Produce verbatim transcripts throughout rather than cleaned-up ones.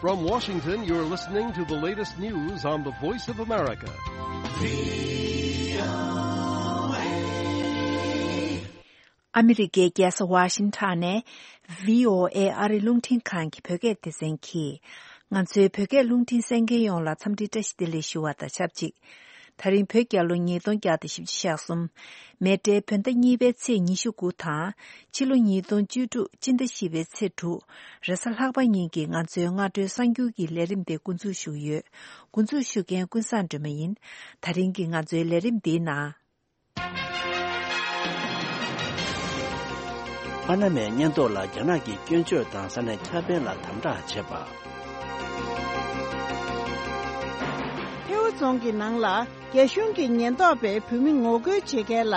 From Washington, you're listening to the latest news on the Voice of America. ཨ་མི་རི་ཀའི་རྒྱལ་ས་ཝ་ཤིང་ཊོན་ནས་བྷི་ཨོ་ཨེ་ཨ་རི་རླུང་འཕྲིན་ཁང་གི་བོད་སྐད་སྡེ་ཚན་གྱིས། ང་ཚོའི་བོད་སྐད་རླུང་འཕྲིན་གསན་མཁན་ཡོངས་ལ་འཚམས་འདྲི་བཀྲ་ཤིས་བདེ་ལེགས་ཞུ་བ་དང་ཆབས་ཅིག་ད་རིང་བོད་རྒྱལ་ལོ་ཉིས་སྟོང་བརྒྱ་དང་བཞི་བཅུ་ཞེ་གསུམ། མེ་སྤྲེལ་བོད་ཟླ་གཉིས་པའི་ཚེས་ཉི་ཤུ་དགུ་དང་། ཕྱི་ལོ་ཉིས་སྟོང་བཅུ་དྲུག་སྤྱི་ཟླ་བཞི་པའི་ཚེས་དྲུག་རེས་གཟའ་ལྷག་པ་ཉིན་གྱི་ང་ཚོའི་སྔ་དྲོའི་གསར་འགྱུར་གྱི་ལས་རིམ་དེ་འགོ་འཛུགས་ཞུ་གི་ཡོད། འགོ་འཛུགས་ཞུ་མཁན་ཀུན་བཟང་སྒྲོལ་མ་ཡིན། ད་རིང་གི་ང་ཚོའི་ལས་རིམ་འདིའི་ནང་། པ་ན་མའི་ཉེན་རྟོག་ལ་རྒྱ་ནག་གིས་སྐྱོན་བརྗོད་དང་ས་གནས་འཁྱག་པན་ལ་དམ་དྲག་བྱས་པ། ཐེའུ་རྫོང་གི་ནང་ལ་རྒྱ་གཞུང་གི་ཉེན་རྟོག་པས་བོད་མི་ངོ་རྒོལ་བྱེད་མཁན་ལ་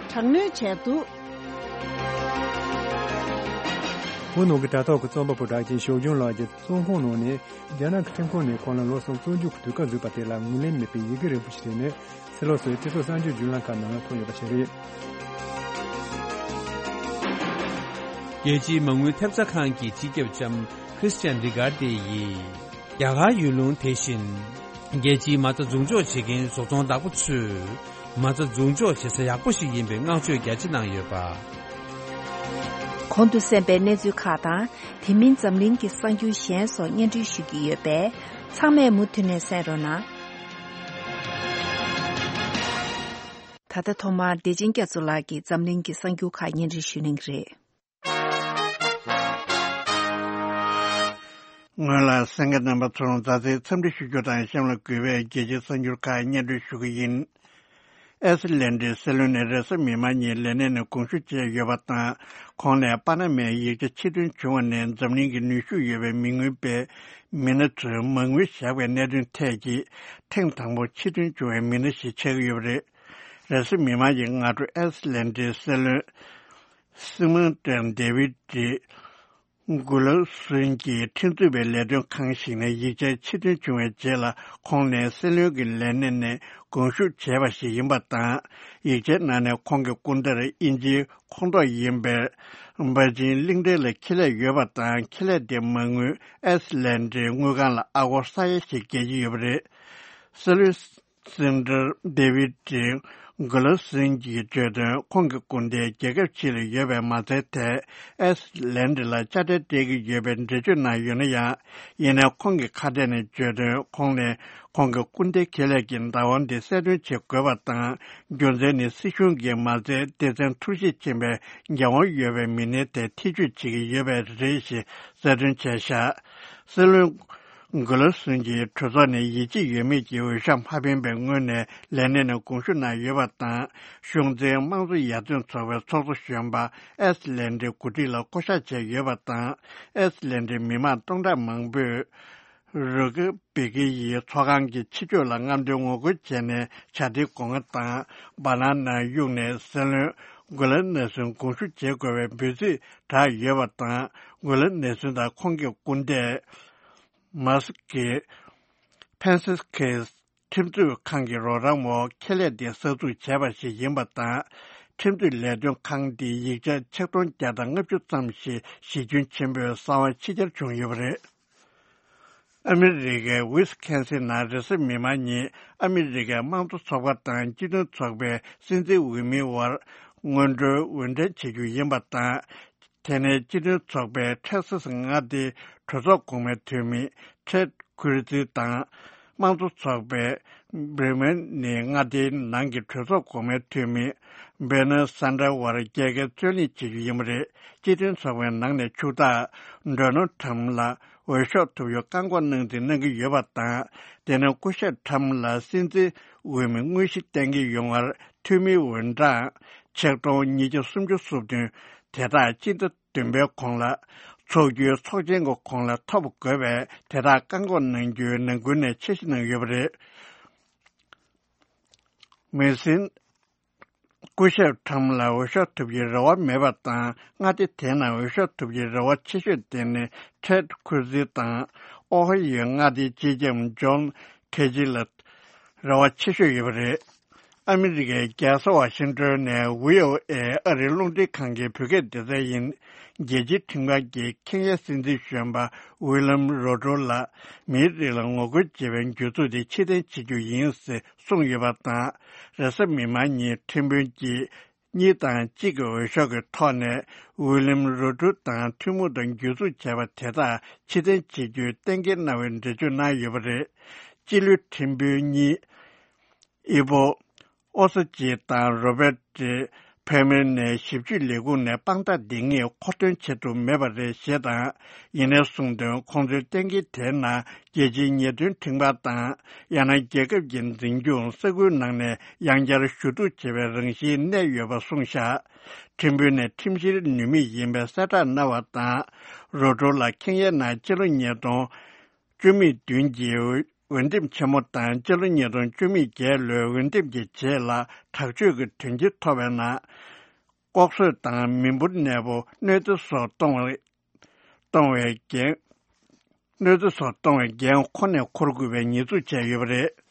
དྲག་གནོན་བྱས་འདུག་བོད་ནང་གི་དྲ་ཐོག་གི་རྩོམ་པ་པོ་གྲགས་ཅན་ཞོགས་ལྗང་ལགས་ཀྱི་རྩོམ་ཁུངས་ནང་ནས། རྒྱ་ནག་གི་ཁྲིམས་ཁང་ནས་ཁོང་ལ་ལོ་གསུམ་བཙོན་འཇུག་གི་དུས་བཀག་འཛུགས་པ་དེ་ལ་ངོས་ལེན་མེད་པའི་ཡི་གེ་རིང་པོ་ཞིག་བྲིས་ནས། ཕྱི་ལོགས་སུ་སྤྱི་ཚོགས་གསར་འགྱུར་བརྒྱུད་ལམ་ཁག་ནང་ལ་ཐོན་ཡོད་པ་ཞིག་རེད། རྒྱལ་སྤྱིའི་མ་དངུལ་ཐེབས་རྩ་ཁང་གི་སྤྱི་ཁྱབ་ལྕམ་Christian Lagarde་ཡིས། རྒྱ་གར་ཡུལ་ལུང་དེ་བཞིན། རྒྱལ་སྤྱིའི་མ་རྩ་འཛུགས་འཇོག་བྱེད་མཁན་བཟོ་ཚོང་བདག་པོ་ཚོས། མ་རྩ་འཛུགས་འཇོག་བྱེད་ས་ཡག་པོ་ཞིག་ཡིན་པའི་བསྔགས་བརྗོད་རྒྱ་ཆེ་གནང་ཡོད་པ། གོང་དུ་གསན་པའི་གནས་ཚུལ་ཁག་དང་། དེ་མིན་འཛམ་གླིང་གི་གསར་འགྱུར་གཞན་སོགས་སྙན་སྒྲོན་ཞུ་གི་ཡོད་པས། ཚང་མས་མུ་མཐུད་ནས་གསན་རོགས་གནང་། ད་ལྟ་ཐོག་མར་བདེ་ཆེན་རྒྱ་མཚོ་ལགས་ཀྱིས་འཛམ་གླིང་གི་གསར་འགྱུར་ཁག་སྙན་སྒྲོན་ཞུ་གནང་གི་རེད། སྔོན་ལ་གསན་མཁན་རྣམ་པ་ཚོར་མཛའ་བརྩེའི་འཚམས་འདྲི་ཞུ་རྒྱུ་དང་། གཤམ་ལ་གུས་པས་རྒྱལ་སྤྱིའི་གསར་འགྱུར་ཁག་སྙན་སྒྲོན་ཞུ་གི་ཡིན། ཨའི་སི་ལན་ཌའི་སྲིད་བློན་ནས་རེས་གཟའ་མིག་དམར་ཉིན་ལས་གནས་ནས་དགོངས་ཞུ་བྱས་ཡོད་པ་དང་། ཁོང་ནས་པ་ན་མའི་ཡིག་ཆ་ཕྱིར་འདོན་བྱུང་བ་ནས་འཛམ་གླིང་གི་ནུས་ཤུགས་ཡོད་པའི་མི་མངོན་པའི་མི་སྣ་ཚོས་མ་དངུལ་བཞག་པའི་གནད་དོན་ཐད་ཀྱི་ཐེངས་དང་པོ་ཕྱིར་འདོན་བྱུང་བའི་མི་སྣ་ཞིག་ཆགས་ཀྱི་ཡོད་པ་རེད། རེས་གཟའ་མིག་དམར་གྱི་སྔ་དྲོ་ཨའི་སི་ལན་ཌའི་སྲིད་བློན་སི་མོན་ཏན་ཌེ་བིད་ཀྱི་གུ་ལོ་སུན་གྱིས་ཁྲིམས་རྩོད་པའི་ལས་དོན་ཁང་ཞིག་ནས་ཡིག་ཆ་ཕྱིར་འདོན་བྱུང་བའི་རྗེས་ལ། ཁོང་ནས་སྲིད་བློན་གྱི་ལས་གནས་ནས་དགོངས་ཞུ་བྱས་པ་ཞིག་ཡིན་པ་དང་། ཡིག་ཆའི་ནང་ནས་ཁོང་གི་སྐུ་འདྲར་དབྱིན་ཇིའི་ཁོངས་གཏོགས་ཡིན་པའི་པེ་ཅིང་གླིང་ཕྲན་ལ་ཁེ་ལས་ཡོད་པ་དང་། ཁེ་ལས་དེ་མ་དངུལ་ཨའི་སི་ལན་ཌའི་དངུལ་ཁང་ལ་ཨ་སྒོར་ས་ཡ་ཞིག་བརྒལ་གྱི་ཡོད་པ་རེད། སྲིད་བློན་སེན་ཏྲར་ཌེ་བིད་ཀྲིན་གྷི་ལོ་སིན་གྱིས་བརྗོད་དོན། ཁོང་གི་སྐུ་ཟླས་རྒྱལ་ཁབ་ཕྱི་ལ་ཡོད་པའི་མ་རྩའི་ཐད་ཨའི་སི་ལན་ཌི་ལ་དཔྱ་ཁྲལ་སྤྲད་ཀྱི་ཡོད་པའི་འགྲེལ་བརྗོད་གནང་ཡོད་ན་ཡང་། ཡིན་ནའི་ཁོང་གིས་ཁ་གཏད་ནས་བརྗོད་དོན། ཁོང་ནས་ཁོང་གི་སྐུ་ཟླའི་ཁེ་ལས་ཀྱི་བདག་དབང་དེ་གསལ་སྟོན་བྱེད་དགོས་པ་དང་། རྒྱུ་མཚན་ནི་སྲིད་གཞུང་གིས་མ་རྩའི་སྡེ་ཚན་འཁྲུག་གཞི་ཕྱིན་པའི་འགན་དབང་ཡོད་པའི་མི་སྣའི་ཐད་ཐེ་བྱུས་བྱེད་ཀྱི་ཡོད་པས་རེད་ཞེས་གསལ་སྟོན་བྱས་བཞག་སྲིད་བློན་གྷི་ལོ་སུན་གྱིས་གྲོས་ཚོགས་ནས་ཡིད་ཆེས་ཡོད་མེད་ཀྱི་འོས་ཤོག་མ་འཕེན་པའི་སྔོན་ནས་ལས་གནས་ནས་དགོངས་ཞུ་གནང་ཡོད་པ་དང་། གཞུང་འཛིན་དམངས་གཙོ་ཡར་ཐོན་ཚོགས་པའི་ཚོགས་གཙོ་གཞོན་པ་ཨེ་སི་ལན་ཌིའི་འགོ་ཁྲིད་ལ་བསྐོ་གཞག་བྱས་ཡོད་པ་དང་། ཨེ་སི་ལན་ཌིའི་མི་མང་སྟོང་ཕྲག་མང་པོས་རུ་ཀེ་བི་ཀེ་ཡི་ཚོགས་ཁང་གི་ཕྱི་ཕྱོགས་ལ་རྔམ་སྟོན་ངོ་རྒོལ་བྱས་ནས་ཇ་དིའི་སྒོ་ང་དང་བ་ནན་ནང་གཡུགས་ནས་སྲིད་བློན་གྷི་ལོ་ནེ་སུན་དགོངས་ཞུ་བྱེད་དགོས་པའི་འབོད་ཚིག་བསྒྲགས་ཡོད་པ་དང་། གྷི་ལོ་ནེ་སུན་དང་ཁོང་གི་སྐུ་ཟླས། མཱ་སི་ཀིས་ཕན་སི་ཁེས་ཁྲིམས་རྩོད་ཁང་གི་རོགས་རམ་འོག་ཁེ་ལས་དེ་གསར་འཛུགས་བྱས་པ་ཞིག་ཡིན་པ་དང་། ཁྲིམས་རྩོད་ལས་དོན་ཁང་དེའི་ཡིག་ཆ་ཆིག་སྟོང་བརྒྱ་དང་ལྔ་བཅུ་ཙམ་ཞིག་གཞི་ཁྱོན་ཆེན་པོས་གསང་བ་ཕྱི་གྱར་བྱུང་ཡོད་པ་རེད། ཨ་མི་རི་ཀའི་ཝིས་ཁན་སིན་ནང་རེས་གཟའ་མིག་དམར་ཉིན་ཨ་མི་རི་ཀའི་དམངས་གཙོ་ཚོགས་པ་དང་སྤྱི་མཐུན་ཚོགས་པའི་སྲིད་འཛིན་འོས་མིའི་དབར་སྔོན་འགྲོའི་འོས་འགྲན་བྱེད་རྒྱུ་ཡིན་པ་དང་། དེ་ནས་སྤྱི་མཐུན་ཚོགས་པའི་ཊེག་སཱས་མངའ་སྡེའི་གྲོས་ཚོགས་གོང་མའི་འཐུས་མི་ཊེཌ་ཁུར་ཛི་དང་། དམངས་གཙོ་ཚོགས་པའི་བྷི་རི་མན་ནི་མངའ་སྡེའི་ནང་གི་གྲོས་ཚོགས་གོང་མའི་འཐུས་མི་བྷེ་ནར་སན་ཌར་དབར་རྒྱལ་ཁའི་རྩོད་གླེང་བྱེད་རྒྱུ་ཡིན་པ་རེད། སྤྱི་མཐུན་ཚོགས་པའི་ནང་ནས་ཕྱུག་བདག་ཌོ་ནལ་ཊམ་ལ་འོས་ཤོག་ཐོབ་རྒྱུར་བཀག་འགོག་གནང་རྩིས་གནང་གི་ཡོད་པ་དང་། དེ་ནས་སྐུ་ཞབས་ཊམ་ལ་སྲིད་འཛིན་འོས་མི་དངོས་གཞི་གཏན་འཁེལ་ཡོང་བར་འཐུས་མིའི་འོས་གྲངས་ཆིག་སྟོང་ཉིས་བརྒྱ་སུམ་ཅུ་སོ་བདུན་དེ་དག་སྤྱི་ཟླ་བདུན་པའི་གོང་ལ་ཚོགས་རྒྱུའི་ཚོགས་ཆེན་གྱི་གོང་ལ་ཐོབ་དགོས་པས། དེ་དག་བཀག་འགོག་གནང་རྒྱུའི་ནང་ཁུལ་ནས་འཆར་གཞི་གནང་ཡོད་པ་རེད། མི་སྲིད་སྐུ་ཞབས་ཊམ་ལ་འོས་ཤོག་ཐོབ་རྒྱུའི་རེ་བ་མེད་པ་དང་། མངའ་སྡེ་དེའི་ནང་འོས་ཤོག་ཐོབ་རྒྱུའི་རེ་བ་ཆེ་ཤོས་དེ་ནི་ཊེཌ་ཁུར་ཛི་དང་ཨོ་ཧ་ཡོའི་མངའ་སྡེའི་སྤྱི་ཁྱབ་ཇོན་ཁེ་ཇི་ལ་རེ་བ་ཆེ་ཤོས་ཡོད་པ་རེད། ཨ་མི་རི་ཀའི་རྒྱལ་ས་ཝ་ཤིང་ཏོན་ནས་བྷི་ཨོ་ཨེ་ཨ་རིའི་རླུང་འཕྲིན་ཁང་གི་བོད་སྐད་སྡེ་ཚན་ཡིན། རྒྱལ་སྤྱིའི་ཁྲིམས་ཁང་གིས་ཁེན་ཡའི་སྲིད་འཛིན་གཞོན་པ་ཝི་ལམ་རོ་ཏྲོ་ལ་མིའི་རིགས་ལ་ངོ་རྒོལ་བྱེད་པའི་འགྱུར་ཚུལ་དེ་ཕྱིར་འཐེན་བྱེད་རྒྱུ་ཡིན་ཞེས་གསུངས་ཡོད་པ་དང་། རེས་གཟའ་མིག་དམར་ཉིན་ཁྲིམས་དཔོན་གྱིས་གཉིས་དང་གཅིག་གི་འོས་ཤོག་གི་ཐོག་ནས་ཝི་ལམ་རོ་ཏྲོ་དང་ཐུན་མོང་དུ་འགྱུར་འཛུགས་བྱས་པ་དེ་དག་ཕྱིར་འཐེན་བྱེད་རྒྱུའི་གཏན་འཁེལ་གནང་བའི་འགྲེལ་བརྗོད་གནང་ཡོད་པ་རེད། སྤྱི་ལོའི་ཁྲིམས་དཔོན་གཉིས། ཨི་བོ། ཨོ་ས་ཅི་དང་རོ་བེ་ཏི་ཕེ་མེ་ནས་ཞིབ་དཔྱོད་ལས་ཁུངས་ནས་དཔང་རྟགས་འདི་གཉིས་མཁོ་འདོན་བྱེད་ཐུབ་མེད་པ་རེད་ཞེས་དང་། ཡིན་ནའི་གསུངས་དོན། ཁོང་ཚོའི་གཏན་འཁེལ་དེའི་ནང་རྒྱལ་སྤྱིའི་ཉེས་དོན་ཁྲིམས་ཁང་དང་། ཡང་ན་རྒྱལ་ཁབ་ཀྱི་འཛིན་སྐྱོང་ས་ཁུལ་ནང་ནས་ཡང་བསྐྱར་ཞུ་གཏུག་བྱེད་པའི་རང་བཞིན་གནས་ཡོད་པ་གསུངས་བཞག་ཁྲིམས་དཔོན་ནས་ཁྲིམས་བཤེར་ནུས་མེད་ཡིན་པའི་གསལ་བསྒྲགས་གནང་བ་དང་། རོ་ཏྲོ་ལ་ཁེན་ཡའི་ནང་སྤྱི་ལོ་ཉིས་སྟོང་བཅུ་མེད་བདུན་གྱི་འོས་འདེམས་ཆེན་མོ་དང་སྤྱི་ལོ་ཉིས་སྟོང་བཅུ་མེད་བརྒྱད་ལོའི་འོས་འདེམས་ཀྱི་རྗེས་ལ་དྲག་སྤྱོད་ཀྱི་དོན་རྐྱེན་ཐོབ་པའི་ནང་། ལྐོག་གསོད་དང་མི་འབོར་གནས་སྤོ་གནོད་འཚེ་སོགས་གཏོང་བའི་གཏོང་བའི་འགན། གནོད་འཚེ་སོགས་གཏོང་བའི་འགན་ཁོ་ནས་འཁུར་དགོས་པའི་ཉེས་འཛུགས་བྱས་ཡོད་པ་རེད།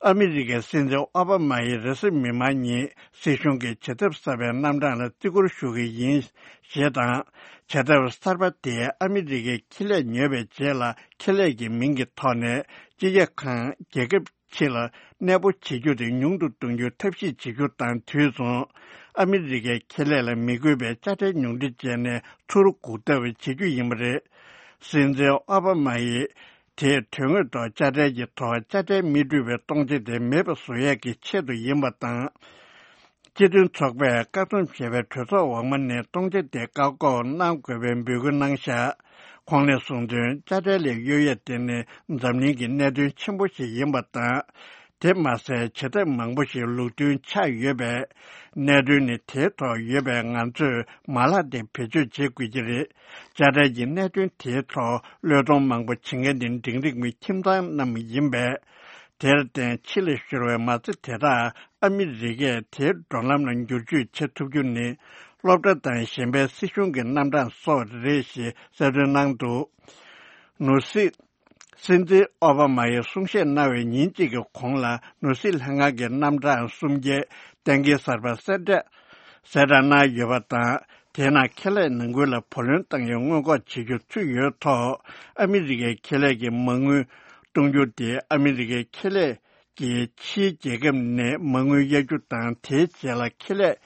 ཨ་མི་རི་ཀའི་སྲིད་འཛིན་ཨོ་བྷ་མ་ཡིས་རེས་གཟའ་མིག་དམར་ཉིན་སྲིད་གཞུང་གི་བྱེད་ཐབས་གསར་པའི་རྣམ་གྲངས་ལ་བརྩི་བཀུར་ཞུ་གི་ཡིན་ཞེས་དང་། བྱེད་ཐབས་གསར་པ་དེས་ཨ་མི་རི་ཀའི་ཁེ་ལས་ཉོས་པའི་རྗེས་ལ་ཁེ་ལས་ཀྱི་མིང་གི་ཐོག་ནས་སྤྱི་ཁྱབ་ཁང་རྒྱལ་ཁབ་ཕྱི་ལ་གནས་སྤོ་བྱེད་རྒྱུ་དེ་ཉུང་དུ་གཏོང་རྒྱུའི་ཐབས་ཤེས་བྱེད་རྒྱུ་དང་དུས་མཚུངས། ཨ་མི་རི་ཀའི་ཁེ་ལས་ལ་མི་དགོས་པའི་དཔྱ་ཁྲལ་ཉུང་འཕྲི་བྱས་ནས་ཚུར་སྒུག་ཐབས་བྱེད་རྒྱུ་ཡིན་པ་རེད། སྲིད་འཛིན་ཨོ་བྷ་མ་ཡིས། དེས་དོན་དངོས་ཐོག་དཔྱ་ཁྲལ་གྱི་ཐོག་དཔྱ་ཁྲལ་མི་སྤྲོད་པའི་གཏོང་བྱེད་དེ་མེད་པ་བཟོ་ཡས་ཀྱི་ཆེད་དུ་ཡིན་པ་དང་། སྤྱི་མཐུན་ཚོགས་པས་བཀག་སྡོམ་བྱས་པའི་གྲོས་ཚོགས་འོག་མ་ནས་གཏོང་བྱེད་དེ་བཀག་འགོག་གནང་དགོས་པའི་འབོད་སྐུལ་གནང་བཞག་ཁོང་ནས་གསུངས་དོན། དཔྱ་ཁྲལ་ལས་གཡོལ་ཡས་དེ་ནི་འཛམ་གླིང་གི་གནད་དོན་ཆེན་པོ་ཞིག་ཡིན་པ་དང་། དེ་མ་ཟད་བྱེད་ཐབས་མང་པོ་ཞིག་ལུགས་མཐུན་ཆགས་ཡོད་པས། གནད་དོན་ནི་དེའི་ཐོག་ཡོད་པས། ང་ཚོས་མ་ལག་དེ་བེད་སྤྱོད་བྱེད་དགོས་ཀྱི་རེད། དཔྱ་ཁྲལ་གྱི་གནད་དོན་དེའི་ཐོག་བློས་གཏོང་མང་པོ་བྱེད་མཁན་ནི་འབྲིང་རིམ་གྱི་ཁྱིམ་ཚང་རྣམས་ཡིན་པས། དེར་བརྟེན་ཕྱི་ལ་ཤོར་བའི་མ་རྩ་དེ་དག་ཨ་མི་རི་ཀས་དེའི་འགྲོ་ལམ་ལ་འགྱུར་བཅོས་བྱེད་ཐུབ་རྒྱུ་ནི་སློབ་གྲྭ་དང་གཞན་པའི་སྲིད་གཞུང་གི་རྣམ་གྲངས་སོགས་རེད་ཞེས་གསལ་སྟོན་གནང་འདུག་ནོར་སྲིད། སྲིད་འཛིན་ཨོ་བྷ་མ་ཡིས་གསུང་བཤད་གནང་བའི་ཉིན་གཅིག་གི་གོང་ལ་ནོར་སྲིད་ལྷན་ཁང་གི་རྣམ་གྲངས་སུམ་བརྒྱའི་གཏན་འཁེལ་གསར་པ་གསལ་བསྒྲགས་གསལ་བསྒྲགས་གནང་ཡོད་པ་དང་། དེའི་ནང་ཁེ་ལས་ནང་ཁུལ་ལ་བུ་ལོན་བཏང་ཡའི་སྔོན་འགོག་བྱེད་རྒྱུ་ཚུད་ཡོད་ཐོག་ཨ་མི་རི་ཀའི་ཁེ་ལས་ཀྱི་མ་དངུལ་གཏོང་རྒྱུ་དེ་ཨ་མི་རི་ཀའི་ཁེ་ལས་ཀྱིས་ཕྱིའི་རྒྱལ་ཁབ་ནས་མ་དངུལ་གཡར་རྒྱུ་དང་། དེའི་རྗེས་ལ་ཁེ་ལས་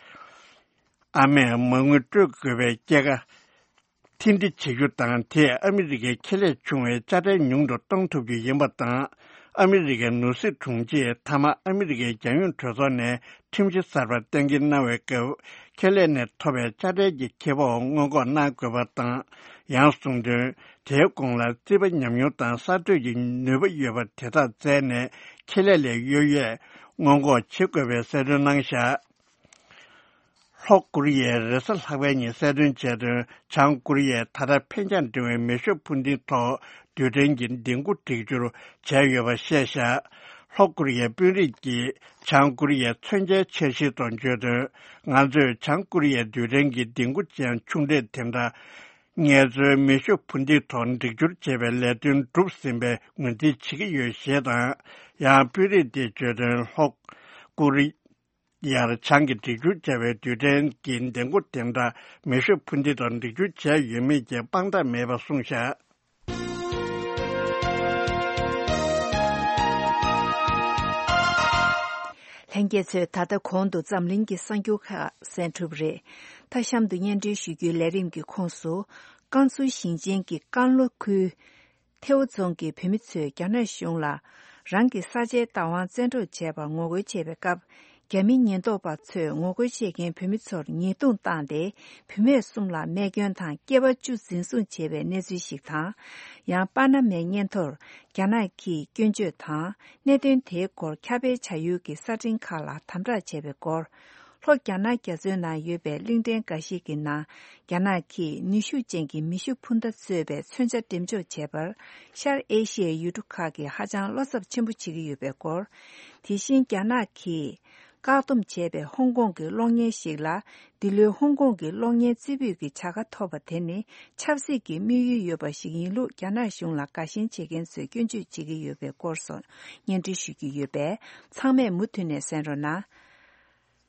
ཨ་མས་མ་དངུལ་སྤྲོད་དགོས་པའི་སྐྱེད་ཀ་མཐུན་སྒྲིལ་བྱེད་རྒྱུ་དང་། དེས་ཨ་མི་རི་ཀའི་ཁེ་ལས་ཆུང་བའི་དཔྱ་ཁྲལ་ཉུང་དུ་གཏོང་ཐུབ་རྒྱུ་ཡིན་པ་དང་། ཨ་མི་རི་ཀའི་ནོར་སྲིད་དྲུང་ཆེས་མཐའ་མ་ཨ་མི་རི་ཀའི་རྒྱལ་ཡོངས་གྲོས་ཚོགས་ནས་ཁྲིམས་གཞི་གསར་པ་གཏན་འཁེལ་གནང་བའི་སྐབས། ཁེ་ལས་ནས་ཐོབ་པའི་དཔྱ་ཁྲལ་གྱི་ཁེ་སྤོགས་སྔོན་འགོག་གནང་དགོས་པ་དང་། ཡང་གསུངས་དོན། དེའི་གོང་ལ་རྩིས་པ་ཉམས་མྱོང་དང་གསར་གཏོད་ཀྱི་ནུས་པ་ཡོད་པ་དེ་དག་བཙལ་ནས་ཁེ་ལས་ལས་གཡོལ་ཡས་སྔོན་འགོག་བྱེད་དགོས་པའི་གསལ་སྟོན་གནང་བཞག་ལྷོ་ཀོ་རི་ཡས་རེས་གཟའ་ལྷག་པའི་ཉིན་གསལ་སྟོན་བྱས་དོན། བྱང་ཀོ་རི་ཡས་ད་ལྟ་འཕེན་རྒྱང་འགྲིམ་པའི་མེ་ཤུགས་འཕུར་མདེལ་ཐོག་རྡུལ་ཕྲན་གྱི་ལྡིང་སྐུ་སྒྲིག་སྦྱོར་བྱས་ཡོད་པ་བཤད་བཞག་ལྷོ་ཀོ་རི་ཡའི་དཔོན་རིགས་ཀྱིས་བྱང་ཀོ་རི་ཡའི་མཚོན་ཆའི་འཆར་གཞིའི་ཐོག་བརྗོད་དོན། ང་ཚོས་བྱང་ཀོ་རི་ཡའི་རྡུལ་ཕྲན་གྱི་ལྡིང་སྐུ་ཅན་ཆུང་གྲས་དེ་འདྲ་ངལ་རྩོལ་མེ་ཤུགས་འཕུར་མདེལ་ཐོག་སྒྲིག་སྦྱོར་བྱེད་པའི་ལས་དོན་གྲུབ་ཟིན་པའི་ངོས་འཛིན་བྱེད་ཀྱི་ཡོད་ཞེས་དང་། ཡང་དཔོན་རིགས་དེས་བརྗོད་དོན། ལྷོ་ཀོ་རི་ཡར་བྱང་གི་སྒྲིག་སྦྱོར་བྱ་བའི་རྡུལ་ཕྲན་གྱི་ལྡིང་སྐུ་དེ་འདྲ་མེ་ཤུགས་འཕུར་མདེལ་དང་སྒྲིག་སྦྱོར་བྱས་ཡོད་མེད་ཀྱི་དཔང་རྟགས་མེད་པ་གསུངས་བཞག་ལྷན་རྒྱས་ཚོས་ད་ལྟ་གོང་དུ་འཛམ་གླིང་གི་གསར་འགྱུར་ཁག་གསན་གྲུབ་རེད། མཐའ་གཤམ་དུ་སྙན་སྒྲོན་ཞུ་རྒྱུའི་ལས་རིམ་གྱི་ཁོངས་སུ། ཀན་སུའུ་ཞིང་ཆེན་གྱི་ཀན་ལྷོ་ཁུལ། ཐེའུ་རྫོང་གི་བོད་མི་ཚོས་རྒྱ་ནག་གཞུང་ལ་རང་གི་ས་ཆའི་བདག་དབང་བཙན་འཕྲོག་བྱས་པར་ངོ་རྒོལ་བྱེད་པའི་སྐབས། རྒྱ་མི་ཉེན་རྟོག་པ་ཚོས་ངོ་རྒོལ་བྱེད་མཁན་བོད་མི་ཚོར་ཉེས་རྡུང་བཏང་སྟེ། བུད་མེད་གསུམ་ལ་རྨས་སྐྱོན་དང་། སྐྱེས་པ་བཅུ་འཛིན་བཟུང་བྱས་པའི་གནས་ཚུལ་ཞིག་དང་། ཡང་པ་ན་མའི་སྙན་ཐོར་རྒྱ་ནག་གིས་སྐྱོན་བརྗོད་དང་། གནད་དོན་དེའི་སྐོར་ཁྱབ་སྤེལ་བྱ་ཡུལ་གྱི་གསར་འཕྲིན་ཁག་ལ་དམ་དྲག་བྱས་པའི་སྐོར། ལྷོ་རྒྱ་ནག་རྒྱ་མཚོའི་ནང་ཡོད་པའི་གླིང་ཕྲན་འགའ་ཞིག་གི་ནང་། རྒྱ་ནག་གིས་ནུས་ཤུགས་ཅན་གྱི་མེ་ཤུགས་འཕུར་མདའ་གཙོས་པའི་མཚོན་ཆ་འགྲེམས་འཇོག་བྱས་པར། ཤར་ཨེ་ཤི་ཡའི་ཡུལ་གྲུ་ཁག་གིས་ཧ་ཅང་བློ་འཚབ་ཆེན་པོ་བྱེད་ཀྱི་ཡོད་པའི་སྐོར། དེ་བཞིན་རྒྱ་ནག་གིས་ བཀག་སྡོམ་བྱས་པའི་ཧོང་ཀོང་གི་གློག་བརྙན་ཞིག་ལ། འདི་ལོའི་ཧོང་ཀོང་གི་གློག་བརྙན་རྩེ་ཕུད་ཀྱི་བྱ་དགའ་ཐོབ་པ་དེ་ནི་ཆབ་སྲིད་ཀྱི་དམིགས་ཡུལ་ཡོད་པ་ཞིག་ཡིན་ལུགས་རྒྱ་ནག་གཞུང་ལ་དགའ་ཞེན་བྱེད་མཁན་ཚོས་སྐྱོན་བརྗོད་བྱེད་ཀྱི་ཡོད་པའི་སྐོར་སོགས་སྙན་སྒྲོན་ཞུ་རྒྱུ་ཡོད་པས། ཚང་མས་མུ་མཐུད་ནས་གསན་རོགས་གནང་།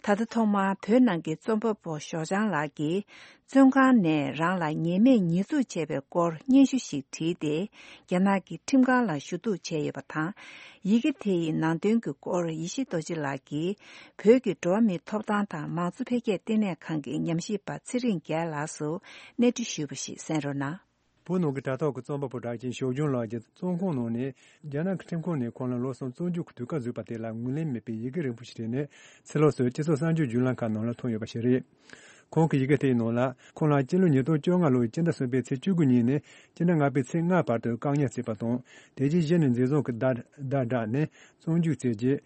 ད་ལྟ་ཐོག་མར་བོད་ནང་གི་རྩོམ་པ་པོ་ཞོགས་ལྗང་ལགས་ཀྱིས། བཙོན་ཁང་ནས་རང་ལ་ཉེས་མེད་ཉེས་འཛུགས་བྱས་པའི་སྐོར་སྙན་ཞུ་ཞིག་བྲིས་ཏེ། རྒྱ་ནག་གི་ཁྲིམས་ཁང་ལ་ཞུ་གཏུག་བྱས་ཡོད་པ་དང་། ཡི་གེ་དེ་ཡི་ནང་དོན་གྱི་སྐོར་ཡེ་ཤེས་རྡོ་རྗེ་ལགས་ཀྱིས། བོད་ཀྱི་འགྲོ་བ་མིའི་ཐོབ་ཐང་དང་མང་གཙོ་འཕེལ་རྒྱས་ལྟེ་གནས་ཁང་གི་ཉམས་ཞིབ་པ་ཚེ་རིང་རྒྱལ་ལགས་སུ་གནས་འདྲི་ཞུས་པ་ཞིག་གསན་རོགས་གནང་། བོད་ནང་གི་དྲ་ཐོག་གི་རྩོམ་པ་པོ་གྲགས་ཅན་ཞོགས་ལྗང་ལགས་ཀྱིས་རྩོམ་ཁང་ནང་ནས་རྒྱ་ནག་གི་ཁྲིམས་ཁང་ནས་ཁོང་ལ་ལོ་གསུམ་བཙོན་འཇུག་གི་དུས་བཀག་བཟོས་པ་དེ་ལ་ངོས་ལེན་མེད་པའི་ཡི་གེ་རིང་པོ་ཞིག་བྲིས་ནས་ཕྱི་ལོགས་སུ་སྤྱི་ཚོགས་གསར་འགྱུར་བརྒྱུད་ལམ་ཁག་ནང་ལ་ཐོན་ཡོད་པ་ཞིག་རེད། ཁོང་གི་ཡི་གེ་དེའི་ནང་ལ། ཁོང་ལ་སྤྱི་ལོ་ཉིས་སྟོང་བཅོ་ལྔ་ལོའི་སྤྱི་ཟླ་གསུམ་པའི་ཚེས་བཅུ་དགུ་ཉིན་ནས་སྤྱི་ཟླ་ལྔ་པའི་ཚེས་ལྔ་བར་དུ་བཀག་ཉར་བྱས་པ་དང་། དེ་རྗེས་གཞི་ནས་འཛིན་བཟུང་གི་བརྡ་བརྡ་བསྒྲགས་ནས་བཙོན་འཇུག་བྱས་རྗེས།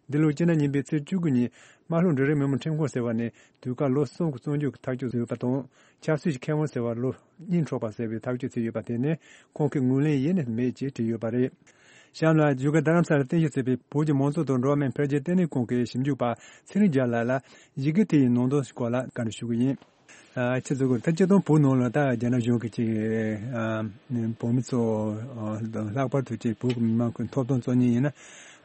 འདི་ལོའི་སྤྱི་ཟླ་གཉིས་པའི་ཚེས་བཅུ་དགུ་ཉིན། དམར་ཤོག་འབྲུག་རིགས་མི་དམངས་ཁྲིམས་ཁང་ཟེར་བ་ནས་དུས་བཀག་ལོ་གསུམ་གྱི་བཙོན་འཇུག་གི་ཐག་གཅོད་བཟོས་པ་དང་། ཆབ་སྲིད་ཀྱི་ཁེ་དབང་ཟེར་བ་ལོ་གཉིས་འཕྲོག་པ་ཟེར་བའི་ཐག་གཅོད་བྱས་ཡོད་པ་དེ་ནི་ཁོང་གིས་ངོས་ལེན་ཡེ་ནས་མེད་ཅེས་བྲིས་ཡོད་པ་རེད། གཤམ་ལ་བཞུགས་སྒར་རྡ་རམ་ས་ལར་རྟེན་གཞི་བྱས་པའི་བོད་ཀྱི་མང་གཙོ་དང་འགྲོ་བ་མིའི་འཕེལ་རྒྱས་ལྟེ་གནས་ཁང་གི་ཞིབ་འཇུག་པ་ཚེ་རིང་རྒྱལ་ལགས་ལ་ཡི་གེ་དེ་ཡི་ནང་དོན་སྐོར་ལ་བཀའ་འདྲི་ཞུ་གི་ཡིན། ཨ། ཁྱེད་ཚོ་གི་ད་སྤྱིར་བཏང་བོད་ནང་ལ་ད་རྒྱ་ནག་གཞུང་གིས་ཅིག་ཨ། བོད་མི་ཚོ་ཨ། ལྷག་པར་དུ་ཅིག་བོད་ཀྱི་མི་མང་གི་ཐོབ་ཐང་རྩོད་མཁན་ཡིན་ན་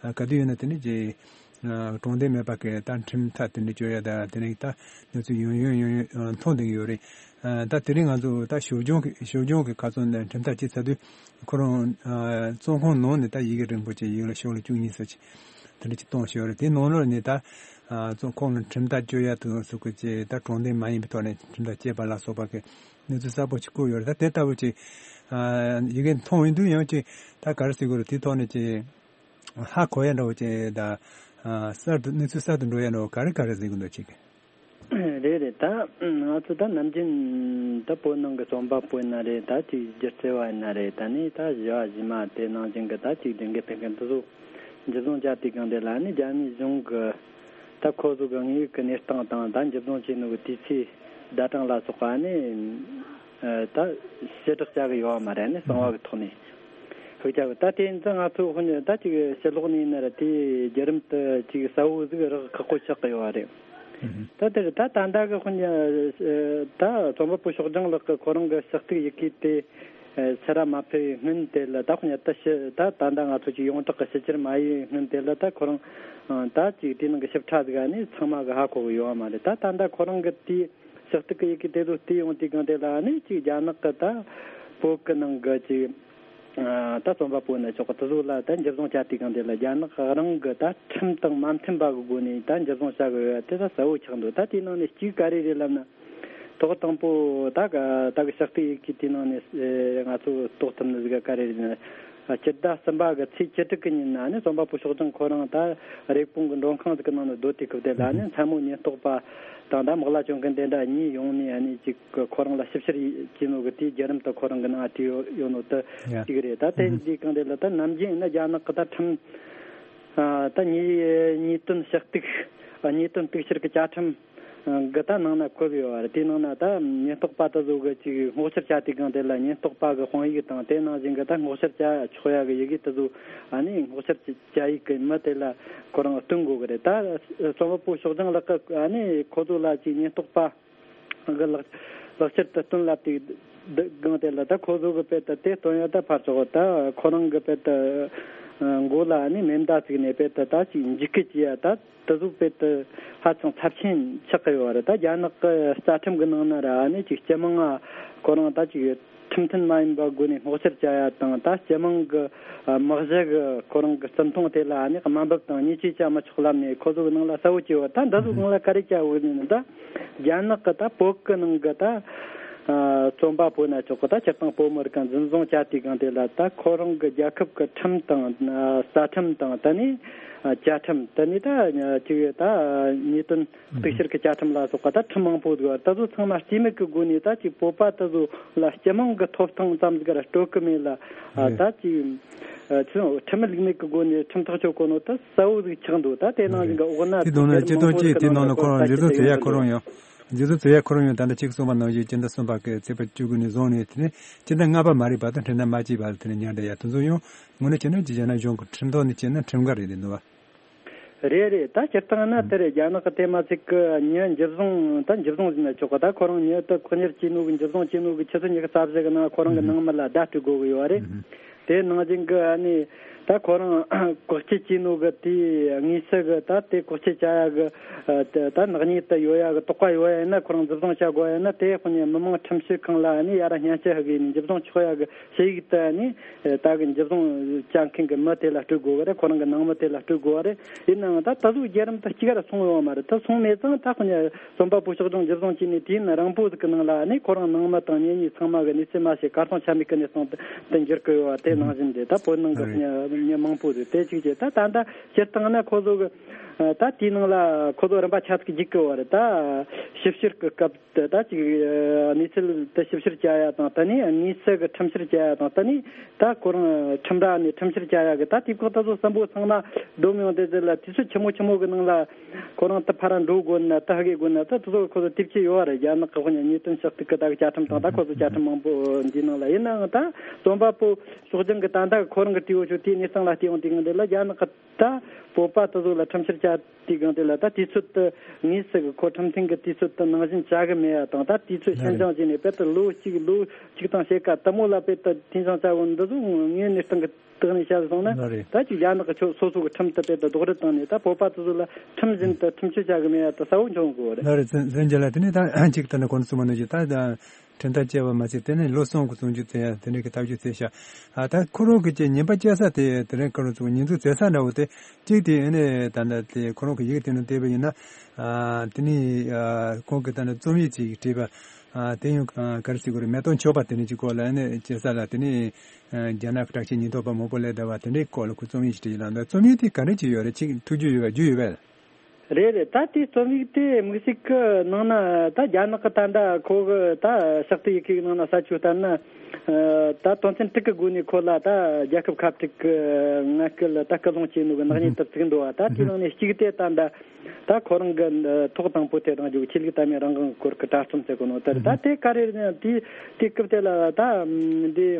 ཨ། ག་དུས་ཡིན་ན་དེ་ནི་ཅིག་ཨ། དྲང་བདེན་མེད་པ་གི་ད་ཁྲིམས་ཐག་དེ་འདྲ་གཅོད་ཡ་ད་དེ་ནི་ད་གནས་ཚུལ་ཡང་ཡང་ཡང་ཡང་མཐོང་བསྡད་ཀྱི་ཡོད་རེད། ཨ། ད་དེ་རིང་ང་ཚོ་ད་ཞོགས་ལྗང་གི་ཞོགས་ལྗང་གི་ཁ་སང་ནས་ཁྲིམས་ཐག་བཅད་ཚར་དུས་ཁོ་རང་ཨ། བཙོན་ཁང་ནང་ནས་ད་ཡི་གེ་རིང་པོ་ཅིག་ཡིག་ལ་ཤོག་ལ་བཅུ་གཉིས་ཙམ་ཅིག་དེ་འདྲ་ཅིག་བཏང་ཞོར་རེད། དེ་ནང་ལོགས་ནས་ད་ཨ། ཚོ་ཁོང་ལ་ཁྲིམས་ཐག་གཅོད་ཡ་དུ་སོགས་ཀྱི་ཅིག་ད་དྲང་བདེན་མ་ཡིན་པའི་ཐོག་ནས་ཁྲིམས་ཐག་བཅད་པ་ལ་སོགས་པ་གི་གནས་ཚུལ་གསལ་པོ་ཅིག་བཀོད་ཡོད་རེད། ད་དེ་ལྟ་བུ་ཅིག་ཨ། ཡི་གེ་མཐོང་ཡོང་དུས་ཡང་ཅིག་ད་ག་རེ་ཟེར་དགོས་རེད། དེའི་ཐོག་ནས་ཅིག་ཧ་གོ་ཡ་འདྲ་བོ་ཅིག་ད་ཨ། གསར་དུ་གནས་ཚུལ་གསར་དུ་འགྲོ་ཡ་འདྲ་བོ་ག་རེ་ག་རེ་ཟེར་གི་འདུག་ཅིག་རེད་རེད། ད་ང་ཚོ་ད་ནམ་རྒྱུན་ད་བོད་ནང་གི་རྩོམ་པ་པོ་ཡིན་ན་རེད། ད་ཅིག་སྒྱུ་རྩལ་བ་ཡིན་ན་རེད། ད་ནི་ད་བཞི་བ་བཞི་མ་དེ་ནང་བཞིན་གི་ད་ཅིག་སྒྲིག་འགལ་ཕེབས་མཁན་དེ་ཚོ་འཇུ་བཟུང་བྱ་དུས་སྒང་དེ་ལ་ནི་རྒྱ་མིའི་གཞུང་གི་ད་ཁོ་ཚོ་གི་དངོས་ཡོད་ཀྱི་གནས་སྟངས་དང་ད་འཇུ་བཟུང་བྱས་ནོ་གི་དུས་ཚེས་ཟླ་གྲངས་ལ་སོགས་པ་ནི་ད་ཕྱིར་བསྒྲགས་བྱ་གི་ཡོད་བ་མ་རེད། ནི་གསང་བ་གི་ཐོག་ནས་ཧུག་ཅག་གི་ད་དེ་ཡིན་ཙང་ང་ཚོ་དཔོན་ད་ཅིག་ཕྱི་ལོགས་ནས་ཡིན་ན་ར་དེ་བརྒྱུད་རིམ་དུ་ཅིག་གསལ་བོ་ཟིག་རག་ཁག་པོ་ཆགས་གི་ཡོད་རེད། ད་དེར་ད་ད་ལྟ་གི་དཔོན་ད་རྩོམ་པ་པོ་ཕྱོགས་སྦྱང་ལགས་ཀྱི་ཁོ་རང་གི་ཕྱག་ཐིག་ཡི་གེ་དེ་ཕྱིར་ར་མ་ཕེབས་པའི་སྔོན་དེ་ལ་ད་དཔོན་ད་ཕྱི་ད་ད་ལྟ་ང་ཚོ་ཅིག་ཡོངས་གྲགས་ཀྱི་ཕྱི་ཕྱིར་མ་ཡིན་སྔོན་དེ་ལ་ད་ཁོ་རང་ད་ཅིག་དེ་ནང་གི་ཞིབ་ཕྲ་ཟིག་ཨ་ནི་ཚང་མ་གི་ཧ་གོ་གི་ཡོད་བ་མ་རེད། ད་ད་ལྟ་ཁོ་རང་གི་དེའི་ཕྱག་ཐིག་གི་ཡི་གེ་དེ་ཚོ་བལྟས་ཡོང་དུས་སྒང་དེ་ལ་ནི་ཅིག་རྒྱ་ནག་གི་ད་བོད་གི་ནང་གི་ཅིག་ཨ་ད་རྩོམ་པ་པོ་ནི་ཆོག་གི་དེ་ཚོ་ལ་ད་འཇུ་བཟུང་བྱ་དུས་སྒང་དེ་ལ་རྒྱ་ནག་རང་གི་ད་ཁྲིམས་དང་མ་མཐུན་པ་གི་སྒོ་ནས་ད་འཇུ་བཟུང་བྱ་གི་ཡོད་དེ་ད་གསལ་བོ་ཆགས་འདུག་ད་དེའི་ནང་ནས་གཅིག་ག་རེ་རེད་ལབ་ན། ཐོག་དང་པོ་ད་ག་ད་གི་ཕྱག་ཐིག་ཡི་གེ་དེའི་ནང་ནས་ཨེ་ང་ཚོ་རྟོགས་ཐུབ་ནི་ཟིག་ག་རེ་རེད་ན། སྤྱི་ཟླ་གསུམ་པ་གི་ཚེས་བཅུ་དྲུག་གི་ཉིན་ན་ནི་རྩོམ་པ་པོ་ཕྱོགས་སྦྱང་ཁོ་རང་ད་རེབ་གོང་གི་མགྲོན་ཁང་ཟིག་གི་ནང་ནས་སྡོད་དུས་སྐབས་དེ་ལ་ནི་མཚན་མོ་ཉེན་རྟོག་པ་དང་ད་དམག་ལྭ་གྱོན་མཁན་དེ་འདྲ་གཉིས་ཡོང་ནས་ཨ་ནི་ཅིག་ཁོ་རང་ལ་ཞིབ་བཤེར་བྱས་ནོ་གི་དེའི་བརྒྱུད་རིམ་དུ་ཁོ་རང་གི་ནང་བྲིས་ཡོད་ཡོད་ནོ་དེ་གཅིག་རེད། ད་དེ་འདིའི་སྒང་དེ་ལ་ད་ནམ་རྒྱུན་ཡིན་ན་རྒྱ་ནག་གི་ད་ཁྲིམས་ཨ་ད་ཉེས་ཉེས་དོན་ཞུ་གཏུག་ཨ་ཉེས་དོན་གཏུག་བཤེར་གི་བཅའ་ཁྲིམས་གི་ད་ནང་ན་འཁོད་ཡོད་རེད། དེའི་ནང་ན་ད་ཉེན་རྟོག་པ་དེ་ཚོ་གི་ཅིག་སྔོག་བཤེར་བྱ་དུས་སྒང་དེ་ལ་ཉེན་རྟོག་པ་གི་དཔང་ཡིག་དང་དེ་ནང་བཞིན་གི་ད་སྔོག་བཤེར་བྱ་ཆོག་ཡ་གི་ཡི་གེ་དེ་ཚོ་ཨ་ནི་སྔོག་བཤེར་བྱ་ཡིག་གི་མི་དེ་ལ་ཁོ་རང་སྟོན་དགོས་གི་རེད། ད་རྩོམ་པ་པོ་ཕྱོགས་སྦྱང་ལགས་ཀྱི་ཨ་ནི་ཁོ་ཚོ་ལ་ཅིག་ཉེན་རྟོག་པ་གི་ལག་ལག་ཁྱེར་དེ་སྟོན་ལབ་དུས་སྒང་དེ་ལ་ད་ཁོ་ཚོ་གི་དཔེ་ད་དེ་སྟོན་ཡ་ད་ཕར་ཆོག་ད་ཁོ་རང་གི་དཔེ་ད་མགོ་ལ་ཨ་ནི་མེ་མདའ་བཙུགས་ནས་དཔེ་ད་ད་ཅིག་འཇིགས་སྐུལ་བྱེད་ཡ་ད། དེ་ཚོ་དཔེ་དེ་ཧ་ཅང་ཚབས་ཆེན་ཆགས་ཀྱི་ཡོད་རེད། ད་རྒྱ་ནག་གི་རྩ་ཁྲིམས་ཀྱི་ནང་ན་ར་ཨ་ནི་ཅིག་སྤྱི་དམངས་ཨ་ཁོ་རང་ད་ཅིག་ཁྲིམས་མཐུན་མ་ཡིན་པ་སྒོ་ནས་སྔོག་བཤེར་བྱ་ཡ་དང་ད་སྤྱི་དམངས་ཀྱི་ཨ་དམག་གཞི་གི་ཁོ་རང་གི་བརྩི་མཐོང་དེ་ལ་ཨ་ནི་དམའ་འབེབས་དང་བརྙས་བཅོས་བྱ་མི་ཆོག་ལབ་ནས་ཁོ་ཚོ་གི་ནང་ལ་གསལ་བོ་བྲིས་ཡོད། ད་འདི་ཚོ་སྒང་ལ་ག་རེ་བྱ་དགོས་ནི་ད་རྒྱ་ནག་གི་ད་བོད་གི་ནང་གི་ད་ཨ་རྩོམ་པ་པོ་ན་ཆོག་གི་ད་སྤྱིར་བཏང་བོད་མི་རིགས་ཀྱང་འཛིན་བཟུང་བྱ་དུས་སྒང་དེ་ལ་ད་ཁོ་རང་གི་རྒྱལ་ཁབ་ཀྱི་ཁྲིམས་དང་ཨ་རྩ་ཁྲིམས་དང་ད་ནི་ཨ་བཅའ་ཁྲིམས་ད་ནི་ད་ཅིག་ད་ཉེས་དོན་གཏུག་བཤེར་གྱི་བཅའ་ཁྲིམས་ལ་སོགས་པ་ད་ཁྲིམས་མང་པོ་འདུག་ད་ཚོ་ཚང་མ་རྩིས་མེད་ཀྱི་སྒོ་ནས་ད་ཅིག་བོད་པ་ད་ཚོ་ལ་སྤྱི་དམངས་ཀྱི་ཐོབ་ཐང་ཙམ་ཟིག་ར་སྤྲོད་ཀྱི་མེད་ལ་ཨ་ད་ཅིག་ཨ་ཁྲིམས་ལུགས་མེད་ཀྱི་སྒོ་ནས་ཁྲིམས་ཐག་གཅོད་གོ་ནོ་ད་གསལ་བོ་ཟིག་ཆགས་འདུག་ད་དེ་ནང་བཞིན་གྱི་འོག་ན་དེ་དང་ན་སྤྱི་དོན་གཅིག་དེ་ནང་ལ་ཁོ་རང་རྗེ་བཙུན་ཚེ་ཡ་ཁོ་རང་ཡང་། རྗེ་བཙུན་ཚེ་ཡ་ཁོ་རང་ཡང་ད་ལྟ་ཅིག་གསུངས་པ་ནང་བཞིན་སྤྱི་ཟླ་གསུམ་པ་གི་ཚེས་པ་བཅུ་དགུ་ནས་བཟུང་ནས་དེ་ནས་སྤྱི་ཟླ་ལྔ་པ་མ་རེད་བར་དུ་ཁྲིམས་ཐག་མ་བཅད་བར་དུ་དེ་ནས་ཉར་བསྡད་ཡ་དེ་ཚོ་ཡང་དངོས་གནས་བྱས་ན་ཅིག་བྱས་ན་གཞུང་གི་ཁྲིམས་ཐོག་ནས་བྱས་ན་ཁྲིམས་འགལ་རེད་འདུག་བ། རེད་རེད། ད་སྤྱིར་བཏང་ན་དེ་རེད། རྒྱ་ནག་གི་དེ་མ་ཚིག་གི་མྱི་འཇུ་བཟུང་། ད་འཇུ་བཟུང་ཟེར་ན་ཆོག་གི། ད་ཁོ་རང་མྱི་དེ་བཀག་ཉར་བྱས་ནོ་གི་འཇུ་བཟུང་བྱས་ནོ་གི་ཆུ་ཚོད་ཉི་ཤུ་རྩ་བཞི་གི་ནང་ཁོ་རང་གི་ནང་མི་ལ་བརྡ་སྤྲོད་དགོས་གི་ཡོད་རེད། དེ་ནང་བཞིན་གི་ཨ་ནི་ད་ཁོ་རང་བཀག་སྐྱིལ་བྱས་ནོ་གི་དེའི་དངོས་སུ་གི་ད་དེ་བཀག་སྐྱིལ་བྱ་ཡ་གི་ད་ནག་ཉེས་དེ་ཡོད་ཡ་གི་དོགས་པ་ཡོད་ཡ་ཡིན་ན། ཁོ་རང་འཇུ་བཟུང་བྱ་དགོས་ཡ་ཡིན་ན། དེ་ཁོ་ནས་མི་དམངས་ཁྲིམས་ཞིབ་ཁང་ལ་ཨ་ནི་ཡར་སྙན་ཞུ་ཕུལ་གི་ཡིན། འཇུ་བཟུང་ཆོག་ཡ་གི་ཞུ་ཡིག་དེ་ཨ་ནི་ད་གི་འཇུ་བཟུང་བྱ་མཁན་གི་མི་དེ་ལ་སྤྲོད་དགོས་གི་རེད། ཁོ་རང་གི་ནང་མི་དེ་ལ་སྤྲོད་དགོས་གི་རེད། ཡིན་ནའང་ད་ད་གཟོད་བརྒྱུད་རིམ་དེ་གཅིག་ར་སོང་ཡོད་མ་རེད། ད་སོང་མེད་ཙང་ད་ཁོ་ནས་རྩོམ་པ་པོ་ཕྱོགས་སྒྲིག་འཇུ་བཟུང་བྱས་ནས་དུས་ཡུན་རིང་པོ་ཟིག་གི་ནང་ལ་ཨ་ནི་ཁོ་རང་ནང་མི་དང་གཉེན་ཉེ་ཚང་མ་གི་གནས་ཚུལ་མ་ཤེས། གར་སོང་ཆ་མེད་གི་གནས་སྟངས་དེ་འགྱུར་གི་ཡོད་པ་དེ་ནང་བཞིན་རེད། ད་བོད་ནང་གི་མྱི་མང་པོ་ཟིག་དེ་གཅིག་བྱས། ད་ད་ལྟ་སྤྱིར་བཏང་ན་ཁོ་ཚོ་གི་ད་དེའི་ནང་ལ་ཁོ་ཚོ་རིམ་པ་ཆ་ཚིག་བརྒྱུད་གི་ཡོད་རེད། ད་ཞིབ་བཤེར་གི་སྐབས་དེ་ད་ཅིག་གནས་ཚུལ་དེ་ཞིབ་བཤེར་བྱ་ཡ་དང་། ད་ནི་དངོས་སུ་གི་ཁྲིམས་བཤེར་བྱ་ཡ་དང་། ད་ནི་ད་ཁོ་རང་ཁྲིམས་ར་ནས་ཁྲིམས་བཤེར་བྱ་ཡ་གི་ད་དུས་བཀག་དེ་ཚོ་གསུམ་པོ་ཚང་མ་བསྡོམས་ཡོང་དུས་དེ་ལ་དུས་ཚོད་ཆི་མོ་ཆི་མོ་གི་ནང་ལ་ཁོ་རང་དེ་ཕར་འགྲོ་དགོས་ན། ད་ཧ་གོ་དགོས་ན། ད་དེ་ཚོ་ཁོ་ཚོ་དེབ་ཆེ་ཡོད་རེད། རྒྱ་ནག་གི་དཔོན་ཉིད་དོན་ཕྱག་ཐིག་གི་ད་གི་བཅའ་ཁྲིམས་དང་། ད་ཁོ་ཚོ་བཅའ་ཁྲིམས་མང་པོ་འདིའི་ནང་ལ། ཡིན་ནའང་ད་རྩོམ་པ་པོ་ཕྱོགས་སྒྲིག་གི་ད་ད་ཁོ་རང་གི་དྲི་བ་ཆོ་དེའི་གནས་སྟངས་ལ་བལྟས་ཡོང་དུས་གང་དེ་ལ་རྒྱ་ནག་གི་ད་བོད་པ་དེ་ཚོ་ལ་ཁྲིམས་བཤེར་བྱ་དུས་གང་དེ་ལ་ད་དུས་ཚོད་དེ་དངོས་སུ་གི་ཁོ་ཁྲིམས་མཐུན་གི་དུས་ཚོད་དེ་ནང་བཞིན་བྱ་གི་མེད་ཡ་དང་། ད་དུས་ཚོད་ལྷན་སྦྱོང་བྱས་ནས་དཔེ་ད་ལོ་གཅིག་ལོ་གཅིག་དང་ཕྱེད་ཀ་དེ་མོ་ལ་དཔེ་ད་འཐུས་ཚང་བྱ་དགོས་འདི་ཚོ་ངའི་གནས་སྟངས་གི་སྟེང་ནས་བཤད་སོང་ན། ད་ཅིག་རྒྱ་ནག་གི་ཆོ་སོ་སོ་གི་ཁྲིམས་དེ་དཔེ་ད་རྡོག་རོལ་བཏང་ནས་ད་བོད་པ་དེ་ཚོ་ལ་ཁྲིམས་བཞིན་དུ་ཁྲིམས་གཅོད་བྱ་གི་མེད་ཡ་དེ་གསལ་བོ་འཆར་གི་ཡོད་རེད། ལགས་རེད། ཙན་ཙན་རྒྱལ་ལགས། དེ་ནས་ད་ཅིག་ད་ནི་གོང་དུ་གསུངས་པ་ནང་བཞིན་ད་ཁྲིམས་ཐག་བཅད་པ་མ་ཟད་དེ་ནས་ལོ་གསུམ་གི་བཙོན་འཇུག་བྱས་ཡ་དེ་འདྲའི་གི་ཐག་གཅོད་བྱས་ཤག་ཨ། ད་ཁོ་རང་གི་ཅིག་ཉན་པ་བཅད་ས་དེ་དེ་རིང་ཁོ་རང་ཚོ་ཉེས་འཛུགས་བྱེད་ས་འདྲ་བོ་དེ་གཅིག་དེ་ཨ་ནི་ད་ལྟ་དེ་ཁོ་རང་གི་ཡིག་དེ་ནང་བལྟས་པ་ཡིན་ན། ཨ། དེ་ནས་ཨ་ཁོང་གི་ད་ནི་རྩོམ་ཡིག་ཅིག་བྲིས་པ། ཨ། དེ་ཡང་ག་རེ་ཟེར་དགོས་རེད། མེ་ཏོག་མཆོད་པ་དེ་འདྲ་ཅིག་སྐོར་ལ་ཨ་ནི་བྱེད་ས་ལ། དེ་ནས་ཨ་རྒྱ་ནག་གི་དྲག་ཆས་ཉེན་རྟོག་པ་མང་པོ་སླེབས་བསྡད་པ་དེ་འདྲའི་སྐོར་ལ་ཁོས་རྩོམ་ཡིག་ཅིག་བྲིས་ཡོད་ལ། ད་རྩོམ་ཡིག་དེ་ག་འདྲ་ཅིག་ཡོད་རེད། ཅིག་འཁྲུག་རྒྱུ་ཡོད་པ་རྒྱུ་ཡོད་པས། རེད་རེད། ད་དེའི་རྩོམ་ཡིག་དེ་དམིགས་བསལ་གྱི་ནང་ན་ད་རྒྱ་ནག་གི་ད་ལྟ་ཁོ་གི་ད་ཕྱག་དེབ་ཡི་གེ་གི་ནང་ན་གསལ་ཆོས་ལྟར་ན། ཨ། ད་དོན་ཚན་དྲུག་གི་སྒོ་ནས་ཁོ་ལ་ད་རྒྱལ་ཁབ་ཁ་བྲལ་གི་ངན་སྐུལ་ད་སྐུལ་སློང་བྱས་ནོ་གི་ནག་ཉེས་དེ་བཙུགས་འདུག་བ། ད་དེའི་ནང་ནས་གཅིག་དེ་ད་ད་ད་ཁོ་རང་གི་ཐོག་དང་པོ་དེ་རང་རྒྱུ་ཆོས་ལུགས་དད་མོས་རང་དབང་གི་སྐོར་གྱི་གྲྭ་རྩོམ་ཟེར་གོ་ནོ་དེ་རེད། ད་དེ་ག་རེ་རེད་ན། དེ་དེ་སྐབས་དེ་ལ་ད་འདི།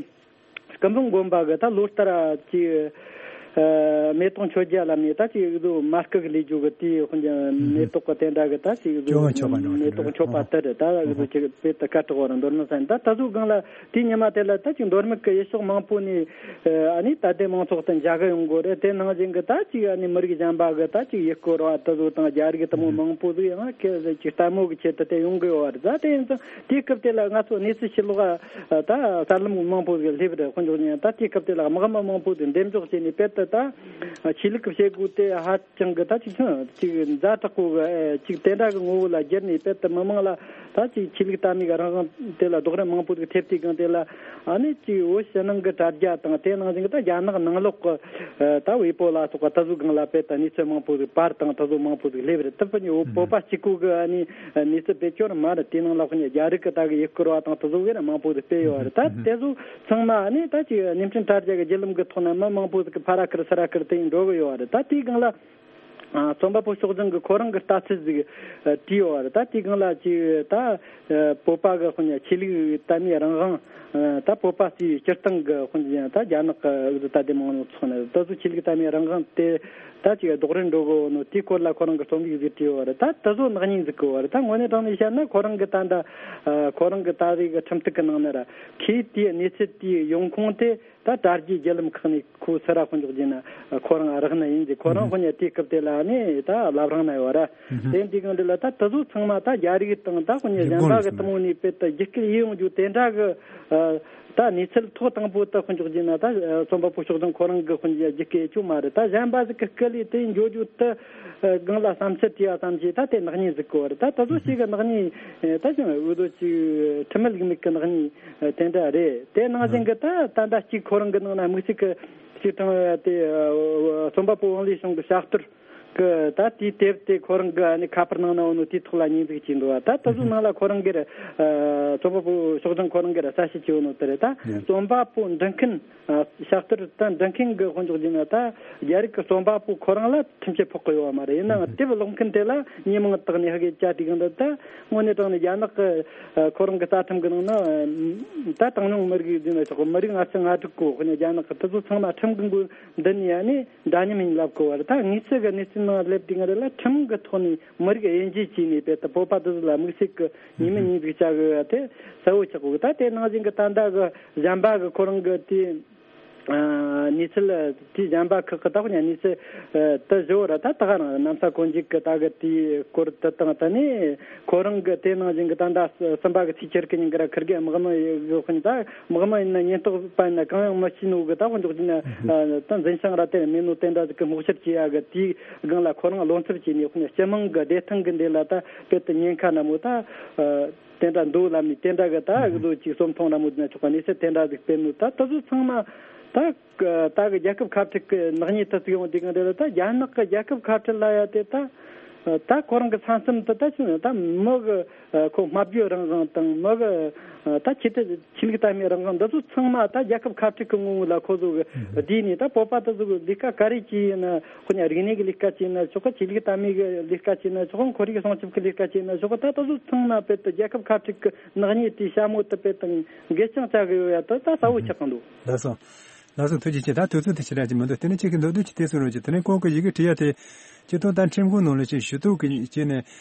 སྐུ་འབུམ་དགོན་པ་གི་ད་ལོ་ལྟར་ཅིག་ཨ། མེ་ཏོག་མཆོད་རྒྱལ་ལ་ནས་ད་ཅིག་དུ་མ་སྐུ་གི་ལས་རྒྱུ་གི་དེའི་དཔེར་ན་མེ་ཏོག་གི་དེ་འདྲ་གི་ད་ཅིག་དུ་སྐྱོ་བ་མཆོད་པ་འདྲ་བ་དེ་མེ་ཏོག་མཆོད་པ་དེ་རེད། ད་གི་དུ་ཅིག་དཔེ་ད་སྐད་གྲགས་པ་རེད། མདོ་སྨད་ས་ཡིན། ད་ད་གཟོད་སྒང་ལ་དེའི་ཉི་མ་དེ་ལ་ད་ཅིག་མདོ་སྨད་གི་ཡུལ་ཕྱོགས་མང་པོ་ནས་ཨ་ནི་ད་ལྟའི་མང་ཚོགས་དེ་མཇལ་གི་ཡོང་གི་རེད། དེ་ནང་བཞིན་གི་ད་ཅིག་ཨ་ནི་མི་རིགས་གཞན་པ་གི་ད་ཅིག་ཡུལ་སྐོར་བ་ད་གཟོད་དང་རྒྱ་རིགས་དེ་མོ་མང་པོ་ཟིག་ཡང་ཁྱེད་ཅིག་ལྟད་མོ་གི་ཆེད་དུ་དེ་ཡོང་གི་ཡོད་རེད། ད་དེ་ཡིན་ཙང་དེའི་སྐབས་དེ་ལ་ང་ཚོ་གནས་ཚུལ་ཕྱི་ལོགས་ད་གསར་ལམ་མང་པོ་ཟིག་སླེབས་རེད། དཔེར་འཇོག་ཉན་ད་དེའི་སྐབས་དེ་ལ་དམག་མི་མང་པོ་ཟིག་འདེམས་འཇོག་བྱས་ནས་དཔེ་ད་ད་ཆོས་ལུགས་ཀྱི་བྱེད་སྒོ་དེ་ཧ་ཅང་གི་ད་ཅིག་ཅིག་ཛ་དྲག་པོ་གི་ཅིག་དེ་འདྲ་གི་ངོ་བོ་ལ་བསྒྱུར་ནས་དཔེ་ད་མི་མང་ལ་ད་ཅིག་ཆོས་ལུགས་དད་མོས་ཀྱི་རང་དབང་དེ་ལ་རྡོག་རོལ་མང་པོ་ཟིག་ཐེབས་དུས་སྒང་དེ་ལ་ཨ་ནི་ཅིག་བོད་ཕྱི་ནང་གི་དྲ་རྒྱ་དང་། དེ་ནང་བཞིན་གི་ད་རྒྱ་ནག་ནང་ལོགས་གི་ད་ཝེ་པོ་ལ་སོགས་པ་ད་གཟོད་སྒང་ལ་དཔེ་ད་གནས་ཚུལ་མང་པོ་ཟིག་པར་དང་ད་གཟོད་མང་པོ་ཟིག་སླེབས་རེད། ད་དཔེར་ན་བོད་པ་གཅིག་པོ་གི་ཨ་ནི་གནས་ཚུལ་དཔེ་སྐྱོར་མ་རེད། དེ་ནང་ལ་དཔེར་ན་རྒྱ་རིགས་ཀྱི་ད་གི་ཡུལ་སྐོར་བ་དང་དེ་ཚོ་གི་ར་མང་པོ་ཟིག་སྤེལ་ཡོད་རེད། ད་དེ་ཚོ་ཚང་མ་ནི་ད་ཅིག་བརྙན་འཕྲིན་དྲ་རྒྱ་གི་བརྒྱུད་ལམ་གི་ཐོག་ནས་མི་མང་པོ་ཟིག་གི་ཕར་ར་ཁུར་ཚུར་ར་ཁུར་དེ་ཡིན་འགྲོ་གི་ཡོད་རེད། ད་དེའི་སྒང་ལ་ཨ་རྩོམ་པ་པོ་ཕྱོགས་སྒྲིག་གི་ཁོ་རང་གི་ལྟ་ཚུལ་ཟིག་ཨ་བྲིས་ཡོད་རེད། ད་དེའི་སྒང་ལ་ཅིག་ད་ཨ་བོད་པ་གི་དཔེར་ན་ཆོས་ལུགས་དད་མོས་རང་དབང་། ཨ་ད་བོད་པ་ཚོའི་སྤྱིར་བཏང་གི་དཔེར་ན་ད་རྒྱ་ནག་གི་འོས་བསྡུ་དད་ལྡན་མང་ཚོགས་ནས་ད་གཟོད་ཆོས་ལུགས་དད་མོས་རང་དབང་དེ་ད་ཅིག་རྡོག་རོལ་འགྲོ་གི་ཡོད་ནོ་དེའི་སྐོར་ལ་ཁོ་རང་གི་རྩོམ་ཡིག་ཟིག་བྲིས་ཡོད་རེད། ད་དེ་ཚོ་ནག་ཉེས་འཛུགས་གི་ཡོད་རེད། ད་དངོས་གནས་དྲང་ནས་བཤད་ན་ཁོ་རང་གི་ད་ད་ཨ་ཁོ་རང་གི་ད་རེས་གི་ཁྲིམས་གཏུག་གི་ནང་ན་ར་ཁོས་དེའི་གནས་ཚུལ་དེའི་ཡོང་ཁུངས་དེ་ད་དྲ་རྒྱའི་བརྒྱུད་ལམ་ཁག་ནས་ཁོ་སུ་ར་དཔེར་འཇོག་བྱས་ན་ཁོ་རང་རག་ནི་ཡིན་ཟེར། ཁོ་རང་དཔེར་ན་དེའི་སྐབས་དེ་ལ་ནི་ད་བླ་བྲང་ན་ཡོད་ར། དེ་འདི་གང་འདི་ལ་ད་དེ་ཚོ་ཚང་མ་ད་རྒྱ་རིགས་དང་ད་དཔེར་ན་གཞན་པ་གི་དེ་མོ་ནས་དཔེ་ད་རྒྱུད་སྐུལ་ཡེ་ཡོང་རྒྱུ་དེ་འདྲ་གི་ཨ་ད་གནས་ཚུལ་ཐོག་དང་པོ་ད་དཔེར་འཇོག་བྱས་ན་ད་རྩོམ་པ་པོ་ཕྱོགས་སྒྲིག་ཁོ་རང་གི་དཔེར་ན་རྒྱུད་སྐུལ་ཡེ་རྒྱུ་མ་རེད། ད་གཞན་པ་ཟིག་གི་སྐུལ་ལས་དེ་འགྱོ་རྒྱུ་དེ་སྒང་ལ་བསམ་ཚུལ་བྲིས་ཡ་ཙམ་གྱིས་ད་དེ་ནག་ཉེས་ཟིག་གི་ཡོད་རེད། ད་དེ་ཚོ་ཞིག་གི་ནག་ཉེས་ད་ཅང་འོས་བསྡུ་ཅིག་ཁྲིམས་མེད་ལུགས་མེད་གི་ནག་ཉེས་དེ་འདྲ་རེད། དེ་ནང་བཞིན་གི་ད་ད་ལྟ་གཅིག་ཁོ་རང་གི་ནང་ན་དམིགས་བསལ་གི་ཅིག་དྲང་དེ་རྩོམ་པ་པོ་ཝང་ལི་ཞང་གི་ཕྱག་ཐོར་གི་ད་དེའི་དེབ་དེ་ཁོ་རང་གི་ཨ་ནི་ཁ་པར་ནང་ན་ཡོད་ནོ་དེའི་ཐོག་ལ་ཉེས་འཛུགས་བྱས་འདུག་བ། ད་དེ་ཚོ་ནང་ལ་ཁོ་རང་གིས་རྩོམ་པ་པོ་ཕྱོགས་སྒྲིག་ཁོ་རང་གིས་གསལ་བཤད་བྱས་ཡོད་ནོ་དེ་རེད། ད་རྩོམ་པ་པོ་འབྲི་མཁན་ཕྱག་ཐོར་ད་འབྲི་མཁན་གི་དཔེར་འཇོག་བྱས་ན་ད་རྒྱ་རིགས་ཀྱི་རྩོམ་པ་པོ་ཁོ་རང་ལ་ཁྲིམས་ཆད་ཕོག་གི་ཡོད་བ་མ་རེད། ཡིན་ནའང་དེབ་ཀློག་མཁན་དེ་ལ་མྱི་མང་དག་ནས་ཧ་གི་བཅར་དུས་གང་འདྲ་ད་དངོས་གནས་དྲང་ནས་རྒྱ་ནག་གི་ཁོ་རང་གི་རྩ་ཁྲིམས་གི་ནང་ན་ད་གྲངས་ཉུང་མི་རིགས་ཟེར་ན་ཆོག་གི། མི་རིགས་ལྔ་བཅུ་ང་དྲུག་གོ་དཔེར་ན་རྒྱ་ནག་གི་དེ་ཚོ་ཚང་མ་ཁྲིམས་གི་མགོ་མདུན་ནས་ཡ་ནས་འདྲ་མཉམ་ཡིན་ལབ་གི་བ་རེད། ད་དངོས་སུ་གི་གནས་ཚུལ་ ནང་སླེབས་དུས་ང་རང་ལ་ཁྲིམས་ཀྱི་ཐོག་ནས་མི་རིགས་དབྱེ་འབྱེད་བྱས་ནས་དཔེ་ད་བོད་པ་དེ་ཚོ་ལ་དམིགས་བསལ་གྱི་ཉེས་མིང་ཉེས་འཛུགས་བྱ་དགོས་པ་དེ་གསལ་བོ་ཆགས་དགོས། ད་དེ་ནང་བཞིན་གྱི་ད་ལྟ་གི་གཞན་པ་གི་ཁོ་རང་གི་དེའི་ཨ་གནས་ཚུལ་དེའི་གཞན་པ་ཁག་གི་ད་ཁོ་ཉ་གནས་ཚུལ་ཨ་དེ་བཞི་བོ་ར་ད་ད་ག་རང་གནམ་ས་གོ་འཇིག་གི་ད་གི་དེའི་སྐོར་དེ་དང་ད་ནི་ཁོ་རང་གི་དེ་ནང་བཞིན་གྱི་ད་ད་གསུམ་པ་གི་ཚེས་ཆེར་གི་ཉིན་གི་ར་ཁིར་གི་དམག་མི་ཡོད་ཁོ་ཉིད་ད་དམག་མི་ཡིན་ན་ཉེན་རྟོག་པ་ཡིན་ན་གང་ཡང་མི་ཤེས་ནོ་གི་ད་ཁོ་འཇོག་གི་ན་ད་འཛིན་བྱང་ར་དེ་མེད་ནོ་དེ་འདྲ་ཟིག་གི་སྔོག་བཤེར་བྱེད་ཡ་གི་དེའི་སྒང་ལ་ཁོ་རང་བློ་འཚབ་བྱས་ནས་ཁོ་ཉ་སྤྱི་དམངས་གི་བདེ་ཐང་གི་འདི་ལ་ད་དཔེ་དེ་ཉེན་ཁ་ན་མོ་ད། དེ་འདྲ་འདུག་ལབ་ནས་དེ་འདྲ་གི་ད་ཨུ་ཚོ་ཅིག་གསོམ་ཐོང་ར་མོ་དེ་ན་ཆོག་པ་གནས་ཚུལ་དེ་འདྲ་ཟིག་སྤེལ་ནོ་ད་ད་ཚོ་ཚང་མ་ད་ད་གི་རྒྱལ་ཁབ་ཁ་བྲལ་གི་ནག་ཉེས་ད་ཚིག་ཡོང་དེ་གང་དེ་ལ་ད་རྒྱ་ནག་གི་རྒྱལ་ཁབ་ཁ་བྲལ་ལ་ཡ་དེ་ད་ད་ཁོ་རང་གི་ས་མཚམས་དེ་ད་ཆུ་ད་མི་གི་ཁོ་སྨྲ་བརྗོད་རང་དབང་དང་མི་གི་ད་ཆོས་དད་ཆོས་ལུགས་དད་མོས་རང་དབང་འདི་ཚོ་ཚང་མ་ད་རྒྱལ་ཁབ་ཁ་བྲལ་གི་ངོ་བོ་ལ་ཁོ་ཚོ་གི་བསྡུས་ནས་ད་བོད་པ་ད་ཚོ་གི་ལས་ཀ་ག་རེ་བྱས་ཡིན་ན་ཁོ་ཉ་རིག་གནས་གི་ལས་ཀ་བྱས་ན་ཆོག་གི་ཆོས་ལུགས་དད་མོས་གི་ལས་ཀ་བྱས་ན་ཆོག་གི་ཁོར་ཡུག་སྲུང་སྐྱོབ་གི་ལས་ཀ་བྱས་ན་ཆོག་གི་ད་ད་ཚོ་ཚང་མ་དཔེ་ད་རྒྱལ་ཁབ་ཁ་བྲལ་གི་ནག་ཉེས་དེའི་ཞྭ་མོ་དེ་དཔེ་དང་འགལ་རྐྱང་བྱ་གི་ཡོད་ཡ་དེ་ད་གསལ་བོ་ཆགས་གི་འདུག་ལགས་སོ། ལགས་སོ་ཐུགས་རྗེ་ཆེ། ད་དུས་ཚོད་དེ་ཞེ་དྲག་ཅིག་མི་འདུག་དེ་ནས་ཁྱེད་ཀྱི་མདོར་བསྡུས་ཅིག་དེ་གསུང་རོགས་གྱིས། དེ་ནས་ཁོང་གི་ཡི་གེ་བྲིས་ཡ་དེ་སྤྱིར་བཏང་ད་ཁྲིམས་ཁང་ནང་ལ་ཅིག་ཞུ་གཏུག་གི་བྱས་ནས་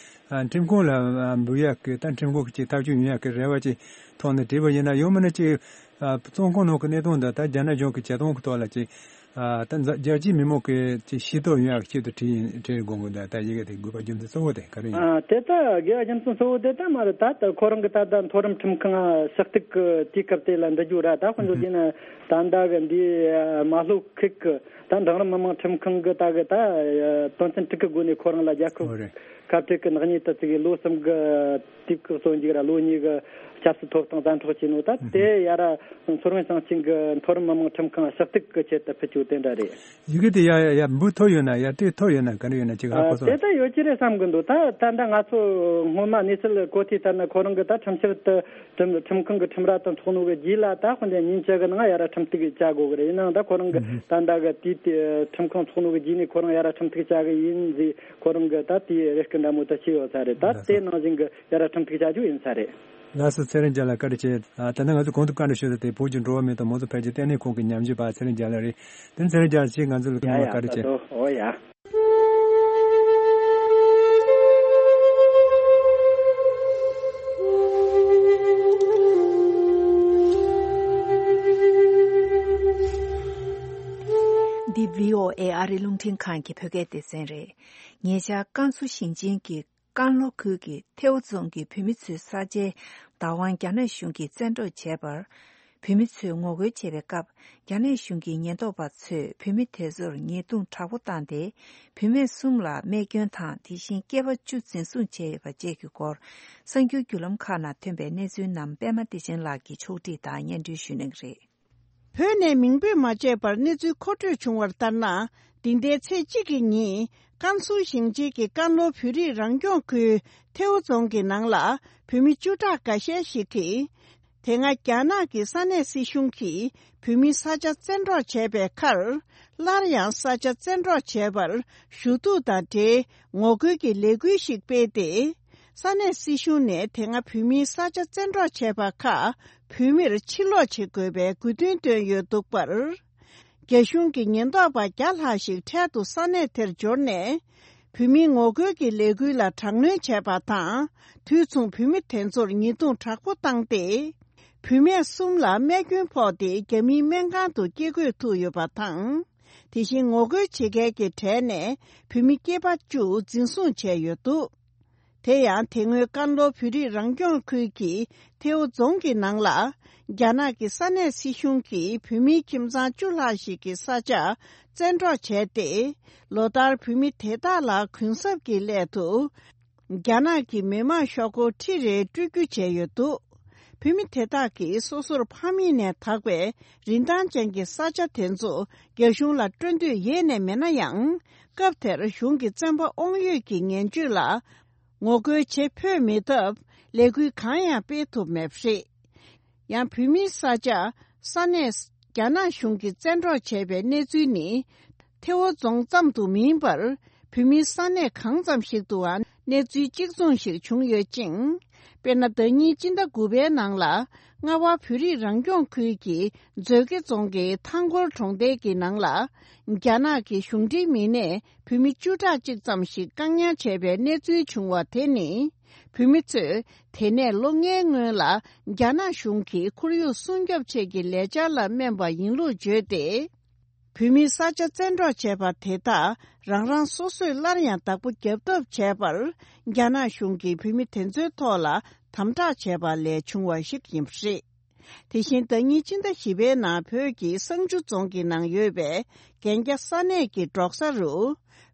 ཨ་ཁྲིམས་ཁང་ལ་ཨ་འབུལ་ཡ་གི་ད་ཁྲིམས་ཁང་གི་ཅིག་ཐག་གཅོད་ཡོང་ཡ་གི་རེ་བ་ཅིག་ཐོག་ནས་བྲིས་པ་ཡིན་ན་ཡང་མིན་ན་ཅིག་ཨ་བཙོན་ཁང་ནང་གི་གནས་སྟངས་འདི་ད་རྒྱ་ནག་གཞུང་གི་བྱེད་སྟངས་ཀྱི་ཐོག་ལ་ཅིག་ཨ་ད་རྒྱལ་སྤྱིའི་མི་མང་གི་ཅིག་ཤེས་རྟོགས་ཡོང་ཡ་གི་ཆེད་དུ་བྲིས་ཡིན་བྲིས་དགོངས་གི་འདུག་ད་ཡི་གེ་དེ་དགོས་པ་རྒྱུ་མཚན་གཙོ་བོ་དེ་ག་རེ་ཡིན། ཨ་དེ་ད་དགོས་པ་རྒྱུ་མཚན་གཙོ་བོ་དེ་ད་མ་རེད། ད་ད་ཁོ་རང་གི་ད་ད་མཐོ་རིམ་ཁྲིམས་ཁང་ཕྱག་ཐུག་གི་དུས་སྐབས་དེ་ལ་འདི་རྒྱུ་ར་ད་དཔེ་འཇོག་བྱས་ན་ད་ད་གི་འདི་མ་ལྷོ་ཁུལ་གི་ད་འབྲིང་རིམ་མི་དམངས་ཁྲིམས་ཁང་གི་ད་གི་ད་དོན་ཚན་དྲུག་གི་སྒོ་ནས་ཁོ་རང་ལ་རྒྱལ་ཁབ་ཁ་བྲལ་གི་ནག་ཉེས་དེ་ཚིག་གི་ལོ་གསུམ་གི་དུས་བཀག་སོན་འཇུག་ར་ལོ་གཉིས་གི་ཆབ་སྲིད་ཐོབ་ཐང་བཙན་འཕྲོག་བྱས་ནོ་ད་དེ་ཡ་ར་མཚོ་སྔོན་ཞིང་ཆེན་གི་མཐོ་རིམ་མི་དམངས་ཁྲིམས་ཁང་ཕྱག་ཐུག་གི་ཆེད་དུ་ཕུལ་ཆོག་དེ་འདྲ་རེད། ཡི་གེ་དེ་ཡ་ཡ་ཡ་འབུལ་ཐོབ་ཡོད་ན་ཡ་སྤྲད་ཐོབ་ཡོད་ན་ག་རེ་ཡོད་ན་ཅིག་ཧ་གོ་སོང་། དེ་ལྟ་ཡོད་ཀྱི་རེད་བསམ་གི་འདུག་ད་ད་ལྟ་ང་ཚོ་སྔོན་མ་གནས་ཚུལ་གོ་དུས་ལྟར་ན་ཁོ་རང་གི་ད་ཁྲིམས་ཞིབ་དུ་ཁྲིམས་ཁྲིམས་ཁང་གི་ཁྲིམས་ར་དང་ཚོགས་ནོ་གི་རྗེས་ལ་ད་དཔེ་འདྲ་ཉིན་བཅུ་གི་ནང་ཡ་ར་ཁྲིམས་གཏུག་བྱ་དགོས་གི་རེད། ཡིན་ནའང་ད་ཁོ་རང་གི་ད་ལྟ་གི་དུས་དེ་ཁྲིམས་ཁང་ཚོགས་ནོ་གི་རྗེས་ནས་ཁོ་རང་ཡ་ར་ཁྲིམས་གཏུག་བྱ་གི་ཡིན་ཟེར་ཁོ་རང་གི་ད་དེའི་རེ་སྐུལ་འདྲ་མོ་ད་བྱས་ཡོད་ས་རེད། ད་དེ་ནང་བཞིན་གི་ཡ་ར་ཁྲིམས་གཏུག་བྱ་རྒྱུ་ཡིན་ས་རེད། ལགས་སོ། ཚེ་རིང་རྒྱལ་ལགས་བཀའ་དྲིན་ཆེ། ཨ་ད་ནི་ང་ཚོ་གོང་དུ་བཀའ་འདྲི་ཞུས་ཏེ་བོད་ཀྱི་འགྲོ་བ་མི་དང་མང་གཙོ་འཕེལ་རྒྱས་ལྟེ་གནས་ཁང་གི་ཉམས་ཞིབ་པ་ཚེ་རིང་རྒྱལ་ལགས་རེད། དེ་ནི་ཚེ་རིང་རྒྱལ་ལགས་ཀྱིས་ང་ཚོ་ལ་སྐུ་ཡ་ངོ་ཡ་བཀའ་དྲིན་ཆེ། ད་དོ་ཨོ་ཡ། འདི་བྷི་ཨོ་ཨེ་ཨ་རི་རླུང་འཕྲིན་ཁང་གི་བོད་སྐད་སྡེ་ཚན་རེད། ཉེ་ཆར་ཀན་སུའུ་ཞིང་ཆེན་གྱི་ཀན་ལྷོ་ཁུལ་གྱི་ཐེའུ་རྫོང་གི་བོད་མི་ཚོའི་ས་ཆའི་བདག་དབང་རྒྱ་ནག་གཞུང་གིས་བཙན་འཕྲོག་བྱས་པར། བོད་མི་ཚོས་ངོ་རྒོལ་བྱེད་པའི་སྐབས། རྒྱ་ནག་གཞུང་གི་ཉེན་རྟོག་པ་ཚོས་བོད་མི་དེ་ཚོར་ཉེས་རྡུང་དྲག་པོ་བཏང་སྟེ། བུད་མེད་གསུམ་ལ་རྨས་སྐྱོན་དང་། དེ་བཞིན་སྐྱེས་པ་བཅུ་འཛིན་བཟུང་བྱས་ཡོད་པ་བཅས་ཀྱི་སྐོར། གསར་འགྱུར་བརྒྱུད་ལམ་ཁག་ནང་ཐོན་པའི་གནས་ཚུལ་རྣམས་པད་མ་བདེ་ཆེན་ལགས་ཀྱིས་ཕྱོགས་བསྒྲིགས་དང་སྙན་སྒྲོན་ཞུ་གནང་གི་རེད། བོད་ནས་མིང་འབོད་མ་བྱས་པར་གནས་ཚུལ་མཁོ་སྤྲོད་བྱུང་བར་ལྟར་ན། འདི་ཟླའི་ཚེས་གཅིག་གི་ཉིན་ཀན་སུའུ་ཞིང་ཆེན་གྱི་ཀན་ལྷོ་བོད་རིགས་རང་སྐྱོང་ཁུལ་ཐེའུ་རྫོང་གི་ནང་ལ་བོད་མི་བཅུ་ཕྲག་འགའ་ཤས་ཤིག་གིས། དེ་སྔ་རྒྱ་ནག་གི་ས་གནས་སྲིད་གཞུང་གིས་བོད་མིའི་ས་ཆ་བཙན་འཕྲོག་བྱས་པའི་ཁར། སླར་ཡང་ས་ཆ་བཙན་འཕྲོག་བྱས་པར་ཞུ་གཏུག་དང་འབྲེལ་ངོ་རྒོལ་གྱི་ལས་འགུལ་ཞིག་སྤེལ་ཏེ། ས་གནས་སྲིད་གཞུང་ནས་དེ་སྔ་བོད་མིའི་ས་ཆ་བཙན་འཕྲོག་བྱས་པ་ཁག་བོད་མིར་ཕྱིར་སློག་བྱེད་དགོས་པའི་དགོས་འདུན་བཏོན་ཡོད་འདུག་པར། རྒྱ་གཞུང་གི་ཉེན་རྟོག་པ་བརྒྱ་ལྷག་ཞིག་འཕྲལ་དུ་ས་གནས་དེར་འབྱོར་ནས། བོད་མིའི་ངོ་རྒོལ་གྱི་ལས་འགུལ་ལ་དྲག་གནོན་བྱས་པ་དང་། དུས་མཚུངས་བོད་མི་དེ་ཚོར་ཉེས་རྡུང་དྲག་པོ་བཏང་སྟེ། བུད་མེད་གསུམ་ལ་རྨས་སྐྱོན་ཕོག་སྟེ་རྒྱ་མིའི་སྨན་ཁང་དུ་སྐྱེལ་འགོད་ཐུབ་ཡོད་པ་དང་། དེ་བཞིན་ངོ་རྒོལ་བྱེད་མཁན་གྱི་གྲས་ནས་བུད་མེད་སྐྱེས་པ་བཅུ་འཛིན་བཟུང་བྱས་ཡོད་འདུག་དེ་ཡང་དེ་སྔོན་ཀན་ལྷོ་བོད་རིགས་རང་སྐྱོང་ཁུལ་གྱི་ཐེའུ་རྫོང་གི་ནང་ལ། རྒྱ་ནག་གི་ས་གནས་སྲིད་གཞུང་གིས་བོད་མིའི་ཁྱིམ་ཚང་བཅུ་ལྷག་ཞིག་གི་ས་ཆ་བཙན་འཕྲོག་བྱས་ཏེ། ལོ་ལྟར་བོད་མི་དེ་དག་ལ་གུན་གསབ་ཀྱི་སླད་དུ། རྒྱ་ནག་གི་མི་དམངས་ཤོག་སྒོར་ཁྲི་རེ་སྤྲོད་རྒྱུ་བྱས་ཡོད་འདུག་བོད་མི་དེ་དག་གིས་སོ་སོར་ཕ་མེས་ནས་དག་པའི་རིན་ཐང་ཅན་གྱི་ས་ཆ་དེ་ཚོ་རྒྱ་གཞུང་ལ་སྤྲོད་འདོད་ཡེ་ནས་མེད་ན་ཡང་། སྐབས་དེར་གཞུང་གི་བཙོན་པ་དབང་ཡོད་ཀྱི་ངན་བྱུས་ལ་ངོ་རྒོལ་བྱེད་ཕོད་མེད་སྟབས། ལས་འགུལ་གང་ཡང་སྤེལ་ཐུབ་མེད་པ་རེད། ཡང་བོད་མིའི་ས་ཆ་ས་གནས་རྒྱ་ནག་གཞུང་གིས་བཙན་འཕྲོག་བྱས་པའི་གནས་ཚུལ་ནི། ཐེ་བོ་རྫོང་ཙམ་དུ་མིན་པར། བོད་མིའི་ས་གནས་གང་ཙམ་ཞིག་ཏུའང་ གནས་ཚུལ་གཅིག་མཚུངས་ཤིག་བྱུང་ཡོད་ཅིང་། དཔེར་ན། ཟླ་ཉིན་སྤྱི་ཟླ་དགུ་པའི་ནང་ལ། རྔ་བ་བོད་རིགས་རང་སྐྱོང་ཁུལ་གྱི་མཛོད་དགེ་རྫོང་གི་ཐང་སྐོར་གྲོང་རྡལ་གྱི་ནང་ལ། རྒྱ་ནག་གི་གཞུང་འབྲེལ་མི་སྣས་བོད་མི་བཅུ་ཕྲག་གཅིག་ཙམ་ཞིག་བཀག་ཉར་བྱས་པའི་གནས་ཚུལ་བྱུང་བ་དེ་ནི། བོད་མི་ཚོས་དེ་ནས་ལོ་ལྔའི་སྔོན་ལ་རྒྱ་ནག་གཞུང་གིས་ཁོར་ཡུག་སྲུང་སྐྱོབ་ཆེད་ཀྱི་ལས་འཆར་ལ་སྨན་པ་ཡིན་ལུགས་བརྗོད་དེ། བོད་མིའི་ས་ཆ་བཙན་འཕྲོག་བྱས་པ་དེ་དག་རང་རང་སོ་སོས་སླར་ཡང་བདག་པོ་རྒྱབ་ཐབས་བྱས་པར། རྒྱ་ནག་གཞུང་གིས་བོད་མི་དེ་ཚོའི་ཐོག་ལ་དམ་དྲག་བྱས་པ་ལས་བྱུང་བ་ཞིག་ཡིན་པ་རེད། དེ་བཞིན། ཟླ་ཉིན་སྤྱི་ཟླ་བཞི་པའི་ནང་བོད་ཀྱི་བསང་ཆུ་རྫོང་གི་ནང་ཡོད་པའི་གན་རྒྱ་ས་གནས་ཀྱི་འབྲོག་ས་རུ།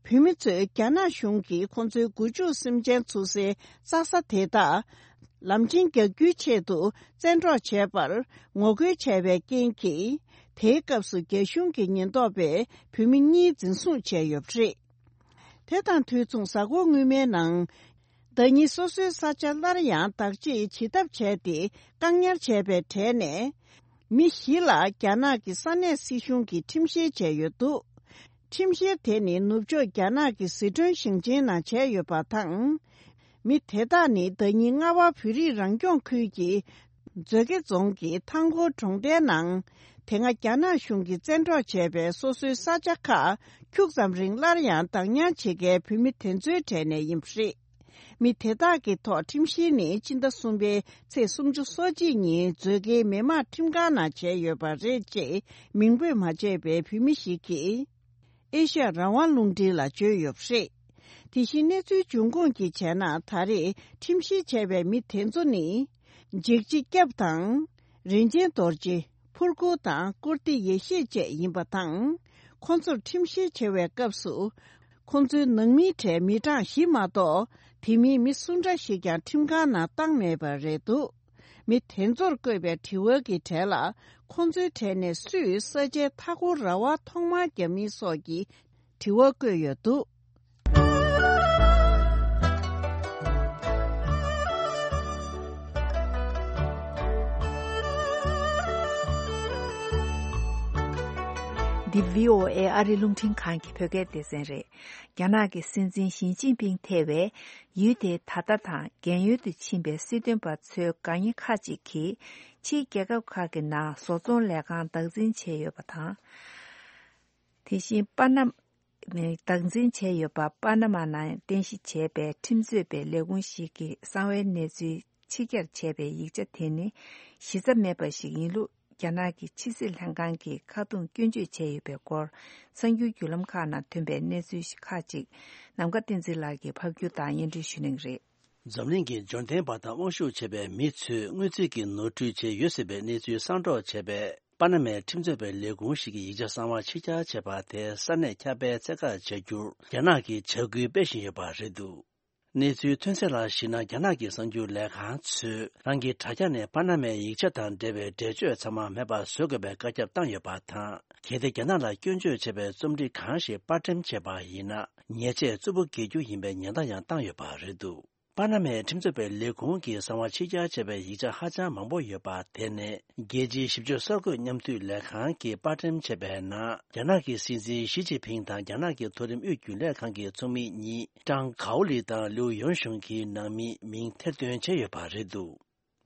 བོད་མི་ཚོས་རྒྱ་ནག་གཞུང་གིས་ཁོང་ཚོའི་སྒོ་ཕྱུགས་སེམས་ཅན་འཚོ་སའི་རྩྭ་ས་དེ་དག་ལམ་ཆེན་རྒྱག་རྒྱུའི་ཆེད་དུ་བཙན་འཕྲོག་བྱས་པར་ངོ་རྒོལ་བྱས་པའི་རྐྱེན་གྱིས། དེའི་སྐབས་སུ་རྒྱ་གཞུང་གི་ཉེན་རྟོག་པས་བོད་མི་གཉིས་འཛིན་བཟུང་བྱས་ཡོད་པ་རེད། དེ་དང་དུས་མཚུངས། གཟའ་འཁོར་སྔོན་མའི་ནང་། ཟླ་ཉིན་སོ་སོའི་ས་ཆ་སླར་ཡང་བདག་གཅེས་བྱེད་ཐབས་བྱས་ཏེ་བཀག་ཉར་བྱས་པའི་གྲས་ནས། མི་བཞི་ལ་རྒྱ་ནག་གི་ས་གནས་སྲིད་གཞུང་གིས་ཁྲིམས་བཤེར་བྱས་ཡོད་འདུག་ཁྲིམས་བཤེར་དེ་ནི་ནུབ་ཕྱོགས་རྒྱ་ནག་གི་ཟི་ཁྲོན་ཞིང་ཆེན་ནང་བྱས་ཡོད་པ་དང་། མི་དེ་དག་ནི་ཟླ་ཉིན་རྔ་བ་བོད་རིགས་རང་སྐྱོང་ཁུལ་གྱི་མཛོད་དགེ་རྫོང་གི་ཐང་སྐོར་གྲོང་རྡལ་ནང་། དེ་སྔ་རྒྱ་ནག་གཞུང་གིས་བཙན་འཕྲོག་བྱས་པའི་སོ་སོའི་ས་ཆ་ཁག་ཁྱུག་ཙམ་རིང་སླར་ཡང་བདག་ཉར་བྱེད་མཁན་བོད་མི་དེ་ཚོའི་གྲས་ནས་ཡིན་པ་རེད། མི་དེ་དག་གི་ཐོག་ཁྲིམས་བཤེར་ནི་སྤྱི་ཟླ་གསུམ་པའི་ཚེས་སུམ་ཅུ་སོ་གཅིག་ཉིན་མཛོད་དགེའི་མི་དམངས་ཁྲིམས་ཁང་ནང་བྱས་ཡོད་པ་རེད་ཅེས་མིང་འབོད་མ་བྱས་པའི་བོད་མི་ཞིག་གིས། ཨེ་ཤ་ཡ་རང་དབང་རླུང་འཕྲིན་ལ་བརྗོད་ཡོད་པ་རེད། དེ་བཞིན་གནས་ཚུལ་འབྱུང་ཁུངས་ཀྱིས་བྱས་ན། ད་རེས་ཁྲིམས་བཤེར་བྱས་པའི་མི་དེ་ཚོ་ནི། འཇིགས་བྱེད་སྐྱབས་དང་། རིན་ཆེན་རྡོ་རྗེ། ཕུར་གུ་དང་ཀུར་ཏི་ཡེ་ཤེས་བཅས་ཡིན་པ་དང་། ཁོང་ཚོར་ཁྲིམས་བཤེར་བྱེད་པའི་སྐབས་སུ། ཁོང་ཚོའི་ནང་མིའི་གྲས་མི་གྲངས་བཞི་མ་གཏོགས། དེ་མིན་མི་སུ་འདྲ་ཞིག་ཀྱང་ཁྲིམས་ཁང་ནང་བཏང་མེད་པ་རེད་འདུག་མི་དེ་ཚོར་བཀོད་པའི་དྲི་བ་གི་གྲས་ལ། ཁོང་ཚོའི་གྲས་ནས་སུས་ས་ཆའི་མཐའ་འཁོར་ར་བ་ཐོག་མར་བརྒྱབ་མིན་སོགས་ཀྱི་དྲི་བ་བཀོད་ཡོད་འདུག་འདི་བྷི་ཨོ་ཨེ་ཨ་རི་རླུང་འཕྲིན་ཁང་གི་བོད་སྐད་སྡེ་ཚན་རེད། རྒྱ་ནག་གི་སྲིད་འཛིན་ཞི་ཅིན་ཕིང་ཐེ་བའི་ཡུལ་དེའི་ད་ལྟ་དང་རྒན་ཡོལ་དུ་ཕྱིན་པའི་སྲིད་དོན་པ་ཚོའི་དགའ་ཉེ་ཁག་ཅིག་གིས་ཕྱིའི་རྒྱལ་ཁབ་ཁག་གི་ནང་བཟོ་ཚོང་ལས་ཁང་བདག་འཛིན་བྱས་ཡོད་པ་དང་། དེ་བཞིན་པ་ན་མ། བདག་འཛིན་བྱས་ཡོད་པ་པ་ན་མ་ནང་རྟེན་གཞི་བྱས་པའི་ཁྲིམས་རྩོད་པའི་ལས་ཁུངས་ཤིག་གི་གསང་བའི་གནས་ཚུལ་ཕྱི་གྱར་བྱས་པའི་ཡིག་ཆ་དེ་ནི་གཞི་རྩ་མེད་པ་ཞིག་ཡིན་ལུགས། རྒྱ་ནག་གི་ཕྱི་སྲིད་ལྷན་ཁང་གིས་ཁ་རྡུང་སྐྱོན་བརྗོད་བྱས་ཡོད་པའི་སྐོར། གསར་འགྱུར་བརྒྱུད་ལམ་ཁག་ནང་ཐོན་པའི་གནས་ཚུལ་ཁག་ཅིག་ནམ་མཁའ་བསྟན་འཛིན་ལགས་ཀྱིས་ཕབ་སྒྱུར་དང་སྙན་སྒྲོན་ཞུ་གནང་གི་རེད། འཛམ་གླིང་གི་འབྱོར་ལྡན་པ་དང་དབང་ཤུགས་ཆེ་བའི་མི་ཚོས་དངུལ་རྩིས་ཀྱི་ནོར་འཁྲུལ་བྱས་ཡོད་སྲིད་པའི་གནས་ཚུལ་གསང་སྒྲོག་བྱས་པའི་པ་ན་མའི་ཁྲིམས་རྩོད་པའི་ལས་ཁུངས་ཤིག་གིས་ཡིག་ཆ་གསང་བ་ཕྱི་གྱར་བྱས་པ་དེ་ས་གནས་ཁྱབ་སྤེལ་ཚད་བཀག་བྱ་རྒྱུར་རྒྱ་ནག་གིས་བྱ་འགུལ་སྤེལ་བཞིན་ཡོད་པ་རེད་འདུག་གནས་ཚུལ་ཐོན་གསལ་ལ་གཞིགས་ན། རྒྱ་ནག་གི་གསར་འགྱུར་ལས་ཁང་ཚོས་རང་གི་དྲ་རྒྱ་ནས་པ་ན་མའི་ཡིག་ཆ་དང་འབྲེལ་བའི་འགྲེལ་བརྗོད་ཚང་མ་མེད་པར་བཟོ་དགོས་པའི་བཀའ་ཁྱབ་བཏང་ཡོད་པ་དང་། གལ་ཏེ་རྒྱ་ནག་ལ་སྐྱོན་བརྗོད་བྱས་པའི་རྩོམ་སྒྲིག་གང་ཞིག་པར་འགྲེམས་བྱས་པ་ཡིན་ན། ཉེས་ཆད་རྩུབ་པོ་འགེལ་རྒྱུ་ཡིན་པའི་ཉེན་བརྡ་ཡང་བཏང་ཡོད་པ་རེད་འདུག་པ་ན་མའི་ཁྲིམས་རྩོད་པའི་ལས་ཁུངས་ཀྱིས་གསང་བ་ཕྱི་གྱར་བྱས་པའི་ཡིག་ཆ་ཧ་ཅང་མང་པོ་ཡོད་པ་དེ་ནི། རྒྱལ་སྤྱིའི་ཞིབ་དཔྱོད་གསར་འགོད་མཉམ་འདུས་ལས་ཁང་གིས་པར་འགྲེམས་བྱས་པའི་ནང་། རྒྱ་ནག་གི་སྲིད་འཛིན་ཞི་ཅིན་ཕིང་དང་རྒྱ་ནག་གི་མཐོ་རིམ་དབུས་རྒྱུན་ལས་ཁང་གི་ཚོགས་མི་གཉིས་ཀྲང་གའོ་ལི་དང་ལིའུ་ཡོན་ཤུང་གི་ནང་མིའི་མིང་ཐེར་འདོན་བྱས་ཡོད་པ་རེད་འདུག་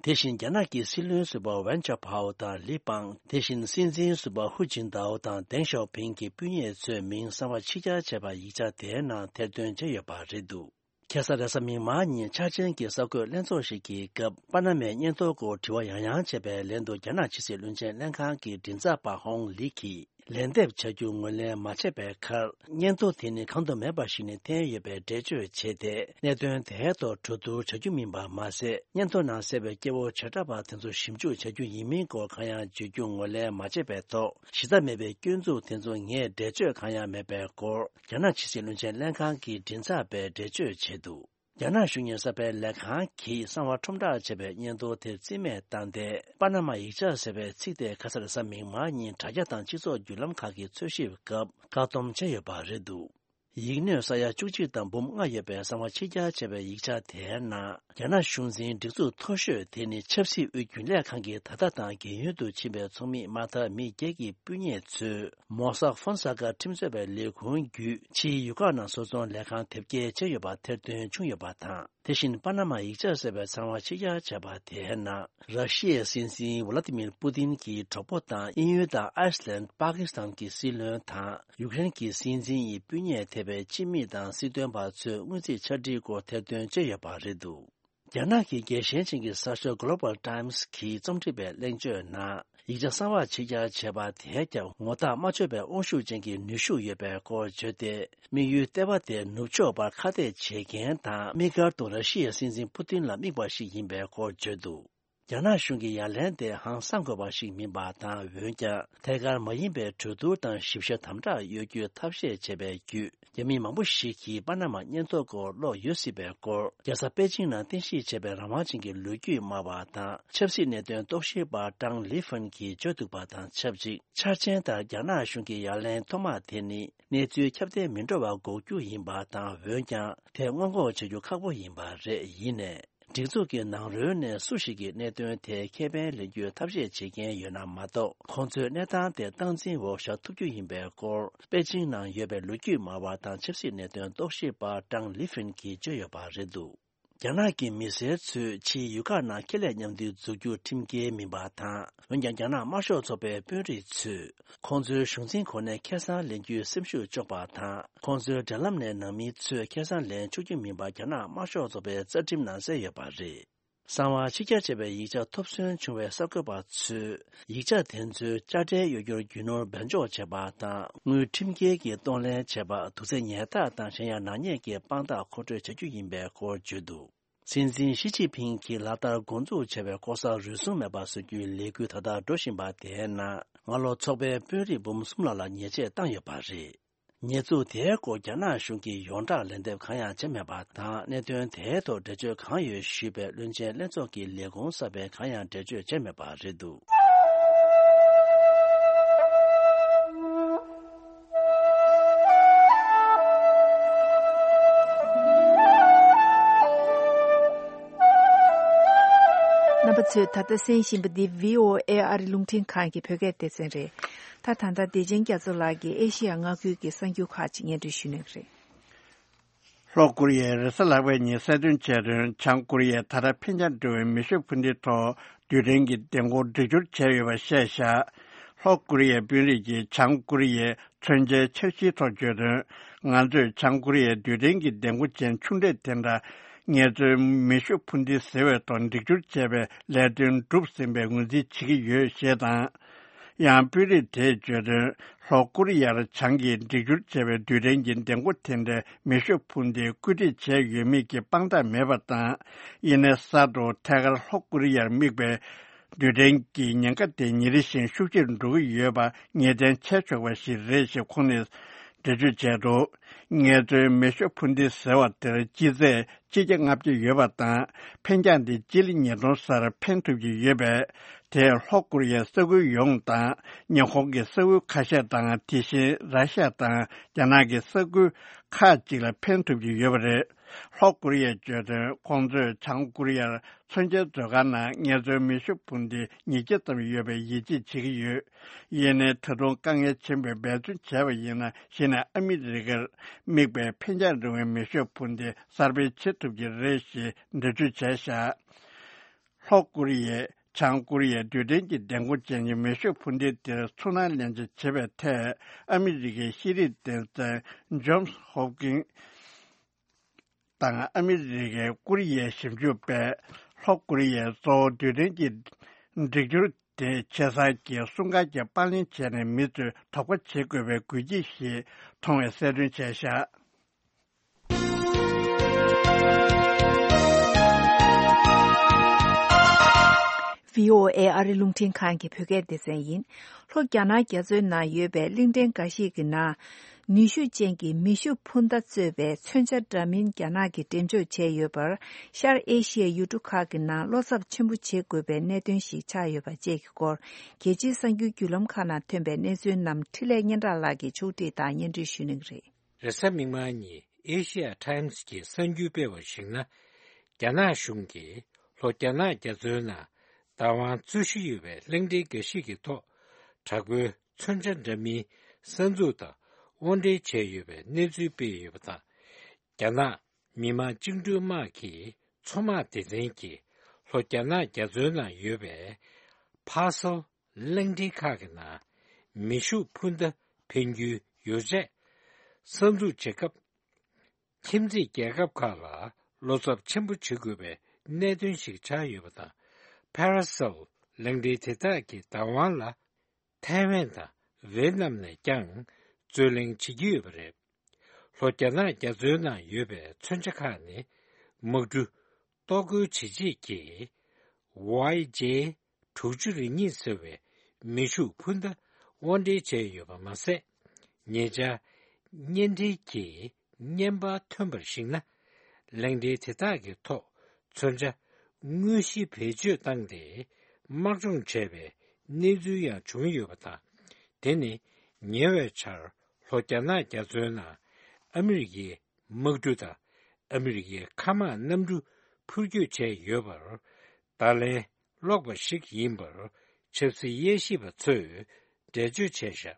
དེ་བཞིན་རྒྱ་ནག་གི་སྲིད་བློན་ཟུར་པ་ཝན་ཅོ་ཕའོ་དང་ལི་པང་། དེ་བཞིན་སྲིད་འཛིན་ཟུར་པ་ཧུ་ཅིན་ཏའོ་དང་ཏེང་ཞའོ་ཕིང་གི་སྤུན་ཉེ་ཚོའི་མིང་གསང་བ་ཕྱི་གྱར་བྱས་པ་ཡིག་ཆ་དེའི་ནང་ཐེར་འདོན་བྱས་ཡོད་པ་རེད་འདུག་ཁ་སང་རེས་གཟའ་མིག་དམར་ཉིན་འཆར་ཅན་གྱི་གསར་འགོད་ལྷན་ཚོགས་ཤིག་གི་སྐབས། པ་ན་མའི་སྙན་ཐོ་སྐོར་དྲི་བ་ཡང་ཡང་བྱས་པའི་ལན་དུ། རྒྱ་ནག་ཕྱི་སྲིད་བློན་ཆེན་ལྷན་ཁང་གི་མགྲིན་ཚབ་པ་ཧོང་ལི་གིས། ལན་འདེབས་བྱ་རྒྱུ་ངོས་ལེན་མ་བྱས་པའི་ཁར། སྙན་ཐོ་དེ་ནི་གང་དུ་མེད་པ་ཞིག་ནས་འཐེན་ཡོད་པའི་འགྲེལ་བརྗོད་བྱས་ཏེ། གནད་དོན་དེའི་ཐོག་གྲོས་བསྡུར་བྱ་རྒྱུ་མིན་པ་མ་ཟད། སྙན་ཐོ་ནང་གསལ་བའི་སྐྱེ་བོ་བྱེ་བྲག་པ་དེ་ཚོ་ཞིབ་འཇུག་བྱ་རྒྱུ་ཡིན་མིན་སྐོར་གང་ཡང་བརྗོད་རྒྱུ་ངོས་ལེན་མ་བྱས་པའི་ཐོག་གཞི་རྩ་མེད་པའི་སྐྱོན་འཛུགས་དེ་ཚོ་ངས་འགྲེལ་བརྗོད་གང་ཡང་མེད་པའི་སྐོར། རྒྱ་ནག་ཕྱི་སྲིད་བློན་ཆེན་ལྷན་ཁང་གི་མགྲིན་ཚབ་པས་འགྲེལ་བརྗོད་བྱས་འདུག་རྒྱ་ནག་གཞུང་གཉེར་གསར་པའི་ལས་ཁང་གིས་གསང་བ་ཁྲོམ་བསྒྲགས་བྱས་པའི་སྙན་ཐོ་དེ་རྩིས་མེད་བཏང་སྟེ། པ་ན་མ་ཡིག་ཆ་ཟེར་བའི་ཚིག་དེ་ཁ་སང་རེས་གཟའ་མིག་དམར་ཉིན་དྲ་རྒྱ་དང་སྤྱི་ཚོགས་བརྒྱུད་ལམ་ཁག་གི་འཚོལ་ཞིབ་སྐབས་བཀག་སྡོམ་བྱས་ཡོད་པ་རེད་འདུག་ཡིག་སྣོད་ས་ཡ་བཅུ་གཅིག་དང་འབུམ་ལྔ་ཡོད་པའི་གསང་བ་ཕྱི་གྱར་བྱས་པའི་ཡིག་ཆ་དེའི་ནང་། རྒྱ་ནག་གཞུང་འཛིན་སྒྲིག་འཛུགས་མཐོ་ཤོས་དེ་ནི་ཆབ་སྲིད་དབུས་རྒྱུན་ལས་ཁང་གི་ད་ལྟ་དང་རྒས་ཡོལ་དུ་ཕྱིན་པའི་ཚོགས་མི་མ་མཐའ་མི་བརྒྱད་ཀྱི་སྤུན་ཉེ་ཚོས་མོ་སག་ཧྥོན་ས་ཀ་ཁྲིམས་རྩོད་པའི་ལས་ཁུངས་བརྒྱུད་ཕྱིའི་ཡུལ་ཁག་ནང་བཟོ་ཚོང་ལས་ཁང་དེབ་སྐྱེལ་བྱས་ཡོད་པ་ཐེར་འདོན་བྱུང་ཡོད་པ་དང་། དེ་བཞིན་པ་ན་མ་ཡིག་ཆ་ཟེར་བའི་གསང་བ་ཕྱི་གྱར་བྱས་པ་དེའི་ནང་། ར་ཤི་ཡའི་སྲིད་འཛིན་ཝ་ལ་ཏི་མིར་པུ་ཏིན་གྱི་གྲོགས་པོ་དང་དབྱིན་ཡུལ་དང་ཨའི་སི་ལན། པ་ཀི་སི་ཐན་གྱི་སྲིད་བློན་དང་ཡུཀ་རེན་གྱི་སྲིད་འཛིན་ཡི་སྤུན་ཉེ་ཐེ་བའི་སྤྱི་མི་དང་སྲིད་དོན་པ་ཚོས་སྔོན་རྩིས་ཕྱག་བྲིས་སྐོར་ཐེར་འདོན་བྱས་ཡོད་པ་རེད་འདུག་རྒྱ་ནག་གི་རྒྱལ་ཞེན་ཅན་གྱི་གསར་ཤོག་Global Times་གྱི་རྩོམ་སྒྲིག་པའི་གླེང་བརྗོད་ནང་། ཡིག་ཆ་གསང་བ་ཕྱི་གྱར་བྱས་པ་དེས་ཀྱང་ངོ་རྟགས་མ་ཆོད་པའི་དབང་ཤུགས་ཅན་གྱི་ནུས་ཤུགས་ཡོད་པའི་སྐོར་བརྗོད་དེ། དམིགས་ཡུལ་ལྟེ་བ་དེ་ནུབ་ཕྱོགས་པར་ཁ་གཏད་བྱེད་མཁན་དང་། དམིགས་བཀར་དུ་ར་ཤི་ཡའི་སྲིད་འཛིན་པུ་ཏིན་ལ་དམིགས་པ་ཞིག་ཡིན་པའི་སྐོར་བརྗོད་འདུག་རྒྱ་ནག་གཞུང་གི་ཡ་ལན་དེ་ཧང་སང་དགོས་པ་ཞིག་མིན་པ་དང་། འོན་ཀྱང་ཐད་ཀར་མ་ཡིན་པའི་གྲོས་བསྡུར་དང་ཞིབ་བཤེར་དམ་དྲག་གཡོ་སྒྱུའི་ཐབས་ཤེས་བྱས་པའི་བརྒྱུད། རྒྱ་མི་མང་པོ་ཞིག་གིས་པ་ན་མ་སྙན་ཐོ་སྐོར་ཀློག་ཡོད་སྲིད་པའི་སྐོར། རྒྱལ་ས་པེ་ཅིང་ནང་རྟེན་གཞི་བྱས་པའི་རང་དབང་ཅན་གྱི་ལོ་རྒྱུས་སྨྲ་བ་དང་། ཆབ་སྲིད་གནད་དོན་རྟོག་ཞིབ་པ་ཀྲང་ལི་ཧྥན་གྱིས་བརྗོད་འདུག་པ་དང་ཆབས་ཅིག་འཆར་ཅན་ལྟར་རྒྱ་ནག་གཞུང་གི་ཡ་ལན་ཐོག་མ་དེ་ནི། གནས་ཚུལ་ཁྱབ་གདལ་མི་འགྲོ་བ་འགོག་རྒྱུ་ཡིན་པ་དང་། འོན་ཀྱང་དེ་སྔོན་འགོག་བྱ་རྒྱུ་ཁག་པོ་ཡིན་པ་རེད། ཡིན་ནའི། སྒྲིག་འཛུགས་ཀྱི་ནང་རོལ་ནས་སུ་ཞིག་གིས་གནད་དོན་དེའི་ཁེ་ཕན་ལེན་རྒྱུའི་ཐབས་ཤེས་བྱེད་མཁན་ཡོད་ན་མ་གཏོགས། ཁོང་ཚོས་གནས་སྟངས་དེ་སྟངས་འཛིན་འོག་བཞག་ཐུབ་རྒྱུ་ཡིན་པའི་སྐོར། པེ་ཅིང་ནང་ཡོད་པའི་ལོ་རྒྱུས་སྨྲ་བ་དང་ཆབ་སྲིད་གནད་དོན་རྟོག་ཞིབ་པ་ཀྲང་ལི་ཧྥིན་གྱིས་བརྗོད་ཡོད་པ་རེད་འདུག་རྒྱ་ནག་གི་མི་སེར་ཚོས་ཕྱིའི་ཡུལ་ཁག་ནང་ཁེ་ལས་མཉམ་འདུས་འཛུགས་རྒྱུ་ཁྲིམས་འགལ་མིན་པ་དང་། འོན་ཀྱང་། རྒྱ་ནག་དམར་ཤོག་ཚོགས་པའི་དཔོན་རིགས་ཚོས། ཁོང་ཚོའི་གཞུང་འཛིན་གོ་གནས་ཁེ་བཟང་ལེན་རྒྱུའི་སེམས་ཤུགས་གཅོག་པ་དང་། ཁོང་ཚོའི་འབྲེལ་ལམ་ནས་ནང་མི་ཚོས་ཁེ་བཟང་ལེན་ཆོག་རྒྱུ་མིན་པ་རྒྱ་ནག་དམར་ཤོག་ཚོགས་པའི་རྩ་ཁྲིམས་ནང་གསལ་ཡོད་པ་རེད། གསང་བ་ཕྱི་གྱར་བྱས་པའི་ཡིག་ཆ་ཐོབ་སོན་བྱུང་བའི་གསར་འགོད་པ་ཚོས། ཡིག་ཆ་དེ་ཚོའི་དཔྱ་ཁྲལ་གཡོ་སྒྱུར་རྒྱུ་ནོར་སྦས་འཇོག་བྱས་པ་དང་། དངུལ་ཁྲིམས་འགལ་གྱིས་གཏོང་ལེན་བྱས་པ། དུག་རྫས་ཉར་ཐག་དང་གཞན་ཡང་ནག་ཉེས་ཀྱི་དཔང་རྟགས་མཁོ་སྤྲོད་བྱ་རྒྱུ་ཡིན་པའི་སྐོར་བརྗོད་འདུག་སྲིད་འཛིན་ཞི་ཅིན་ཕིང་གིས་ལག་བསྟར་འགོ་འཛུགས་བྱས་པའི་ལྐོག་ཟ་རུལ་སུངས་མེད་པ་བཟོ་རྒྱུའི་ལས་འགུལ་ད་ལྟ་འགྲོ་བཞིན་པ་དེའི་ནང་། སྔ་ལོ་ཚོགས་པའི་དཔོན་རིགས་འབུམ་གསུམ་ལྷག་ལ་ཉེས་ཆད་བཏང་ཡོད་པ་རེད། ཉེས་འཛུགས་དེའི་སྐོར་རྒྱ་ནག་གཞུང་གིས་ཡོངས་གྲགས་ལན་འདེབས་གང་ཡང་བྱས་མེད་པ་དང་། གནད་དོན་དེའི་ཐོག་འགྲེལ་བརྗོད་གང་ཡོད་ཞུས་པའི་བློན་ཆེན་ལྷན་ཚོགས་ཀྱི་ལས་ཁུངས་གསར་པས་གང་ཡང་འགྲེལ་བརྗོད་བྱས་མེད་པ་རེད་འདུག་རྣམ་པ་ཚོས་ད་ལྟ་གསན་བཞིན་པ་འདི་བྷི་ཨོ་ཨེ་ཨ་རི་རླུང་འཕྲིན་ཁང་གི་བོད་སྐད་སྡེ་ཚན་རེད། ད་ད་ལྟ་བདེ་ཆེན་རྒྱ་མཚོ་ལགས་ཀྱིས་ཨེ་ཤི་ཡ་མངའ་ཁུལ་གྱི་གསར་འགྱུར་ཁག་ཅིག་སྙན་སྒྲོན་ཞུ་གནང་གི་རེད། ལྷོ་ཀོ་རི་ཡས་རེས་གཟའ་ལྷག་པའི་ཉིན་གསལ་སྟོན་བྱས་དོན། བྱང་ཀོ་རི་ཡས་ད་ལྟ་འཕེན་རྒྱང་འགྲོ་བའི་མེ་ཤུགས་འཕུར་མདེལ་ཐོག་རྡུལ་ཕྲན་གྱི་ལྡིང་སྐོར་སྒྲིག་སྦྱོར་བྱས་ཡོད་པ་བཤད་བཞག་ལྷོ་ཀོ་རི་ཡའི་དཔོན་རིགས་ཀྱིས་བྱང་ཀོ་རི་ཡའི་མཚོན་ཆའི་འཆར་གཞིའི་ཐོག་བརྗོད་དོན། ང་ཚོས་བྱང་ཀོ་རི་ཡའི་རྡུལ་ཕྲན་གྱི་ལྡིང་སྐོར་ཅན་ཆུང་གྲས་དེ་འདྲ་ངལ་རྩོལ་མེ་ཤུགས་འཕུར་མདེལ་ཟེར་བའི་ཐོག་སྒྲིག་སྦྱོར་བྱས་པའི་ལས་དོན་འགྲུབ་ཟིན་པའི་ངོས་འཛིན་བྱེད་ཀྱི་ཡོད་ཞེས་དང་། ཡང་དཔོན་རིགས་དེས་བརྗོད་དོན། ལྷོ་ཀོ་རི་ཡར་བྱང་གིས་སྒྲིག་སྦྱོར་བྱས་པའི་རྡུལ་ཕྲན་གྱི་ལྡིང་སྐོར་དེ་འདྲའི་མེ་ཤུགས་འཕུར་མདེལ་བཀོད་སྒྲིག་བྱས་ཡོད་མེད་ཀྱི་དཔང་རྟགས་མེད་པ་དང་། ཡེ་ནས་གསར་དུ་ཐད་ཀར་ལྷོ་ཀོ་རི་ཡར་དམིགས་པའི་རྡུལ་ཕྲན་གྱི་ཉེན་ཁ་དེ་ཉིན་རེ་བཞིན་ཤུགས་ཆེར་འགྲོ་གི་ཡོད་པ་ངེས་གཏན་བྱས་ཆོག་པ་ཞིག་རེད་ཞེས་ཁོང་ནས་འགྲེལ་བརྗོད་བྱས་འདུག་ངལ་རྩོལ་མེ་ཤུགས་འཕུར་མདེལ་ཟེར་བ་དེར་སྤྱི་ཚད་སྤྱི་རྒྱ་ལྔ་བརྒྱ་ཡོད་པ་དང་། འཕེན་རྒྱང་དེ་སྤྱི་ལེ་ཉིས་སྟོང་སར་འཕེན་ཐུབ་ཀྱི་ཡོད་པས། དེས་ལྷོ་ཀོ་རི་ཡའི་ས་ཁུལ་ཡོངས་དང་། ཉེ་འཁོར་གྱི་ས་ཁུལ་ཁ་ཤས་དང་། དེ་བཞིན་ར་ཤ་ཡ་དང་རྒྱ་ནག་གི་ས་ཁུལ་ཁག་ཅིག་ལ་འཕེན་ཐུབ་ཀྱི་ཡོད་པ་རེད། ལྷོ་ཀོ་རི་ཡས་བརྗོད་དོན། ཁོང་ཚོས་བྱང་ཀོ་རི་ཡར་མཚོན་ཆའི་མཛོད་ཁང་ནང་ངལ་རྩོལ་མེ་ཤུགས་འཕུར་མདེལ་ཉིས་བརྒྱ་ཙམ་ཡོད་པའི་ཡིད་ཆེས་བྱེད་ཀྱི་ཡོད། ཡིན་ནའི་ད་དུང་དཀའ་ངལ་ཆེན་པོས་འབད་བརྩོན་བྱས་པ་ཡིན་ན། གཞི་ནས་ཨ་མི་རི་ཀར་དམིགས་པའི་འཕེན་རྒྱང་རིང་བའི་མེ་ཤུགས་འཕུར་མདེལ་གསར་སྤེལ་བྱེད་ཐུབ་ཀྱི་རེད་ཞེས་འགྲེལ་བརྗོད་བྱས་བཞག་ལྷོ་ཀོ་རི་ཡས་བྱང་ཀོ་རི་ཡའི་རྡུལ་ཕྲན་གྱི་ལྡིང་སྐོར་ཅན་གྱི་མེ་ཤུགས་འཕུར་མདེལ་དེར་ཚུར་སྣང་ལེན་བྱ་བྱེད་པའི་ཐད། ཨ་མི་རི་ཀའི་ཤེས་རིག་སྡེ་ཚན་ཇོན་སི་ཧོབ་ཀིན་དང་ཨ་མི་རི་ཀའི་ཀོ་རི་ཡའི་ཞིབ་འཇུག་པས་ལྷོ་ཀོ་རི་ཡས་གཙོ་བོ་རྡུལ་ཕྲན་གྱི་སྒྲིག་སྦྱོར་དེ་ཆེ་སར་གྱི་སྲུང་སྐར་གྱི་པར་ལེན་བྱས་ནས་མི་ཚོས་དོགས་པ་བྱེད་དགོས་པའི་དགོས་ཀྱི་ཞེས་མཐོང་བའི་གསལ་སྟོན་བྱས་བཞག་བྷི་ཨོ་ཨེ་ཨ་རི་རླུང་འཕྲིན་ཁང་གི་བོད་སྐད་སྡེ་ཚན་ཡིན། ལྷོ་རྒྱ་ནག་རྒྱ་མཚོའི་ནང་ཡོད་པའི་གླིང་ཕྲན་འགའ་ཞིག་གི་ནང་། ནུས་ཤུགས་ཅན་གྱི་མེ་ཤུགས་འཕུར་མདའ་གཙོས་པའི་མཚོན་ཆ་འདྲ་མིན་རྒྱ་ནག་གིས་འགྲེམས་འཇོག་བྱས་ཡོད་པར། ཤར་ཨེ་ཤི་ཡའི་ཡུལ་གྲུ་ཁག་གི་ནང་བློ་འཚབ་ཆེན་པོ་བྱེད་དགོས་པའི་གནད་དོན་ཞིག་ཆགས་ཡོད་པ་བཅས་ཀྱི་སྐོར། རྒྱལ་སྤྱིའི་གསར་འགྱུར་བརྒྱུད་ལམ་ཁག་ནང་ཐོན་པའི་གནས་ཚུལ་རྣམས་འཕྲིན་ལས་སྙན་གྲགས་ལགས་ཀྱིས་ཕྱོགས་སྒྲིག་དང་སྙན་སྒྲོན་ཞུ་གནང་གི་རེད། རེས་གཟའ་མིག་དམར་ཉིན་ཨེ་ཤི་ཡ་ཊའིམ་སི་གྱིས་གསར་འགྱུར་སྤེལ་བར་གཞིགས་ན། རྒྱ་ནག་གཞུང་གིས་ལྷོ་རྒྱ་ནག་རྒྱ་མཚོའི་ནང་བདག་དབང་རྩོད་གཞི་ཡོད་པའི་གླིང་ཕྲན་འགའ་ཞིག་གི་ཐོག་དྲག་པོའི་མཚོན་ཆ་འདྲ་མིན་གསར་འཛུགས་དང་དབོར་འདྲེན་བྱས་ཡོད་པའི་གནས་ཚུལ་སྤེལ་ཡོད་པ་དང་། རྒྱ་ནག་མི་དམངས་བཅིངས་འགྲོལ་དམག་གི་མཚོ་དམག་སྡེ་ཚན་གྱིས་ལྷོ་རྒྱ་ནག་རྒྱ་མཚོའི་ནང་ཡོད་པའི་ཕ་སོ་གླིང་ཕྲན་ཁག་གི་ནང་མེ་ཤུགས་འཕུར་མདའ་འཕེན་རྒྱུའི་ཡོ་བྱད་གསར་འཛུགས་བྱེད་སྐབས། ཁྱིམ་མཚེས་རྒྱལ་ཁབ་ཁག་ལ་བློ་འཚབ་ཆེན་པོ་བྱེད་དགོས་པའི་གནད་དོན་ཞིག་ཆགས་ཡོད་པ་དང་། ཕ་ར་སེལ་གླིང་ཕྲན་དེ་དག་གི་བདག་དབང་ལ། ཐའེ་ཝན་དང་ཝེ་ཏི་ནམ་ནས་ཀྱང་རྩོད་གླེང་བྱེད་ཀྱི་ཡོད་པ་རེད། ལྷོ་རྒྱ་ནག་རྒྱ་མཚོའི་ནང་ཡོད་པའི་མཚོན་ཆ་ཁག་ནི་དམག་གྲུ་གཏོར་རྒོལ་བྱེད་ཆེད་ཀྱི་ཝའི་ཇེ་དྲུག་ཅུ་རེ་གཉིས་ཟེར་བའི་མེ་ཤུགས་འཕུར་མདའ་དབོར་འདྲེན་བྱས་ཡོད་པ་མ་ཟད། ཉེ་ཆར་བརྙན་འཕྲིན་གྱི་བརྙན་པར་ཐོན་པར་གཞིགས་ན། གླིང་ཕྲན་དེ་དག་གི་ཐོག་མཚོན་ཆ་དངོས་གཞི་བེད་སྤྱོད་བཏང་སྟེ་དམག་སྦྱོང་བྱས་པའི་གནས་ཚུལ་ཡང་བྱུང་ཡོད་པ་དང་། དེ་ནི་ཉེ་བའི་ཆར་ལྷོ་རྒྱ་ནག་རྒྱ་མཚོའི་ནང་ཨ་མི་རི་ཀའི་དམག་གྲུ་དང་ཨ་མི་རི་ཀའི་མཁའ་དམག་གནམ་གྲུ་འཕུར་སྐྱོད་བྱས་ཡོད་པར་བརྡ་ལན་སློག་པ་ཞིག་ཡིན་པར་ཆབ་སྲིད་དབྱེ་ཞིབ་པ་ཚོས་འགྲེལ་བརྗོད་བྱས་བཞག་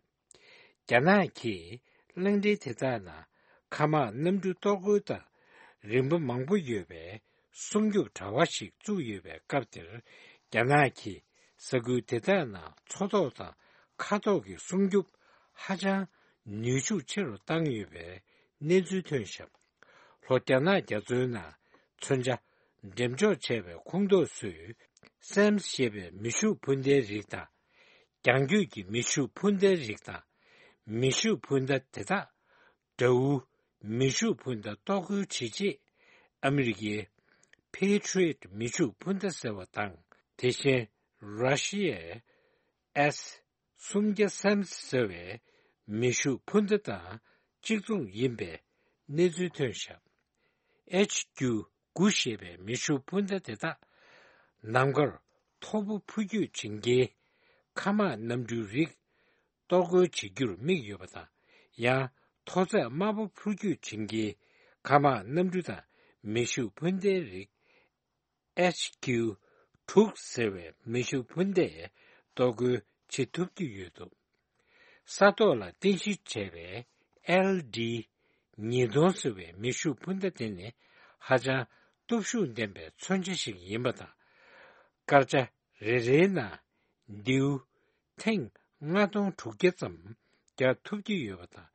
རྒྱ་ནག་གིས་གླིང་ཕྲན་དེ་དག་ནང་མཁའ་དམག་གནམ་གྲུ་གཏོར་རྒོལ་དང་རིམ་པ་མང་པོ་ཡོད་པའི་སྲུང་སྐྱོབ་དྲ་བ་ཞིག་བཙུགས་ཡོད་པའི་སྐབས་དེར། རྒྱ་ནག་གིས་ས་ཁུལ་དེ་དག་ནང་མཚོ་ཐོག་དང་མཁའ་ཐོག་གི་སྲུང་སྐྱོབ་ཧ་ཅང་ནུས་ཤུགས་ཆེ་རུ་བཏང་ཡོད་པའི་གནས་ཚུལ་ཐོན་བཞག་ལྷོ་རྒྱ་ནག་རྒྱ་མཚོའི་ནང་མཚོན་ཆ་འགྲེམས་འཇོག་བྱས་པའི་ཁོངས་གཏོགས་ཚོས་སེམས་ཞེས་པའི་མེ་ཤུགས་འཕུར་མདའི་རིགས་དང་། རྒྱང་རྒྱུད་ཀྱི་མེ་ཤུགས་འཕུར་མདའི་རིགས་དང་། མེ་ཤུགས་འཕུར་མདའ་དེ་དག་དགྲ་བོའི་མེ་ཤུགས་འཕུར་མདའ་གཏོར་རྒོལ་བྱེད་ཆེད་ཨ་མི་རི་ཀའི་Patriot་མེ་ཤུགས་འཕུར་མདའ་ཟེར་བ་དང་། དེ་བཞིན་ར་ཤི་ཡའི་S་སུམ་བརྒྱ་སེམས་ཟེར་བའི་མེ་ཤུགས་འཕུར་མདའ་དང་གཅིག་མཚུངས་ཡིན་པའི་གནས་ཚུལ་ཐོན་བཞག H Q་དགུ་ཞེས་པའི་མེ་ཤུགས་འཕུར་མདའ་དེ་དག་ནམ་མཁར་མཐོ་པོ་འཕུར་སྐྱོད་བྱེད་མཁན་མཁའ་དམག་གནམ་གྲུའི་རིགས་གཏོར་རྒོལ་བྱེད་རྒྱུར་དམིགས་ཡོད་པ་དང་། ཡང་མཐོ་ཚད་དམའ་པོ་འཕུར་སྐྱོད་བྱེད་མཁན་མཁའ་དམག་གནམ་གྲུ་དང་མེ་ཤུགས་འཕུར་མདའི་རིགས། H Q་དྲུག་ཟེར་བའི་མེ་ཤུགས་འཕུར་མདས་གཏོར་རྒོལ་བྱེད་ཐུབ་ཀྱི་ཡོད་འདུག་ས་ཐོག་ལ་རྟེན་གཞི་བྱས་པའི་L D་ཉིས་སྟོང་ཟེར་བའི་མེ་ཤུགས་འཕུར་མདའ་དེ་ནི་ཧ་ཅང་སྟོབས་ཤུགས་ལྡན་པའི་མཚོན་ཆ་ཞིག་ཡིན་པ་དང་། སྐར་ཆ་རེ་རེའི་ནང་མདེའུ་ཐེངས་ལྔ་སྟོང་དྲུག་བརྒྱ་ཙམ་རྒྱག་ཐུབ་ཀྱི་ཡོད་པ་དང་།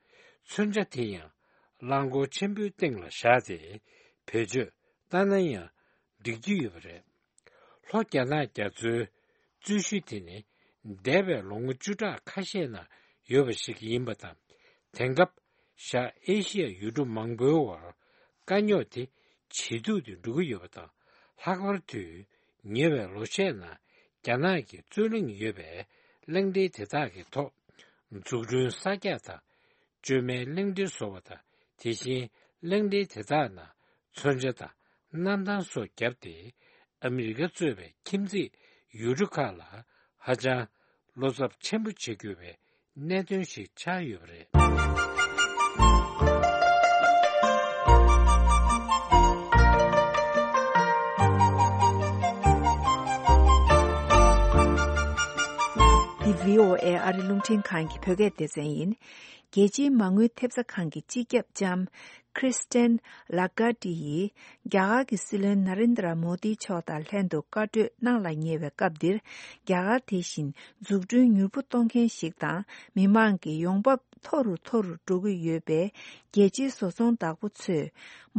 མཚོན་ཆ་དེ་ཡང་རླངས་འཁོར་ཆེན་པོའི་སྟེང་ལ་བཞག་སྟེ་བེད་སྤྱོད་བཏང་ན་ཡང་འགྲིག་རྒྱུ་ཡོད་པ་རེད། ལྷོ་རྒྱ་ནག་རྒྱ་མཚོའི་རྩོད་གཞི་དེ་ནི་འདས་པའི་ལོ་ངོ་བཅུ་ཕྲག་ཁ་ཤས་ནང་ཡོད་པ་ཞིག་ཡིན་པ་དང་། དེང་སྐབས་ཤར་ཨེ་ཤི་ཡ་ཡུལ་གྲུ་མང་པོའི་བར་དཀའ་རྙོག་དེ་ཇེ་སྡུག་ཏུ་འགྲོ་གི་ཡོད་པ་དང་། ལྷག་པར་དུ་ཉེ་བའི་ལོ་ཤས་ནང་རྒྱ་ནག་གི་རྩོད་གླེང་ཡོད་པའི་གླིང་ཕྲན་དེ་དག་གི་ཐོག་འཛུགས་སྐྲུན་གསར་རྒྱག་དང་། བཅོས་མའི་གླིང་ཕྲན་བཟོ་བ་དང་། དེ་བཞིན་གླིང་ཕྲན་དེ་དག་ནང་མཚོན་ཆ་དང་གནམ་ཐང་སོགས་བརྒྱབ་སྟེ། ཨ་མི་རི་ཀ་གཙོས་པའི་ཁྱིམ་མཚེས་ཡུལ་གྲུ་ཁག་ལ་ཧ་ཅང་བློ་འཚབ་ཆེན་པོ་བྱེད་དགོས་པའི་གནད་དོན་ཞིག་ཆགས་ཡོད་པ་རེད། འདི་བྷི་ཨོ་ཨེ་ཨ་རི་རླུང་འཕྲིན་ཁང་གི་བོད་སྐད་སྡེ་ཚན་ཡིན། རྒྱལ་སྤྱིའི་མ་དངུལ་ཐེབས་རྩ་ཁང་གི་སྤྱི་ཁྱབ་ལྕམ་Christine Lagarde་ཡིས་རྒྱ་གར་གྱི་སྲིད་བློན་ན་རེན་དྲ་མོ་དི་མཆོག་དང་ལྷན་དུ་བཀའ་གྲོས་གནང་ལ་ཉེ་བའི་སྐབས་འདིར། རྒྱ་གར་དེ་བཞིན་འཛུགས་སྐྲུན་མྱུར་པོ་གཏོང་མཁན་ཞིག་དང་། མི་མང་གི་ཡོང་འབབ་མཐོ་རུ་མཐོ་རུ་འགྲོ་གི་ཡོད་པས། རྒྱལ་སྤྱིའི་བཟོ་ཚོང་བདག་པོ་ཚོས་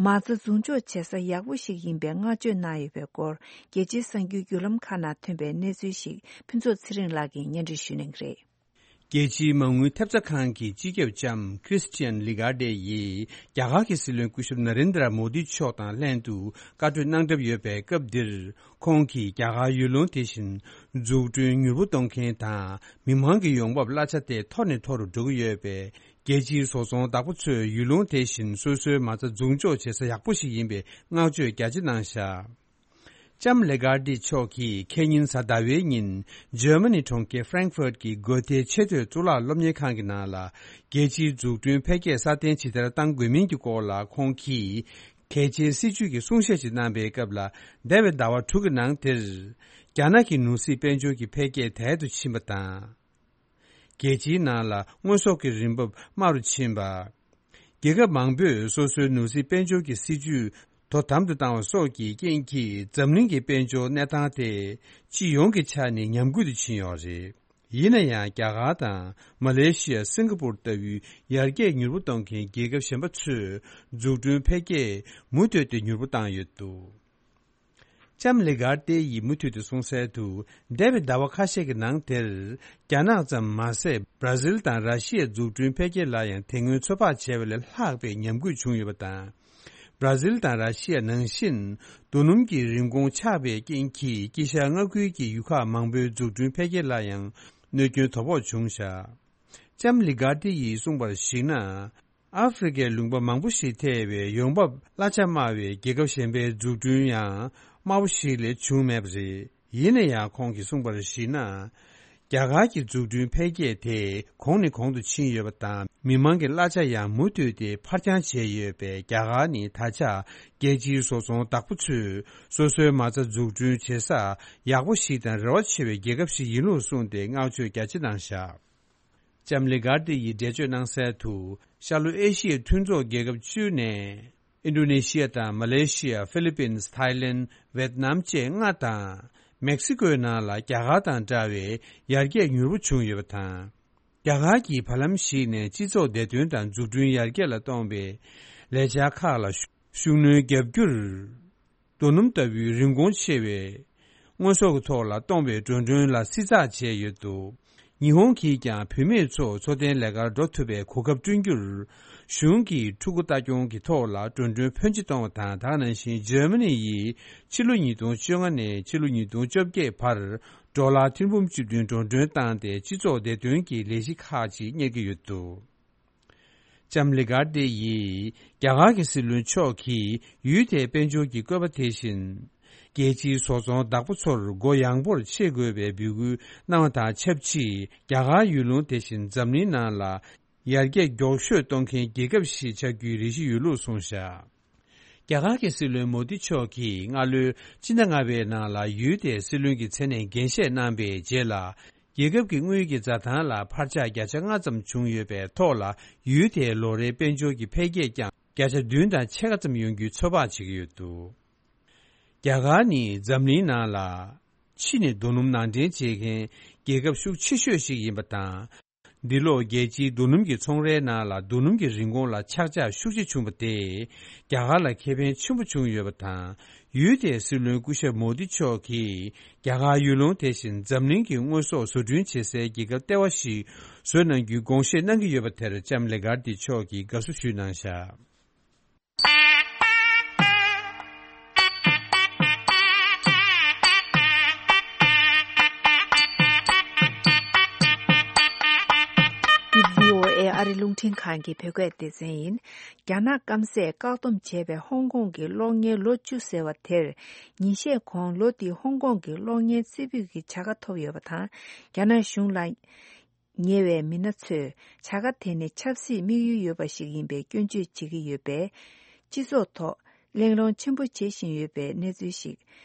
མ་རྩ་འཛུགས་འཇོག་བྱེད་ས་ཡག་པོ་ཞིག་ཡིན་པའི་བསྔགས་བརྗོད་གནང་ཡོད་པའི་སྐོར། རྒྱལ་སྤྱིའི་གསར་འགྱུར་བརྒྱུད་ལམ་ཁག་ནང་ཐོན་པའི་གནས་ཚུལ་ཞིག་ཕུན་ཚོགས་ཚེ་རིང་ལགས་ཀྱིས་སྙན་སྒྲོན་ཞུ་གནང་གི་རེད། རྒྱལ་སྤྱིའི་མ་དངུལ་ཐེབས་རྩ་ཁང་གི་སྤྱི་ཁྱབ་ལྕམ་Christine Lagarde་ཡིས་རྒྱ་གར་གྱི་སྲིད་བློན་སྐུ་ཞབས་ན་རེན་དྲ་མོ་དི་མཆོག་དང་ལྷན་དུ་བཀའ་གྲོས་གནང་གྲབས་ཡོད་པའི་སྐབས་འདིར། ཁོང་གིས་རྒྱ་གར་ཡུལ་ལུང་དེ་བཞིན་འཛུགས་སྐྲུན་མྱུར་པོ་གཏོང་མཁན་དང་། མི་མང་གི་ཡོང་འབབ་གླ་ཆ་དེ་མཐོ་ནས་མཐོ་རུ་འགྲོ་གི་ཡོད་པས། རྒྱལ་སྤྱིའི་བཟོ་ཚོང་བདག་པོ་ཚོས་ཡུལ་ལུང་དེ་བཞིན་སོ་སོའི་མ་རྩ་འཛུགས་འཇོག་བྱེད་ས་ཡག་པོ་ཞིག་ཡིན་པའི་བསྔགས་བརྗོད་རྒྱ་ཆེ་གནང་བཞག་ལྕམ་ལེ་གྷར་ཏི་མཆོག་གིས་ཁེ་ཉིན་གཟའ་ཟླ་བའི་ཉིན་ཇར་མ་ནི་གྲོང་ཁྱེར་ཧྥ་རེང་ཧྥར་གྱི་གྷོ་ཐེ་ཆེས་མཐོའི་གཙུག་ལག་སློབ་གཉེར་ཁང་གི་ནང་ལ། རྒྱལ་སྤྱིའི་འཛུགས་སྐྲུན་འཕེལ་རྒྱས་སྲ་བརྟན་ཇི་ལྟར་གཏང་དགོས་མིན་གྱི་སྐོར་ལ་ཁོང་གིས། གལ་ཆེའི་སྲིད་ཇུས་ཀྱི་གསུང་བཤད་ཅིག་གནང་པའི་སྐབས་ལ། འདས་པའི་ཟླ་བ་དྲུག་གི་ནང་དེར། རྒྱ་ནག་གི་ནོར་སྲིད་དཔལ་འབྱོར་གྱི་འཕེལ་རྒྱས་དལ་དུ་ཕྱིན་པ་དང་། རྒྱལ་སྤྱིའི་ནང་ལ་དངོས་ཟོག་གི་རིན་འབབ་དམའ་རུ་ཕྱིན་པ། རྒྱལ་ཁབ་མང་པོས་སོ་སོའི་ནོར་སྲིད་དཔལ་འབྱོར་གྱི་སྲིད་ཇུས་དོ་དམ་དུ་བཏང་བ་སོགས་ཀྱི་རྐྱེན་གྱིས། འཛམ་གླིང་གི་དཔལ་འབྱོར་གནས་སྟངས་དེ་སྤྱི་ཡོངས་ཀྱི་ཆ་ནས་ཉམས་རྒུད་དུ་ཕྱིན་ཡོད་རེད། ཡིན་ན་ཡང་། རྒྱ་གར་དང་མ་ལེ་ཤི་ཡ། སིང་ག་པུར་ལྟ་བུའི་ཡར་རྒྱས་མྱུར་པོ་གཏོང་མཁན་རྒྱལ་ཁབ་གཞན་པ་ཚོས་འཛུགས་སྐྲུན་འཕེལ་རྒྱས་མུ་མཐུད་དེ་མྱུར་པོ་བཏང་ཡོད་འདུག་ལྕམ་ལེ་གྷར་ཏེ་ཡིས་མུ་མཐུད་དུ་གསུངས་གསལ་དུ། འདས་པའི་ཟླ་བ་ཁ་ཤས་ཀྱི་ནང་དེར། རྒྱ་ནག་ཙམ་མ་ཟད། བྷར་ཛིལ་དང་ར་ཤི་ཡའི་འཛུགས་སྐྲུན་འཕེལ་རྒྱས་ལ་ཡང་དེ་སྔོན་ཚོད་དཔག་བྱས་པ་ལས་ལྷག་པའི་ཉམས་རྒུད་བྱུང་ཡོད་པ་དང་། བྷར་ཛིལ་དང་ར་ཤི་ཡ་ནང་བཞིན། རྡོ་སྣུམ་གྱི་རིན་གོང་ཆག་པའི་རྐྱེན་གྱིས། དཀྱིལ་ཤར་མངའ་ཁུལ་གྱི་ཡུལ་ཁག་མང་པོའི་འཛུགས་སྐྲུན་འཕེལ་རྒྱས་ལ་ཡང་གནོད་སྐྱོན་དོ་ཕོག་བྱུང་བཞག་ལྕམ་ལི་གྷར་ཏི་ཡིས་གསུངས་པར་གཞིགས་ན། ཨ་ཧྥེ་རི་ཁའི་ལུང་པ་མང་པོ་ཞིག་ཐེ་བའི་ཡོང་འབབ་གླ་ཆ་དམའ་བའི་རྒྱལ་ཁབ་གཞན་པའི་འཛུགས་སྐྲུན་ཡང་དམའ་བོ་ཞིག་ལས་བྱུང་མེད་པ་རེད། ཡིན་ན་ཡང་། ཁོང་གིས་གསུངས་པར་གཞིགས་ན། རྒྱ་གར་གྱི་འཛུགས་སྐྲུན་འཕེལ་རྒྱས་དེ་གོང་ནས་གོང་དུ་ཕྱིན་ཡོད་པ་དང་། མི་མང་གི་གླ་ཆ་ཡང་མུ་མཐུད་དེ་འཕར་འགྱངས་བྱས་ཡོད་པས། རྒྱ་གར་ནི་ད་ཆ་རྒྱལ་སྤྱིའི་བཟོ་ཚོང་བདག་པོ་ཚོས་སོ་སོའི་མ་རྩ་འཛུགས་སྐྲུན་བྱེད་ས་ཡག་པོ་ཞིག་དང་རེ་བ་ཆེ་བའི་རྒྱལ་ཁབ་ཞིག་ཡིན་ལུགས་གསུངས་ཏེ། བསྔགས་བརྗོད་རྒྱ་ཆེ་གནང་བཞག་ལྕམ་ལི་གྷར་ཏི་ཡིས་འགྲེལ་བརྗོད་གནང་གསལ་དུ། ཤར་ལྷོ་ཨེ་ཤི་ཡའི་མཐུན་ཚོགས་རྒྱལ་ཁབ་བཅུ་ནས། ཨིན་ཌོ་ནེ་ཤི་ཡ་དང་། མ་ལེ་ཤི་ཡ། ཧྥི་ལི་པིན། ཐའི་ལེན། ཝེད་ནམ་བཅས་ལྔ་དང་། མེག་སི་ཀོའི་ནང་ལ་རྒྱ་གར་དང་འདྲ་བའི་ཡར་རྒྱས་མྱུར་པོ་བྱུང་ཡོད་པ་དང་། རྒྱ་གར་གྱིས་བར་ལམ་ཞིག་ནས་སྤྱི་ཚོགས་བདེ་དོན་དང་འཛུགས་སྐྲུན་ཡར་རྒྱས་ལ་གཏོང་བའི་ལས་འཆར་ཁག་ལ་ཤུགས་སྣོན་བརྒྱབ་རྒྱུར། རྡོ་སྣུམ་ལྟ་བུའི་རིན་གོང་ཆེ་བའི་དངོས་ཟོག་གི་ཐོག་ལ་གཏོང་བའི་འགྲོ་གྲོན་ལ་བསྲི་ཚགས་བྱས་ཡོད་འདུག་ཉི་ཧོང་གིས་ཀྱང་བུད་མེད་ཚོ་འཚོ་རྟེན་ལས་ཀར་འགྲོ་ཐུབ་པའི་གོ་སྐབས་བསྐྲུན་རྒྱུར། གཞུང་གིས་ཕྲུ་གུ་ལྟ་སྐྱོང་གི་ཐོག་ལ་འགྲོ་གྲོན་ཕོན་ཆེ་གཏོང་བ་དང་། དེ་ག་ནང་བཞིན་འཇར་མ་ནི་ཡིས་ཕྱི་ལོ་ཉིས་སྟོང་བཅོ་ལྔ་ནས་ཕྱི་ལོ་ཉིས་སྟོང་བཅོ་བརྒྱད་བར་ཌོ་ལར་ཐེར་འབུམ་བཅུ་བདུན་འགྲོ་གྲོན་བཏང་སྟེ། སྤྱི་ཚོགས་བདེ་དོན་གྱི་ལས་གཞི་ཁག་ཅིག་གཉེར་གྱི་ཡོད་འདུག་ལྕམ་ལི་གྷར་ཏེ་ཡིས་རྒྱ་གར་གྱི་སྲིད་བློན་མཆོག་གིས་ཡུལ་དེའི་དཔལ་འབྱོར་གྱི་བཀོད་པ་དེ་བཞིན། རྒྱལ་སྤྱིའི་བཟོ་ཚོང་བདག་པོ་ཚོར་སྒོ་ཡངས་པོར་ཕྱེ་དགོས་པའི་འབོད་སྐུལ་གནང་བ་དང་ཆབས་ཅིག་རྒྱ་གར་ཡུལ་ལུང་དེ་བཞིན་འཛམ་གླིང་ནང་ལ་ཡར་རྒྱས་མགྱོགས་ཤོས་གཏོང་མཁན་རྒྱལ་ཁབ་ཞིག་ཆགས་རྒྱུའི་རེ་ཞིག་ཡོད་ལུགས་གསུངས་བཞག་རྒྱ་གར་གྱི་སྲིད་བློན་མོ་དི་མཆོག་གིས་སྔ་ལོའི་སྤྱི་ཟླ་ལྔ་པའི་ནང་ལ་ཡུལ་དེའི་སྲིད་བློན་གྱི་མཚན་གནས་འགན་བཞེས་གནང་པའི་རྗེས་ལ། རྒྱལ་ཁབ་ཀྱི་དངུལ་གྱི་འཛའ་ཐང་ལ་འཕར་ཆག་བརྒྱ་ཆ་ལྔ་ཙམ་བྱུང་ཡོད་པའི་ཐོག་ལ། ཡུལ་དེའི་ལོ་རེའི་དཔལ་འབྱོར་གྱི་འཕེལ་རྒྱས་ཀྱང་བརྒྱ་ཆ་བདུན་དང་ཕྱེད་ཀ་ཙམ་ཡོང་རྒྱུའི་ཚོད་དཔག་བྱེད་ཀྱི་ཡོད་འདུག་རྒྱ་གར་ནི་འཛམ་གླིང་ནང་ལ་ཕྱི་ནས་རྡོ་སྣུམ་ནང་འདྲེན་བྱེད་མཁན་རྒྱལ་ཁབ་ཤུགས་ཆེ་ཤོས་ཤིག་ཡིན་པ་དང་། འདི་ལོ་རྒྱལ་སྤྱིའི་རྡོ་སྣུམ་གྱི་ཚོང་རའི་ནང་ལ་རྡོ་སྣུམ་གྱི་རིན་གོང་ལ་ཆག་ཆག་ཤུགས་ཆེ་བྱུང་བ་དེས་རྒྱ་གར་ལ་ཁེ་ཕན་ཆེན་པོ་བྱུང་ཡོད་པ་དང་། ཡུལ་དེའི་སྲིད་བློན་སྐུ་ཞབས་མོ་དི་མཆོག་གིས་རྒྱ་གར་ཡུལ་ལུང་དེ་བཞིན་འཛམ་གླིང་གི་དངོས་ཟོག་བཟོ་སྐྲུན་བྱེད་སའི་རྒྱལ་ཁབ་ལྟེ་བ་ཞིག་བཟོ་གནང་རྒྱུའི་དགོངས་བཞེས་གནང་གི་ཡོད་པ་དེར་ལྕམ་ལེ་གྷར་ཏི་མཆོག་གིས་དགའ་བསུ་ཞུས་གནང་བཞག་འདི་བྷི་ཨོ་ཨེ་ཨ་རི་རླུང་འཕྲིན་ཁང་གི་བོད་སྐད་སྡེ་ཚན་ཡིན། རྒྱ་ནག་སྐམ་སས་བཀག་སྡོམ་བྱས་པའི་ཧོང་ཀོང་གི་གློག་བརྙན་ལོ་བཅུ་ཟེར་བ་དེར། ཉིན་ཤས་གོང་ལོ་འདིའི་ཧོང་ཀོང་གི་གློག་བརྙན་རྩེ་ཕུད་ཀྱི་བྱ་དགའ་ཐོབ་ཡོད་པ་དང་། རྒྱ་ནག་གཞུང་ལ་ཉེ་བའི་མི་སྣ་ཚོས་བྱ་དགའ་དེ་ནི་ཆབ་སྲིད་དམིགས་ཡུལ་ཡོད་པ་ཞིག་ཡིན་པའི་སྐྱོན་བརྗོད་བྱེད་ཀྱི་ཡོད་པས། སྤྱི་ཚོགས་ཐོག་གླེང་སློང་ཆེན་པོ་བྱེད་བཞིན་ཡོད་པའི་གནས་ཚུལ་ཞིག་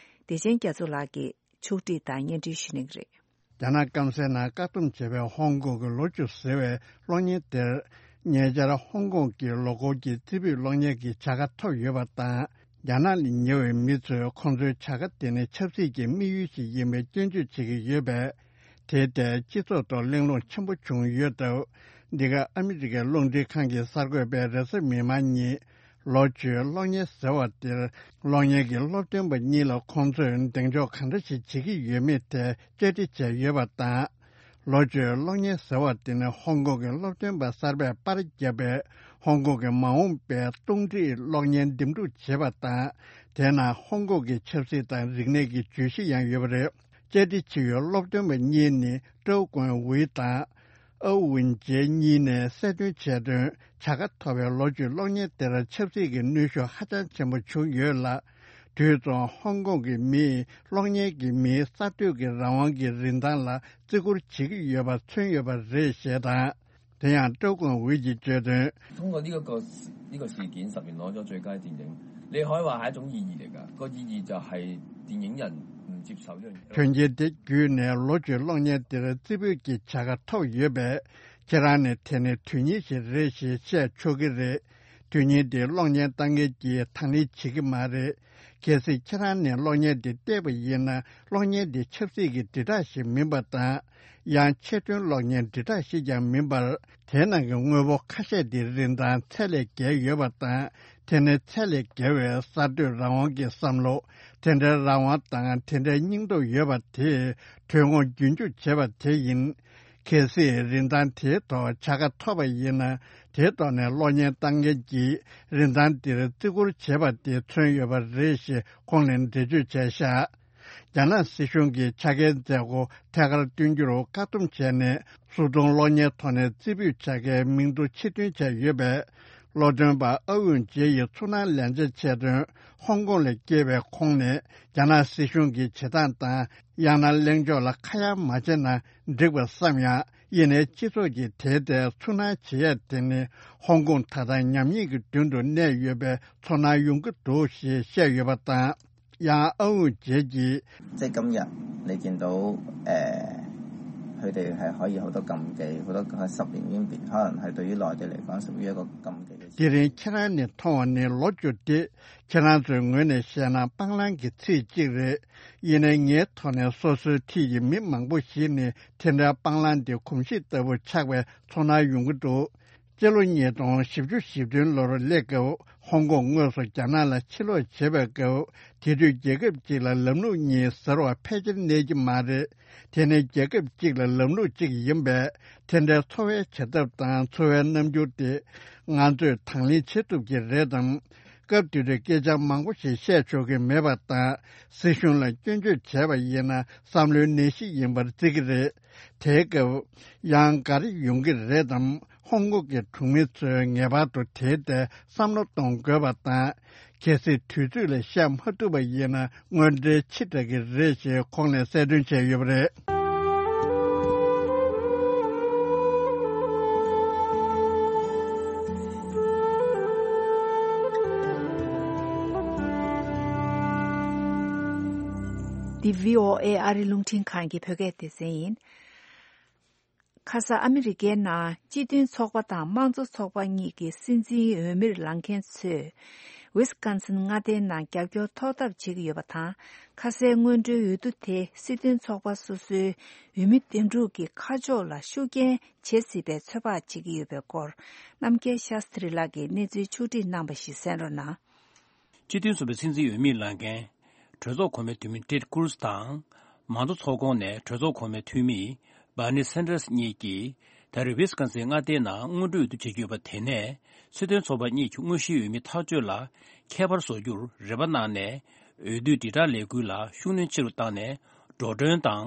བདེ་ཆེན་རྒྱ་མཚོ་ལགས་ཀྱིས་ཕྱོགས་སྒྲིག་དང་སྙན་སྒྲོན་ཞུ་གནང་གི་རེད། རྒྱ་ནག་སྐམ་སའི་ནང་བཀག་སྡོམ་བྱས་པའི་ཧོང་ཀོང་གི་ལོ་བཅུ་ཟེར་བའི་གློག་བརྙན་དེར། ཉེ་ཆར་ཧོང་ཀོང་གི་ལོ་འཁོར་གྱི་རྩེ་ཕུད་གློག་བརྙན་གྱི་བྱ་དགའ་ཐོབ་ཡོད་པ་དང་། རྒྱ་ནག་ལ་ཉེ་བའི་མི་ཚོས་ཁོང་ཚོའི་བྱ་དགའ་དེ་ནི་ཆབ་སྲིད་ཀྱི་དམིགས་ཡུལ་ཞིག་ཡིན་པའི་སྐྱོན་བརྗོད་བྱེད་ཀྱི་ཡོད་པས། དེའི་ཐད་སྤྱི་ཚོགས་ཐོག་གླེང་སློང་ཆེན་པོ་བྱུང་ཡོད་སྟབས། འདི་ག་ཨ་མི་རི་ཀའི་རླུང་འཕྲིན་ཁང་གི་གསར་འགོད་པས་རེས་གཟའ་མིག་དམར་ཉིན། ལོ་བཅུའི་གློག་བརྙན་ཟེར་བ་དེར། གློག་བརྙན་གྱི་སློབ་སྟོན་པ་གཉིས་ལ་ཁོང་ཚོས་གདེང་འཇོག་གང་འདྲ་ཞིག་བྱེད་ཀྱི་ཡོད་མེད་ཐད་བཅར་འདྲི་བྱས་ཡོད་པ་དང་། ལོ་བཅུའི་གློག་བརྙན་ཟེར་བ་དེ་ནི་ཧོང་ཀོང་གི་སློབ་སྟོན་པ་གསར་པས་པར་བརྒྱབ་པའི་ཧོང་ཀོང་གི་མ་འོངས་པའི་རླུང་འཕྲིན་གློག་བརྙན་འདེམས་སྒྲུག་བྱེད་པ་དང་། དེའི་ནང་ཧོང་ཀོང་གི་ཆབ་སྲིད་དང་རིག་གནས་ཀྱི་བརྗོད་གཞི་ཡང་ཡོད་པ་རེད། བཅར་འདྲི་བྱེད་ཡུལ་སློབ་སྟོན་པ་གཉིས་ནི་ཀྲོའུ་ཀོན་ཝུའེ་དང་། ཨའུ་ཝུན་ཇེ་གཉིས་ནས་གསལ་སྟོན་བྱས་དོན། བྱ་དགའ་ཐོབ་པའི་ལོ་བཅུའི་གློག་བརྙན་དེར་ཆབ་སྲིད་ཀྱི་གནོན་ཤུགས་ཧ་ཅང་ཆེན་པོ་བྱུང་ཡོད་ལ། དུས་མཚུངས་ཧོང་ཀོང་གི་མིས་གློག་བརྙན་གྱི་མིའི་གསར་གཏོད་ཀྱི་རང་དབང་གི་རིན་ཐང་ལ་བརྩི་བཀུར་བྱེད་ཀྱི་ཡོད་པ་མཚོན་ཡོད་པ་རེད་ཞེས་དང་། དེ་ཡང་ཀྲོའུ་ཀུང་ཝེ་གྱིས་བརྗོད་དོན། 通過呢一個呢個事件，十年攞咗最佳電影，你可以話係一種意義嚟㗎。個意義就係電影人唔接受呢樣嘢。 དོན་རྐྱེན་དེ་བརྒྱུད་ནས་ལོ་བཅུའི་གློག་བརྙན་དེར་རྩེ་ཕུད་ཀྱི་བྱ་དགའ་ཐོབ་ཡོད་པས། ཁྱེད་རང་ནི་དེ་ནི་དོན་སྙིང་ཞིག་རེད་ཞེས་བཤད་ཆོག་གི་རེད། དོན་སྙིང་དེ་གློག་བརྙན་ལྟ་མཁན་གྱིས་དང་ལེན་བྱེད་ཀྱི་མ་རེད། གལ་སྲིད་ཁྱེད་རང་ནས་གློག་བརྙན་དེ་བལྟས་པ་ཡིན་ན། གློག་བརྙན་དེ་ཆབ་སྲིད་ཀྱི་དྲིལ་བསྒྲགས་ཤིག་མིན་པ་དང་། ཡང་ཆེད་དོན་གློག་བརྙན་དྲིལ་བསྒྲགས་ཤིག་ཀྱང་མིན་པར། དེའི་ནང་གི་དངོས་པོ་ཁ་ཤས་དེའི་རིན་ཐང་ཚད་ལས་བརྒལ་ཡོད་པ་དང་། དེ་ནི་ཚད་ལས་བརྒལ་བའི་གསར་གཏོད་རང་དབང་གི་བསམ་བློ། དེ་འདྲའི་རང་དབང་དང་དེ་འདྲའི་སྙིང་སྟོབས་ཡོད་པ་དེས་དོན་དངོས་རྒྱུན་འཇུག་བྱེད་པ་དེ་ཡིན། གལ་སྲིད་རིན་ཐང་དེའི་ཐོག་བྱ་དགའ་ཐོབ་པ་ཡིན་ན། དེའི་ཐོག་ནས་གློག་བརྙན་ལྟ་མཁན་གྱིས་རིན་ཐང་འདིར་བརྩི་བཀུར་བྱེད་པ་དེ་མཚོན་ཡོད་པ་རེད་ཞེས་ཁོང་ནས་འགྲེལ་བརྗོད་བྱས་བཞག་རྒྱ་ནག་སྲིད་གཞུང་གིས་ཆ་རྐྱེན་མཛད་སྒོ་ཐད་ཀར་སྟོན་རྒྱུར་བཀག་སྡོམ་བྱས་ནས། སོ་ཐོན་གློག་བརྙན་ཐོག་ནས་རྩེ་ཕུད་བྱ་དགའི་མིང་ཐོ་ཕྱིར་འདོན་བྱས་ཡོད་པས། གློག་འདོན་པ་ཨ་ཝུན་ཇེ་ཡིས་ཚོར་སྣང་ལན་ཆ་བྱས་དོན། ཧོང་ཀོང་ལ་སྐྱེས་པའི་ཁོང་ནས། རྒྱ་ནག་སྲིད་གཞུང་གི་བྱེད་སྟངས་དང་། ཡང་ན་གླེང་ཕྱོགས་ལ་ཁ་གཡར་མ་བྱས་ན་འགྲིག་པ་བསམ་ཡང་། ཡིན་ནའི་སྤྱི་ཚོགས་ཀྱིས་དེའི་ཐད་ཚོར་སྣང་བྱེད་ཡ་དེ་ནི། ཧོང་ཀོང་ད་ལྟ་ཉམས་ཉེས་ཀྱི་མདུན་དུ་གནས་ཡོད་པའི་ཚོར་སྣང་ཡོང་གི་འདུག་ཞེས་བཤད་ཡོད་པ་དང་། ཡང་ཨ་ཝུན་ཇེ་གྱིས། 即係今日你見到誒，佢哋係可以好多禁忌，好多十年已經變，可能係對於內地嚟講屬於一個禁忌嘅事。 དེ་རིང་ཁྱེད་རང་ནས་མཐོང་བ་ནི་ལོ་བཅུ་སྟེ། ཁྱེད་རང་ཚོའི་ངོས་ནས་བཤད་ན་སྤང་བླང་གི་ཚིག་གཅིག་རེད། ཡིན་ནའི་ངའི་ཐོག་ནས་སོ་སོའི་འཁྲིས་ཀྱི་མི་མང་པོ་ཞིག་ནི་དེ་འདྲའི་སྤང་བླང་དེ་གོམས་གཤིས་ལྟ་བུ་ཆགས་པའི་ཚོར་སྣང་ཡོང་གི་འདུག་སྤྱི་ལོ་ཉིས་སྟོང་བཞི་བཅུ་ཞེ་བདུན་ལོར་སླེབས་སྐབས། ཧོང་ཀོང་དངོས་སུ་རྒྱ་ནག་ལ་ཕྱིར་ལོག་བྱེད་པའི་སྐབས། དེ་དུས་རྒྱལ་ཁབ་གཅིག་ལ་ལམ་ལུགས་གཉིས་ཟེར་བ་ཕལ་ཆེར་གནས་ཀྱི་མ་རེད། དེ་ནི་རྒྱལ་ཁབ་གཅིག་ལ་ལམ་ལུགས་གཅིག་ཡིན་པས། དེ་འདྲའི་འཚོ་བའི་བྱེད་ཐབས་དང་འཚོ་བའི་རྣམ་འགྱུར་དེ་ང་ཚོས་དང་ལེན་བྱེད་ཐུབ་ཀྱི་རེད་དམ། སྐབས་དེ་དུས་སྐད་ཆ་མང་པོ་ཞིག་བཤད་ཆོག་གི་མེད་པ་དང་། སྲིད་གཞུང་ལ་སྐྱོན་བརྗོད་བྱས་པ་ཡིན་ན་བསམ་བློའི་ནད་གཞི་ཡིན་པར་བརྩི་གི་རེད། དེའི་སྐབས། ཡང་ག་རེ་ཡོང་གི་རེད་དམ། ཧོང་ཀོང་གི་གྲོང་མི་ཚོས་ངེས་པར་དུ་དེའི་ཐད་བསམ་བློ་གཏོང་དགོས་པ་དང་། གལ་སྲིད་དུས་ཚོད་ལ་བཤད་མ་ཐུབ་པ་ཡིན་ན་དངོས་འབྲེལ་ཕྱི་དྲགས་ཀྱི་རེད་ཞེས་ཁོང་ནས་གསལ་སྟོན་བྱས་ཡོད་པ་རེད། འདི་བྷི་ཨོ་ཨེ་ཨ་རི་རླུང་འཕྲིན་ཁང་གི་བོད་སྐད་སྡེ་ཚན་ཡིན། ཁ་ས་ཨ་མི་རི་ཀའི་ནང་སྤྱི་མཐུན་ཚོགས་པ་དང་དམངས་གཙོ་ཚོགས་པ་གཉིས་ཀྱི་སྲིད་འཛིན་འོས་མིར་ལངས་མཁན་ཚོས། ཝི་སི་ཀོན་སིན་མངའ་སྡེའི་ནང་རྒྱབ་སྐྱོར་ཐོབ་ཐབས་བྱེད་ཀྱི་ཡོད་པ་དང་། ཁ་སའི་སྔོན་འགྲོའི་འོས་བསྡུ་དེ་སྲིད་དོན་ཚོགས་པ་སོ་སོའི་འོས་མི་འདེམས་སྒྲུག་གི་ཁ་ཕྱོགས་ལ་ཤུགས་རྐྱེན་བྱེད་སྲིད་པའི་ཚོད་དཔག་བྱེད་ཀྱི་ཡོད་པའི་སྐོར། རྣམ་རྒྱལ་ཤཱསྟྲི་ལགས་ཀྱིས་གནས་ཚུལ་ཕྱོགས་བསྒྲིགས་གནང་བ་ཞིག་གསན་རོགས་གནང་། སྤྱི་མཐུན་ཚོགས་པའི་སྲིད་འཛིན་འོས་མིར་ལངས་མཁན། གྲོས་ཚོགས་གོང་མའི་འཐུས་མི་ཊེཌ་ཀུ་རུ་སི་དང་། མང་གཙོ་ཚོགས་ཁོངས་ནས་གྲོས་ཚོགས་གོང་མའི་འཐུས་མི་བྷར་ནི་སན་ཏྲས་གཉིས་ཀྱིས་ད་རེས་ཝི་སི་ཀོན་སིན་མངའ་སྡེའི་ནང་སྔོན་འགྲོའི་འོས་བསྡུ་བྱེད་ཀྱི་ཡོད་པ་དེ་ནས་སྲིད་དོན་ཚོགས་པ་གཉིས་ཀྱི་དངོས་གཞིའི་འོས་མི་ཐག་གཅོད་ལ་ཁྱད་པར་བཟོ་རྒྱུར་རེ་བ་གནང་ནས། འོས་བསྡུའི་དྲིལ་བསྒྲགས་ལས་འགུལ་ལ་ཤུགས་སྣོན་ཆེ་རུ་བཏང་ནས། འགྲོ་གྲོན་དང་།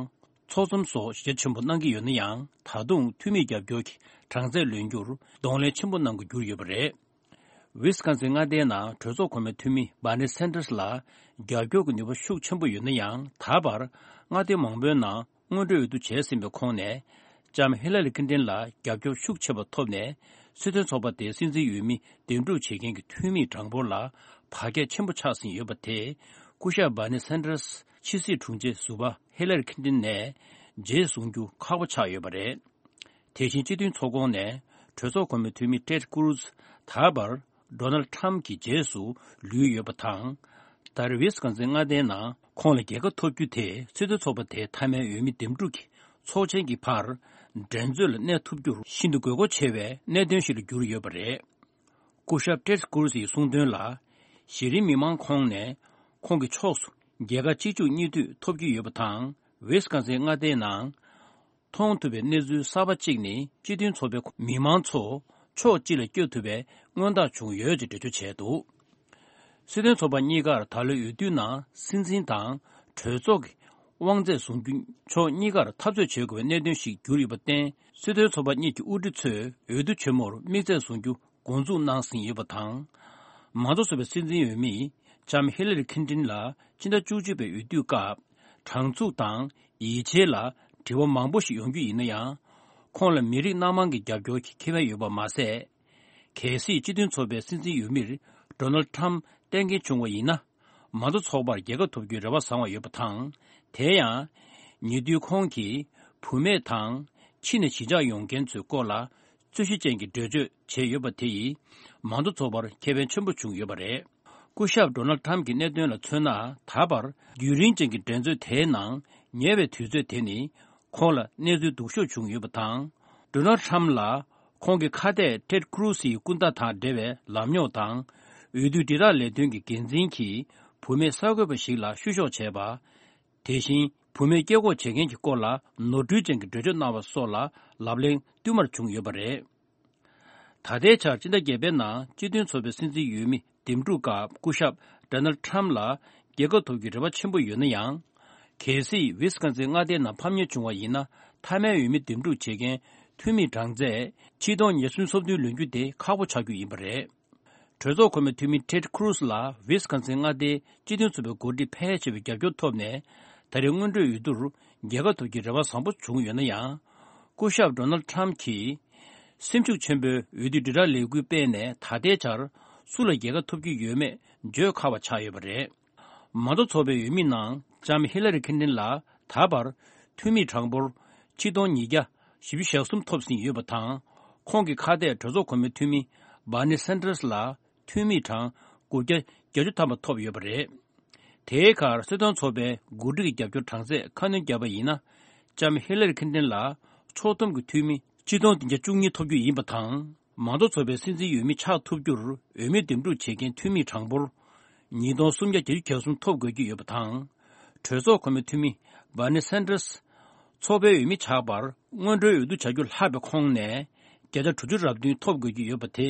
ཚོགས་འཛོམས་སོགས་ཞལ་ཆེན་པོ་གནང་གི་ཡོད་ན་ཡང་། ད་དུང་འཐུས་མིའི་རྒྱབ་སྐྱོར་གྱི་གྲངས་ཚད་ལོན་རྒྱུར་གདོང་ལེན་ཆེན་པོ་གནང་དགོས་གྱུར་ཡོད་པ་རེད། ཝི་སི་ཀོན་སིན་མངའ་སྡེའི་ནང་གྲོས་ཚོགས་གོང་མའི་འཐུས་མི་བྷར་ནི་སན་ཏྲས་ལ་རྒྱབ་སྐྱོར་གྱི་ནུས་པ་ཤུགས་ཆེན་པོ་ཡོད་ན་ཡང་། ད་བར་མངའ་སྡེ་མང་པོའི་ནང་སྔོན་འགྲོའི་འོས་བསྡུ་བྱས་ཟིན་པའི་ཁོངས་ནས། ལྕམ་ཧི་ལ་རི་ཁིན་ཏིན་ལ་རྒྱབ་སྐྱོར་ཤུགས་ཆེ་བ་ཐོབ་ནས། སྲིད་དོན་ཚོགས་པ་དེའི་སྲིད་འཛིན་འོས་མི་འདེམས་སྒྲུག་བྱེད་མཁན་གྱི་འཐུས་མིའི་གྲངས་འབོར་ལ་བར་ཁྱད་ཆེན་པོ་ཆགས་ཟིན་ཡོད་པ་དེས། སྐུ་ཞབས་བྷར་ནི་སན་ཏྲས་ཕྱི་སྲིད་དྲུང་ཆེ་ཟུར་པ་ཧི་ལ་རི་ཁིན་ཏིན་ནས་རྗེས་བཟུང་རྒྱུ་ཁག་པོ་ཆགས་ཡོད་པ་རེད། དེ་བཞིན་སྤྱི་མཐུན་ཚོགས་ཁོངས་ནས་གྲོས་ཚོགས་གོང་མའི་འཐུས་མི་ཊེཌ་ཀུ་རུ་ཛི་ད་བར་ཌོ་ནལ་ཌི་ཊྲམ་ཕི་གྱི་རྗེས་སུ་ལུས་ཡོད་པ་དང་། ད་རེས་ཝི་སི་ཀོན་སིན་མངའ་སྡེའི་ནང་ཁོང་ལ་རྒྱལ་ཁ་ཐོབ་རྒྱུ་དེ་སྲིད་དོན་ཚོགས་པ་དེའི་མཐའ་མའི་འོས་མི་འདེམས་སྒྲུག་གི་ཚོགས་ཆེན་གྱི་བར་འགྲན་རྩོད་ལ་གནས་ཐུབ་རྒྱུར་ཤིན་ཏུ་དགོས་མཁོ་ཆེ་བའི་གནད་དོན་ཞིག་ལ་གྱུར་ཡོད་པ་རེད། སྐུ་ཞབས་ཊེཌ་ཀུ་རུ་ཛིའི་གསུངས་དོན་ལ། གཞི་རིམ་མི་མང་ཁོངས་ནས་ཁོང་གི་ཕྱོགས་སུ་རྒྱལ་ཁ་གཅིག་མཇུག་གཉིས་མཐུད་ཐོབ་ཀྱི་ཡོད་པ་དང་། ཝི་སི་ཀོན་སིན་མངའ་སྡེའི་ནང་མཐོང་ཐུབ་པའི་གནས་ཚུལ་གསར་པ་གཅིག་ནི། སྤྱི་མཐུན་ཚོགས་པའི་མི་མང་ཚོ་ཕྱོགས་གཅིག་ལ་བསྐྱོད་ཐུབ་པའི་མངོན་རྟགས་བྱུང་ཡོད་ཅེས་འགྲེལ་བརྗོད་བྱས་འདུག་སྲིད་དོན་ཚོགས་པ་གཉིས་ཀར་ད་ལོའི་འོས་བསྡུའི་ནང་སྲིད་འཛིན་དང་གྲོས་ཚོགས་ཀྱི་དབང་ཚད་བཟུང་རྒྱུ་ཕྱོགས་གཉིས་ཀར་འཐབ་རྩོད་བྱེད་དགོས་པའི་གནད་དོན་ཞིག་གྱུར་ཡོད་པར་བརྟེན། སྲིད་དོན་ཚོགས་པ་གཉིས་ཀྱི་དབུ་ཁྲིད་ཚོས་འོས་བསྡུ་ཆེན་མོར་དམིགས་ཚད་བཟུང་རྒྱུ་འགོ་འཛུགས་གནང་ཟིན་ཡོད་པ་དང་། མང་གཙོ་ཚོགས་པའི་སྲིད་འཛིན་འོས་མི་ ལྕམ་ཧི་ལ་རི་ཁིན་ཏིན་ལ་ཕྱི་ཟླ་བཅུ་གཅིག་པའི་འོས་བསྡུ་སྐབས་དྲང་ཚུགས་དང་ཡིད་ཆེས་ལ་དྲི་བ་མང་པོ་ཞིག་ཡོང་རྒྱུ་ཡིན་ན་ཡང་། ཁོང་ལ་མི་རིགས་སྣ་མང་གི་རྒྱབ་སྐྱོར་གྱི་ཁེ་ཕན་ཡོད་པ་མ་ཟད། གལ་སྲིད་སྤྱི་མཐུན་ཚོགས་པའི་སྲིད་འཛིན་འོས་མིར་ཌོ་ནལ་ཁྲམ་གཏན་འཁེལ་བྱུང་བ་ཡིན་ན། མང་གཙོ་ཚོགས་པར་རྒྱལ་ཁ་ཐོབ་རྒྱུའི་རེ་བ་བཟང་བ་ཡོད་པ་དང་། དེ་ཡང་། ཉེ་དུས་ཁོང་གིས་བུད་མེད་དང་ཕྱི་ནས་གཞིས་ཆགས་ཡོང་མཁན་ཚོའི་སྐོར་ལ་རྩོད་གཞི་ཅན་གྱི་འགྲེལ་བརྗོད་བྱས་ཡོད་པ་དེ་ཡིས་མང་གཙོ་ཚོགས་པར་ཁེ་ཕན་ཆེན་པོ་བྱུང་ཡོད་པ་རེད། སྐུ་ཞབས་ཌོ་ནལ་ཁྲམ་གྱི་གནད་དོན་ལ་མཚོན་ན། ད་བར་རྒྱུན་རིང་ཅན་གྱི་འགྲན་རྩོད་དེའི་ནང་ཉེ་བའི་དུས་ཚོད་དེ་ནི་ཁོང་ལ་གནས་ཚུལ་སྡུག་ཤོས་བྱུང་ཡོད་པ་དང་། ཌོ་ནལ་ཁྲམ་ལ་ཁོང་གི་ཁ་གཏད་ཊེཌ་ཁུ་རུ་སིའི་སྐུ་ཟླ་དང་འབྲེལ་བའི་ལམ་རྙོག་དང་། འོས་བསྡུ་དྲིལ་བསྒྲགས་ལས་དོན་གྱི་འགན་འཛིན་གྱིས་བུད་མེད་གསར་འགོད་པ་ཞིག་ལ་བཤུ་གཞོག་བྱས་པ། དེ་བཞིན་བུད་མེད་སྐད་འགོག་བྱེད་མཁན་གྱི་སྐོར་ལ་ནོར་འཁྲུལ་ཅན་གྱི་འགྲེལ་བརྗོད་གནང་བ་སོགས་ལ་ལབ་གླེང་བསྟུད་མར་བྱུང་ཡོད་པ་རེད། ད་ལྟའི་ཆར་སྤྱི་ཟླ་བརྒྱད་པའི་ནང་སྤྱི་མཐུན་ཚོགས་པའི་སྲིད་འཛིན་འོས་མི་འདེམས་སྒྲུག་སྐབས་སྐུ་ཞབས་ཌོ་ནལ་ཁྲམ་ལ་རྒྱལ་ཁ་ཐོབ་རྒྱུའི་རེ་བ་ཆེན་པོ་ཡོད་ན་ཡང་། གལ་སྲིད་ཝི་སི་ཀོན་སིན་མངའ་སྡེའི་ནང་ཕམ་ཉེས་བྱུང་བ་ཡིན་ན། མཐའ་མའི་འོས་མི་འདེམས་སྒྲུག་བྱེད་མཁན་འཐུས་མིའི་གྲངས་ཚད་ཆིག་སྟོང་ཉི་ཤུ་སོ་བདུན་ལོན་རྒྱུ་དེ་ཁག་པོ་ཆགས་རྒྱུ་ཡིན་པ་རེད། གྲོས་ཚོགས་གོང་མའི་འཐུས་མི་ཊེཌ་ཁུ་རུ་སི་ལ་ཝི་སི་ཀོན་སིན་མངའ་སྡེའི་སྤྱི་མཐུན་ཚོགས་པའི་འགོ་ཁྲིད་ཕལ་ཆེ་བའི་རྒྱབ་སྐྱོར་ཐོབ་ནས། ད་རེས་སྔོན་འགྲོའི་འོས་བསྡུར་རྒྱལ་ཁ་ཐོབ་རྒྱུའི་རེ་བ་བཟང་པོ་བྱུང་ཡོད་ན་ཡང་། སྐུ་ཞབས་ཌོ་ནལ་ཁྲམ་གྱིས་སེམས་ཤུགས་ཆེན་པོས་འོས་བསྡུ་དྲིལ་བསྒྲགས་ལས་འགུལ་སྤེལ་ནས། ད་ལྟའི་ཆར་སུ་ལ་རྒྱལ་ཁ་ཐོབ་ཀྱི་ཡོད་མེད་བརྗོད་ཁག་པ་ཆགས་ཡོད་པ་རེད། མང་གཙོ་ཚོགས་པའི་འོས་མི་ནང་ལྕམ་ཧི་ལ་རི་ཁིན་ཏིན་ལ་ད་བར་འཐུས་མིའི་གྲངས་འབོར་ཆིག་སྟོང་ཉིས་བརྒྱ་བཞི་བཅུ་ཞེ་གསུམ་ཐོབ་ཟིན་ཡོད་པ་དང་། ཁོང་གི་ཁ་གཏད་གྲོས་ཚོགས་གོང་མའི་འཐུས་མི་བྷར་ནི་སན་ཏྲས་ལ་འཐུས་མིའི་གྲངས་དགུ་བརྒྱ་བརྒྱད་ཅུ་ཐམ་པ་ཐོབ་ཡོད་པ་རེད། དེའི་ཁར་སྲིད་དོན་ཚོགས་པའི་འགོ་ཁྲིད་ཀྱི་རྒྱབ་སྐྱོར་གྲངས་ཚད་ཁ་སྣོན་བརྒྱབ་པ་ཡིན་ན། ལྕམ་ཧི་ལ་རི་ཁིན་ཏིན་ལ་ཚོགས་འདུ་གི་འཐུས་མི་ཆིག་སྟོང་བདུན་བརྒྱ་བཅུ་གཉིས་ཐོབ་རྒྱུ་ཡིན་པ་དང་། མང་གཙོ་ཚོགས་པའི་སྲིད་འཛིན་འོས་མི་ཆགས་ཐུབ་རྒྱུར་འོས་མི་འདེམས་སྒྲུག་བྱེད་མཁན་འཐུས་མིའི་གྲངས་འབོར་ཉིས་སྟོང་སུམ་བརྒྱ་བརྒྱད་ཅུ་གྱ་གསུམ་ཐོབ་དགོས་ཀྱི་ཡོད་པ་དང་། གྲོས་ཚོགས་གོང་མའི་འཐུས་མི་བྷར་ནི་སན་ཏྲས་ཚོགས་པའི་འོས་མི་ཆགས་པར་སྔོན་འགྲོའི་འོས་བསྡུ་བྱ་རྒྱུ་ལྷག་པའི་ཁོངས་ནས་བརྒྱ་ཆ་དྲུག་ཅུ་རེ་བདུན་ཐོབ་དགོས་ཀྱི་ཡོད་པ་དེ་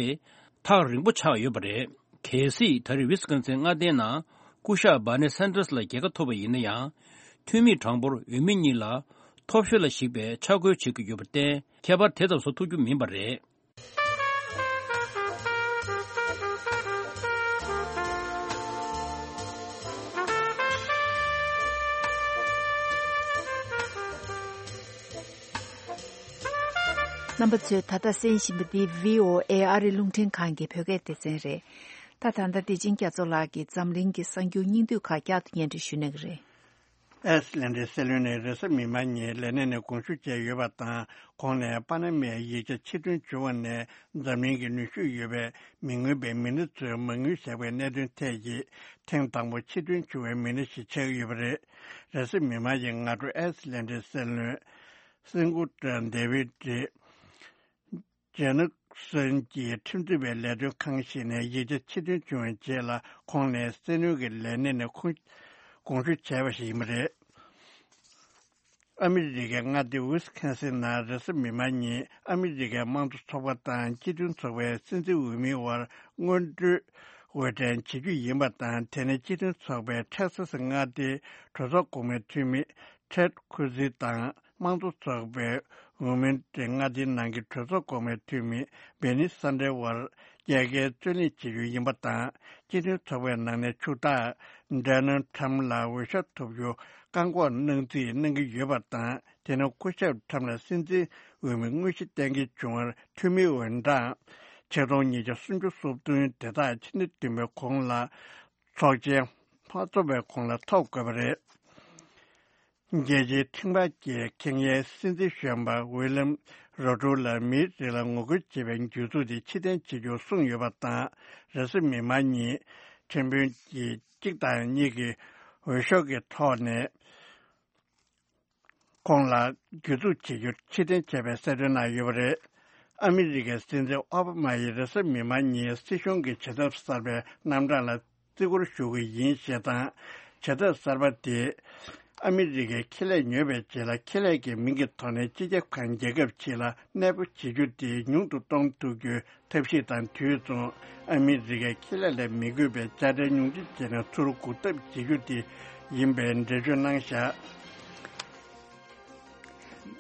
ཐག་རིང་པོ་ཆགས་ཡོད་པ་རེད། གལ་སྲིད་ད་རེས་ཝི་སི་ཀོན་སིན་མངའ་སྡེའི་ནང་སྐུ་ཞབས་བྷར་ནི་སན་ཏྲས་ལ་རྒྱལ་ཁ་ཐོབ་པ་ཡིན་ན་ཡང་། འཐུས་མིའི་གྲངས་འབོར་འོས་མི་གཉིས་ལ་ཐོབ་ཤོས་ལ་གཞིགས་པའི་ཆ་བགོས་བྱེད་ཀྱི་ཡོད་པར་བརྟེན། ཁྱད་པར་དེ་ཙམ་བཟོ་ཐུབ་རྒྱུ་མིན་པ་རེད། རྣམ་པ་ཚོས་ད་ལྟ་གསན་བཞིན་པ་འདི་བྷི་ཨོ་ཨེ་ཨ་རིའི་རླུང་འཕྲིན་ཁང་གི་བོད་སྐད་སྡེ་ཚན་རེད། ད་ད་ལྟ་བདེ་ཆེན་རྒྱ་མཚོ་ལགས་ཀྱིས་འཛམ་གླིང་གི་གསར་འགྱུར་སྙིང་བསྡུས་ཁག་བསྐྱར་དུ་སྙན་སྒྲོན་ཞུ་གནང་གི་རེད། ཨའི་སི་ལན་ཌའི་སྲིད་བློན་ནས་རེས་གཟའ་མིག་དམར་ཉིན་ལས་གནས་ནས་དགོངས་ཞུ་བྱས་ཡོད་པ་དང་། ཁོང་ནས་པ་ན་མའི་ཡིག་ཆ་ཕྱིར་འདོན་བྱུང་བ་ནས་འཛམ་གླིང་གི་ནུས་ཤུགས་ཡོད་པའི་མི་མངོན་པའི་མི་སྣ་ཚོས་མ་དངུལ་བཞག་པའི་གནད་དོན་ཐད་ཀྱི་ཐེངས་དང་པོ་ཕྱིར་འདོན་བྱུང་བའི་མི་སྣ་ཞིག་ཆགས་ཀྱི་ཡོད་པ་རེད། རེས་གཟའ་མིག་དམར་ཉིན་སྔ་དྲོ་ཨའི་སི་ལན་ཌའི་སྲིད་བློན་སིན་གུ་ཏྲ་ཌེ་བིད་ཀྱིས། ཇེ་ནག་སོན་གྱི་ཁྲིམས་རྩོད་པའི་ལས་དོན་ཁང་ཞིག་ནས་ཡིག་ཆ་ཕྱིར་འདོན་བྱུང་བའི་རྗེས་ལ། ཁོང་ནས་སྲིད་བློན་གྱི་ལས་གནས་ནས་ཁོང་དགོངས་ཞུ་བྱས་པ་ཞིག་ཡིན་པ་རེད། ཨ་མི་རི་ཀའི་མངའ་སྡེ་ཝི་སི་ཁན་སིན་ནང་རེས་གཟའ་མིག་དམར་ཉིན་ཨ་མི་རི་ཀའི་དམངས་གཙོ་ཚོགས་པ་དང་སྤྱི་མཐུན་ཚོགས་པའི་སྲིད་འཛིན་འོས་མིའི་དབར་སྔོན་འགྲོའི་འོས་འགྲན་བྱེད་རྒྱུ་ཡིན་པ་དང་། དེ་ནི་སྤྱི་མཐུན་ཚོགས་པའི་ཊེག་སཱ་སི་མངའ་སྡེའི་གྲོས་ཚོགས་གོང་མའི་འཐུས་མི་ཊེཌ་ཁུ་ཛི་དང་། དམངས་གཙོ་ཚོགས་པའི་ཝུ་མིན་ཊི་མངའ་སྡེའི་ནང་གི་གྲོས་ཚོགས་གོང་མའི་འཐུས་མི་བྷེ་ནི་སན་ཌར་དབར་རྒྱལ་ཁའི་རྩོད་གླེང་བྱེད་རྒྱུ་ཡིན་པ་དང་། སྤྱི་མཐུན་ཚོགས་པའི་ནང་ནས་ཕྱུག་བདག་ཌོ་ནལ་ཌི་ཊརམ་ཕི་ལ་འོས་ཤོག་ཐོབ་རྒྱུ་བཀག་འགོག་གནང་རྩིས་གནང་གི་ཡོད་པ་དང་། དེ་ནི་སྐུ་ཞབས་ཊརམ་ཕི་ལ་སྲིད་འཛིན་འོས་མི་དངོས་གཞི་གཏན་འཁེལ་བྱུང་བར་འཐུས་མིའི་འོས་གྲངས་ཆིག་སྟོང་ཉིས་བརྒྱ་སུམ་ཅུ་སོ་བདུན། དེ་དག་ཕྱི་ཟླ་བདུན་པའི་གོང་ལ་ཚོགས་ཆེན་མ་རྫོགས་པའི་གོང་ལ་ཐོབ་དགོས་པ་རེད། རྒྱལ་སྤྱིའི་ཁྲིམས་འགལ་གྱི་ཁེངས་ཡའི་སྲིད་འཛིན་གཞོན་པ་ཝི་ལམ་རོ་ཏྲོ་ལ་མིའི་རིགས་ལ་ངོ་རྒོལ་བྱེད་པའི་འགྱུར་ཚུལ་དེ་ཕྱིར་འཐེན་བྱེད་རྒྱུར་གསུངས་ཡོད་པ་དང་། རེས་གཟའ་མིག་དམར་ཉིན་ཁྲིམས་དཔོན་གྱིས་གཅིག་དང་གཉིས་ཀྱི་འོས་ཤོག་གི་ཐོག་ནས་ཁོང་ལ་གྱོད་འཛུགས་བྱེད་རྒྱུར་ཕྱིར་འཐེན་བྱས་པའི་གསལ་སྟོན་གནང་ཡོད་པ་རེད། ཨ་མི་རི་ཀའི་སྲིད་འཛིན་ཨོ་བྷ་མ་ཡིས་རེས་གཟའ་མིག་དམར་ཉིན་སྲིད་གཞུང་གི་བྱེད་ཐབས་གསར་པའི་རྣམ་གྲངས་ལ་བརྩི་བཀུར་ཞུ་གི་ཡིན་ཞེས་དང་། བྱེད་ཐབས་གསར་པ་དེས་ཨ་མི་རི་ཀའི་ཁེ་ལས་ཉོས་པའི་རྗེས་ལ་ཁེ་ལས་ཀྱི་མིང་གི་ཐོག་ནས་སྤྱི་ཁྱབ་ཁང་རྒྱལ་ཁབ་ཕྱི་ལ་གནས་སྤོ་བྱེད་རྒྱུ་དེ་ཉུང་དུ་གཏོང་ཐུབ་རྒྱུའི་ཐབས་ཤེས་དང་དུས་མཚུངས། ཨ་མི་རི་ཀའི་ཁེ་ལས་ལ་མི་དགོས་པའི་དཔྱ་ཁྲལ་ཉུང་འཕྲི་བྱས་ནས་ཚུར་འགུག་ཐབས་བྱེད་རྒྱུ་དེ་ཡིན་པའི་འགྲེལ་བརྗོད་གནང་བཞག་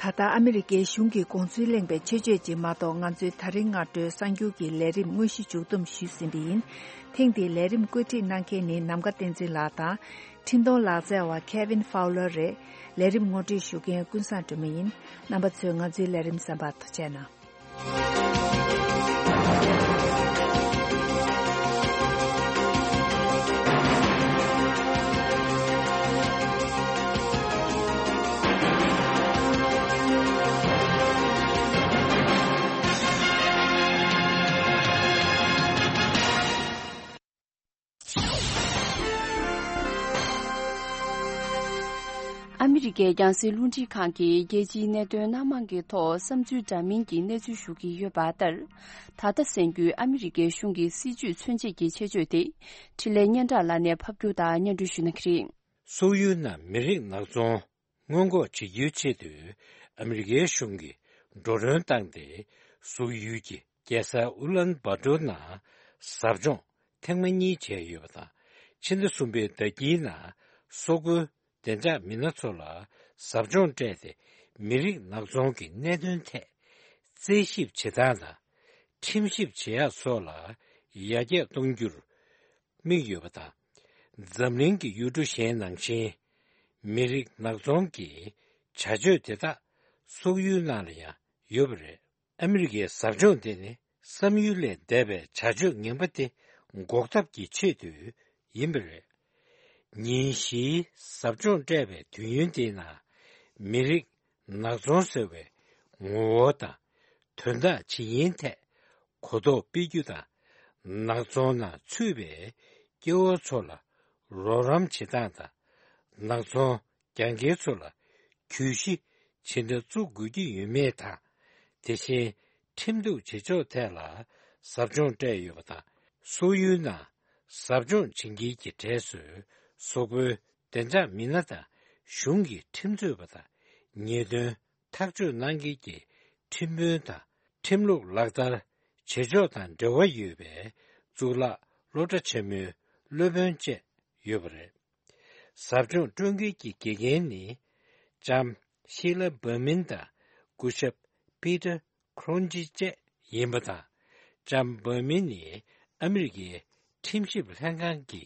ད་ལྟ་ཨ་མི་རི་ཀའི་གཞུང་གི་དགོངས་ཚུལ་གླེང་བའི་ཆེད་བརྗོད་ཅིག་མ་གཏོགས། ང་ཚོའི་ད་རིང་སྔ་དྲོའི་གསར་འགྱུར་གྱི་ལས་རིམ་དངོས་གཞི་མཇུག་བསྡོམས་ཞུས་ཟིན་པ་ཡིན། ཐེངས་འདིའི་ལས་རིམ་བཀོད་སྒྲིག་གནང་མཁན་ནི་ནམ་མཁའ་བསྟན་འཛིན་ལགས་དང་། འཕྲིན་གཏོང་ལག་རྩལ་བ་Kevin Fowler རེད། ལས་རིམ་ངོ་སྤྲོད་ཞུ་མཁན་ཀུན་བཟང་སྒྲོལ་མ་ཡིན། རྣམ་པ་ཚོས་ང་ཚོའི་ལས་རིམ་གསན་པར་ཐུགས་རྗེ་གནང་། ཨ་མི་རི་ཀའི་རྒྱང་སྲིང་རླུང་འཕྲིན་ཁང་གིས་རྒྱལ་སྤྱིའི་གནད་དོན་སྣ་མང་གི་ཐོག་བསམ་ཚུལ་འདྲ་མིན་གྱི་གནས་ཚུལ་ཞུ་གི་ཡོད་པ་ལྟར། ད་ལྟ་གསན་རྒྱུའི་ཨ་མི་རི་ཀའི་གཞུང་གི་སྲིད་ཇུས་མཚོན་བྱེད་ཀྱི་ཆེད་བརྗོད་དེ། འཕྲིན་ལས་སྙན་གྲགས་ལགས་ནས་ཕབ་སྒྱུར་དང་སྙན་སྒྲོན་ཞུ་གནང་གི་རེད། སོག་ཡུལ་ནང་མི་རིགས་ནག་ཚོང་སྔོན་འགོག་བྱེད་རྒྱུའི་ཆེད་དུ་ཨ་མི་རི་ཀའི་གཞུང་གིས་འགྲོ་གྲོན་བཏང་སྟེ། སོག་ཡུལ་གྱི་རྒྱལ་ས་ཨུ་ལན་བྷ་ཏོར་ནང་ཟབ་སྦྱོང་ཐེངས་མ་གཉིས་བྱས་ཡོད་པ་དང་། ཕྱི་ཟླ་གསུམ་པའི་ཟླ་དཀྱིལ་ནང་སོག་པོའི་བདེ་འཇགས་མི་སྣ་ཚོ་ལ་ཟབ་སྦྱོང་སྤྲད་དེ། མི་རིགས་ནག་ཚོང་གི་གནད་དོན་ཐད་རྩད་ཞིབ་བྱེད་སྟངས་དང་། ཁྲིམས་ཞིབ་བྱེད་ཡག་སོགས་ལ་ཡར་རྒྱས་གཏོང་རྒྱུར་དམིགས་ཡོད་པ་དང་། འཛམ་གླིང་གི་ཡུལ་གྲུ་གཞན་ནང་བཞིན། མི་རིགས་ནག་ཚོང་གི་བྱ་སྤྱོད་དེ་དག་སོག་ཡུལ་ནང་ལ་ཡང་ཡོད་པ་རེད། ཨ་མི་རི་ཀའི་ཟབ་སྦྱོང་དེ་ནི་བསམ་ཡུལ་ལས་འདས་པའི་བྱ་སྤྱོད་ངན་པ་དེ་འགོག་ཐབས་ཀྱི་ཆེད་དུ་ཡིན་པ་རེད། ཉིན་བཞིའི་ཟབ་སྦྱོང་སྤྲད་པའི་དུས་ཡུན་དེའི་ནང་། མི་རིགས་ནག་ཚོང་ཟེར་བའི་ངོ་བོ་དང་། དོན་དག་ཇི་ཡིན་ཐད་གོ་རྟོགས་སྤེལ་རྒྱུ་དང་། ནག་ཚོང་ནང་ཚུད་པའི་སྐྱེ་བོ་ཚོ་ལ་རོགས་རམ་བྱེད་སྟངས་དང་། ནག་ཚོང་རྒྱག་མཁན་ཚོ་ལ་གྱོད་གཞི་ཇི་འདྲ་བཙུགས་དགོས་ཀྱི་ཡོད་མེད་དང་། དེ་བཞིན་ཁྲིམས་གཏུག་བྱེད་ཕྱོགས་ཐད་ལ་ཟབ་སྦྱོང་སྤྲད་ཡོད་པ་དང་། སོག་ཡུལ་ནང་ཟབ་སྦྱོང་བྱེད་མཁན་གྱི་གྲས་སུ་སོག་པོའི་བདེ་འཇགས་མི་སྣ་དང་། གཞུང་གི་ཁྲིམས་རྩོད་པ་དང་། ཉེས་དོན་ཐག་གཅོད་གནང་མཁན་གྱི་ཁྲིམས་དཔོན་དང་། ཁྲིམས་ལུགས་ལག་བསྟར་བྱེད་ཕྱོགས་དང་འབྲེལ་བ་ཡོད་པའི་གཙུག་ལག་སློབ་གྲྭ་ཆེན་མོའི་སློབ་དཔོན་བཅས་ཡོད་པ་རེད། ཟབ་སྦྱོང་སྤྲོད་མཁན་གྱི་དགེ་རྒན་ནི་ལྕམ་ཤི་ལ་བྷར་མིན་དང་། སྐུ་ཞབས་པི་ཏར་ཁོ་རོན་ཇི་བཅས་ཡིན་པ་དང་། ལྕམ་བྷར་མིན་ནི་ཨ་མི་རི་ཀའི་ཁྲིམས་ཞིབ་ལྷན་ཁང་གི་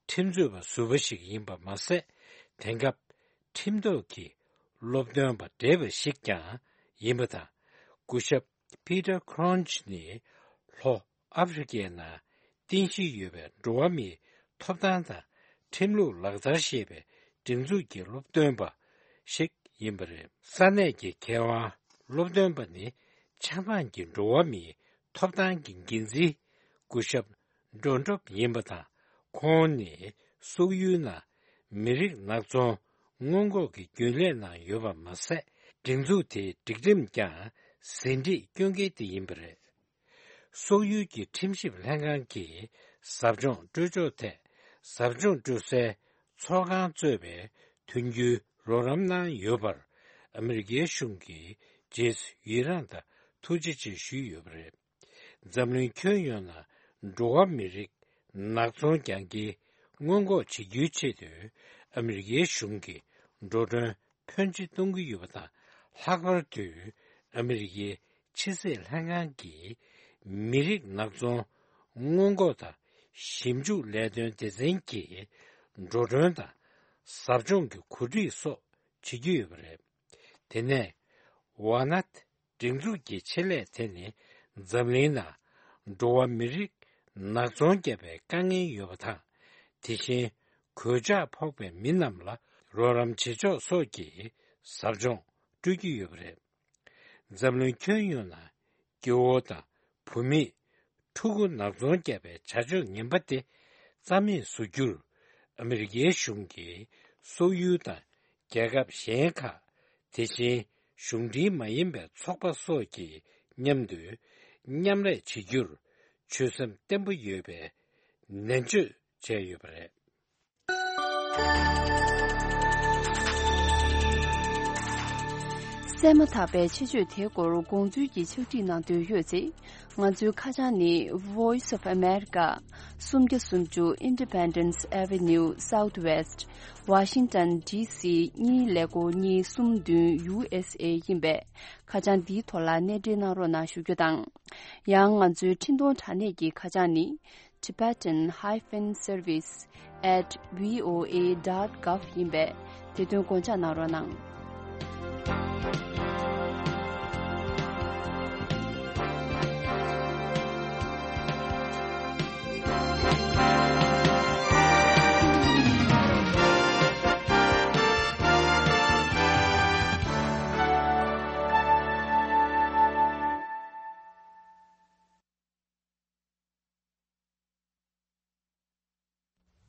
ཁྲིམས་རྩོད་པ་ཟུར་པ་ཞིག་ཡིན་པ་མ་ཟད། དེང་སྐབས་ཁྲིམས་ཐོག་གི་སློབ་སྟོན་པ་བགྲེས་པ་ཞིག་ཀྱང་ཡིན་པ་དང་། སྐུ་ཞབས་པི་ཏར་ཁོ་རོན་ཇི་ནི་ལྷོ་ཨ་ཧྥེ་རི་ཁའི་ནང་རྟེན་གཞི་ཡོད་པའི་འགྲོ་བ་མིའི་ཐོབ་ཐང་དང་ཁྲིམས་ལུགས་ལག་བསྟར་ཞེས་པའི་སྒྲིག་འཛུགས་ཀྱི་སློབ་སྟོན་པ་ཞིག་ཡིན་པ་རེད། ས་གནས་ཀྱི་མཁས་དབང་སློབ་སྟོན་པ་ནི་ཆབ་འབངས་ཀྱི་འགྲོ་བ་མིའི་ཐོབ་ཐང་གི་འགན་འཛིན་སྐུ་ཞབས་ཌོན་ཊོབ་ཡིན་པ་དང་། ཁོང་ནི་སོག་ཡུལ་ནང་མི་རིགས་ནག་ཚོང་སྔོན་འགོག་གི་རྒྱུན་ལས་ནང་ཡོད་པ་མ་ཟད། སྒྲིག་འཛུགས་དེའི་སྒྲིག་ཁྲིམས་ཀྱང་ཟིན་བྲིས་སྐྱོན་མཁན་དེ་ཡིན་པ་རེད། སོག་ཡུལ་གྱི་ཁྲིམས་ཞིབ་ལྷན་ཁང་གིས་ཟབ་སྦྱོང་སྤྲོད་ཕྱོགས་ཐད། ཟབ་སྦྱོང་སྤྲོད་སའི་ཚོགས་ཁང་གཙོས་པའི་མཐུན་འགྱུར་རོགས་རམ་གནང་ཡོད་པར་ཨ་མི་རི་ཀའི་གཞུང་གིས་རྗེས་སུ་ཡི་རངས་དང་ཐུགས་རྗེ་ཆེ་ཞུས་ཡོད་པ་རེད། འཛམ་གླིང་ཁྱོན་ཡོངས་ནང་འགྲོ་བ་མི་རིགས་ནག་ཚོང་རྒྱག་མཁན་སྔོན་འགོག་བྱེད་རྒྱུའི་ཆེད་དུ་ཨ་མི་རི་ཀའི་གཞུང་གིས་འགྲོ་གྲོན་ཕོན་ཆེ་གཏོང་གི་ཡོད་པ་དང་། ལྷག་པར་དུ་ཨ་མི་རི་ཀའི་ཕྱི་སྲིད་ལྷན་ཁང་གིས་མི་རིགས་ནག་ཚོང་སྔོན་འགོག་དང་ཞིབ་འཇུག་ལས་དོན་སྡེ་ཚན་གྱི་འགྲོ་གྲོན་དང་ཟབ་སྦྱོང་གི་གོ་སྒྲིག་སོགས་བྱེད་ཀྱི་ཡོད་པ་རེད། དེ་ནས་ཝ་ནད་སྒྲིག་འཛུགས་ཀྱི་ཆེད་ལས་དེ་ནི་འཛམ་གླིང་ནང་འགྲོ་བ་མི་རིགས་ནག་ཚོང་བརྒྱབ་པའི་དཀའ་ངལ་ཡོད་པ་དང་། དེ་བཞིན་གོད་ཆག་ཕོག་པའི་མི་རྣམས་ལ་རོགས་རམ་བྱེད་ཕྱོགས་སོགས་ཀྱི་ཟབ་སྦྱོང་སྤྲོད་ཀྱི་ཡོད་པ་རེད། འཛམ་གླིང་ཁྱོན་ཡོངས་ནང་སྐྱེ་བོ་དང་བུད་མེད་ཕྲུ་གུ་ནག་ཚོང་བརྒྱབ་པའི་བྱ་སྤྱོད་ངན་པ་དེ་རྩ་མེད་བཟོ་རྒྱུར་ཨ་མི་རི་ཀའི་གཞུང་གིས་སོག་ཡུལ་དང་རྒྱལ་ཁབ་གཞན་ཁག་དེ་བཞིན་གཞུང་འབྲེལ་མ་ཡིན་པའི་ཚོགས་པ་སོགས་ཀྱི་མཉམ་དུ་མཉམ་ལས་བྱེད་རྒྱུར་ཆོད་སེམས་བརྟན་པོ་ཡོད་པའི་ནན་བརྗོད་བྱས་ཡོད་པ་རེད། གསན་མ་ཐག་པའི་ཆེད་བརྗོད་དེའི་སྐོར་དགོངས་ཚུལ་གྱི་ཕྱག་བྲིས་གནང་འདོད་ཡོད་ཚེ། ང་ཚོའི་ཁ་བྱང་ནི། Voice of America། སུམ་བརྒྱ་སུམ་ཅུ་Independence Avenue Southwest། Washington D C གཉིས་ཀླད་ཀོར་གཉིས་གསུམ་བདུན་U S A ཡིན་པས། ཁ་བྱང་འདིའི་ཐོག་ལ་གནས་འབྲེལ་གནང་རོགས་གནང་ཞུ་རྒྱུ་དང་། ཡང་ང་ཚོའི་འཕྲིན་གཏོང་དྲ་གནས་ཀྱི་ཁ་བྱང་ནི། Tibetan hyphen service at V O A dot gov ཡིན་པས། དེ་དོན་དགོངས་འཇགས་གནང་རོགས་གནང་།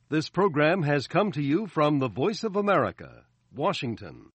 This program has come to you from the Voice of America, Washington.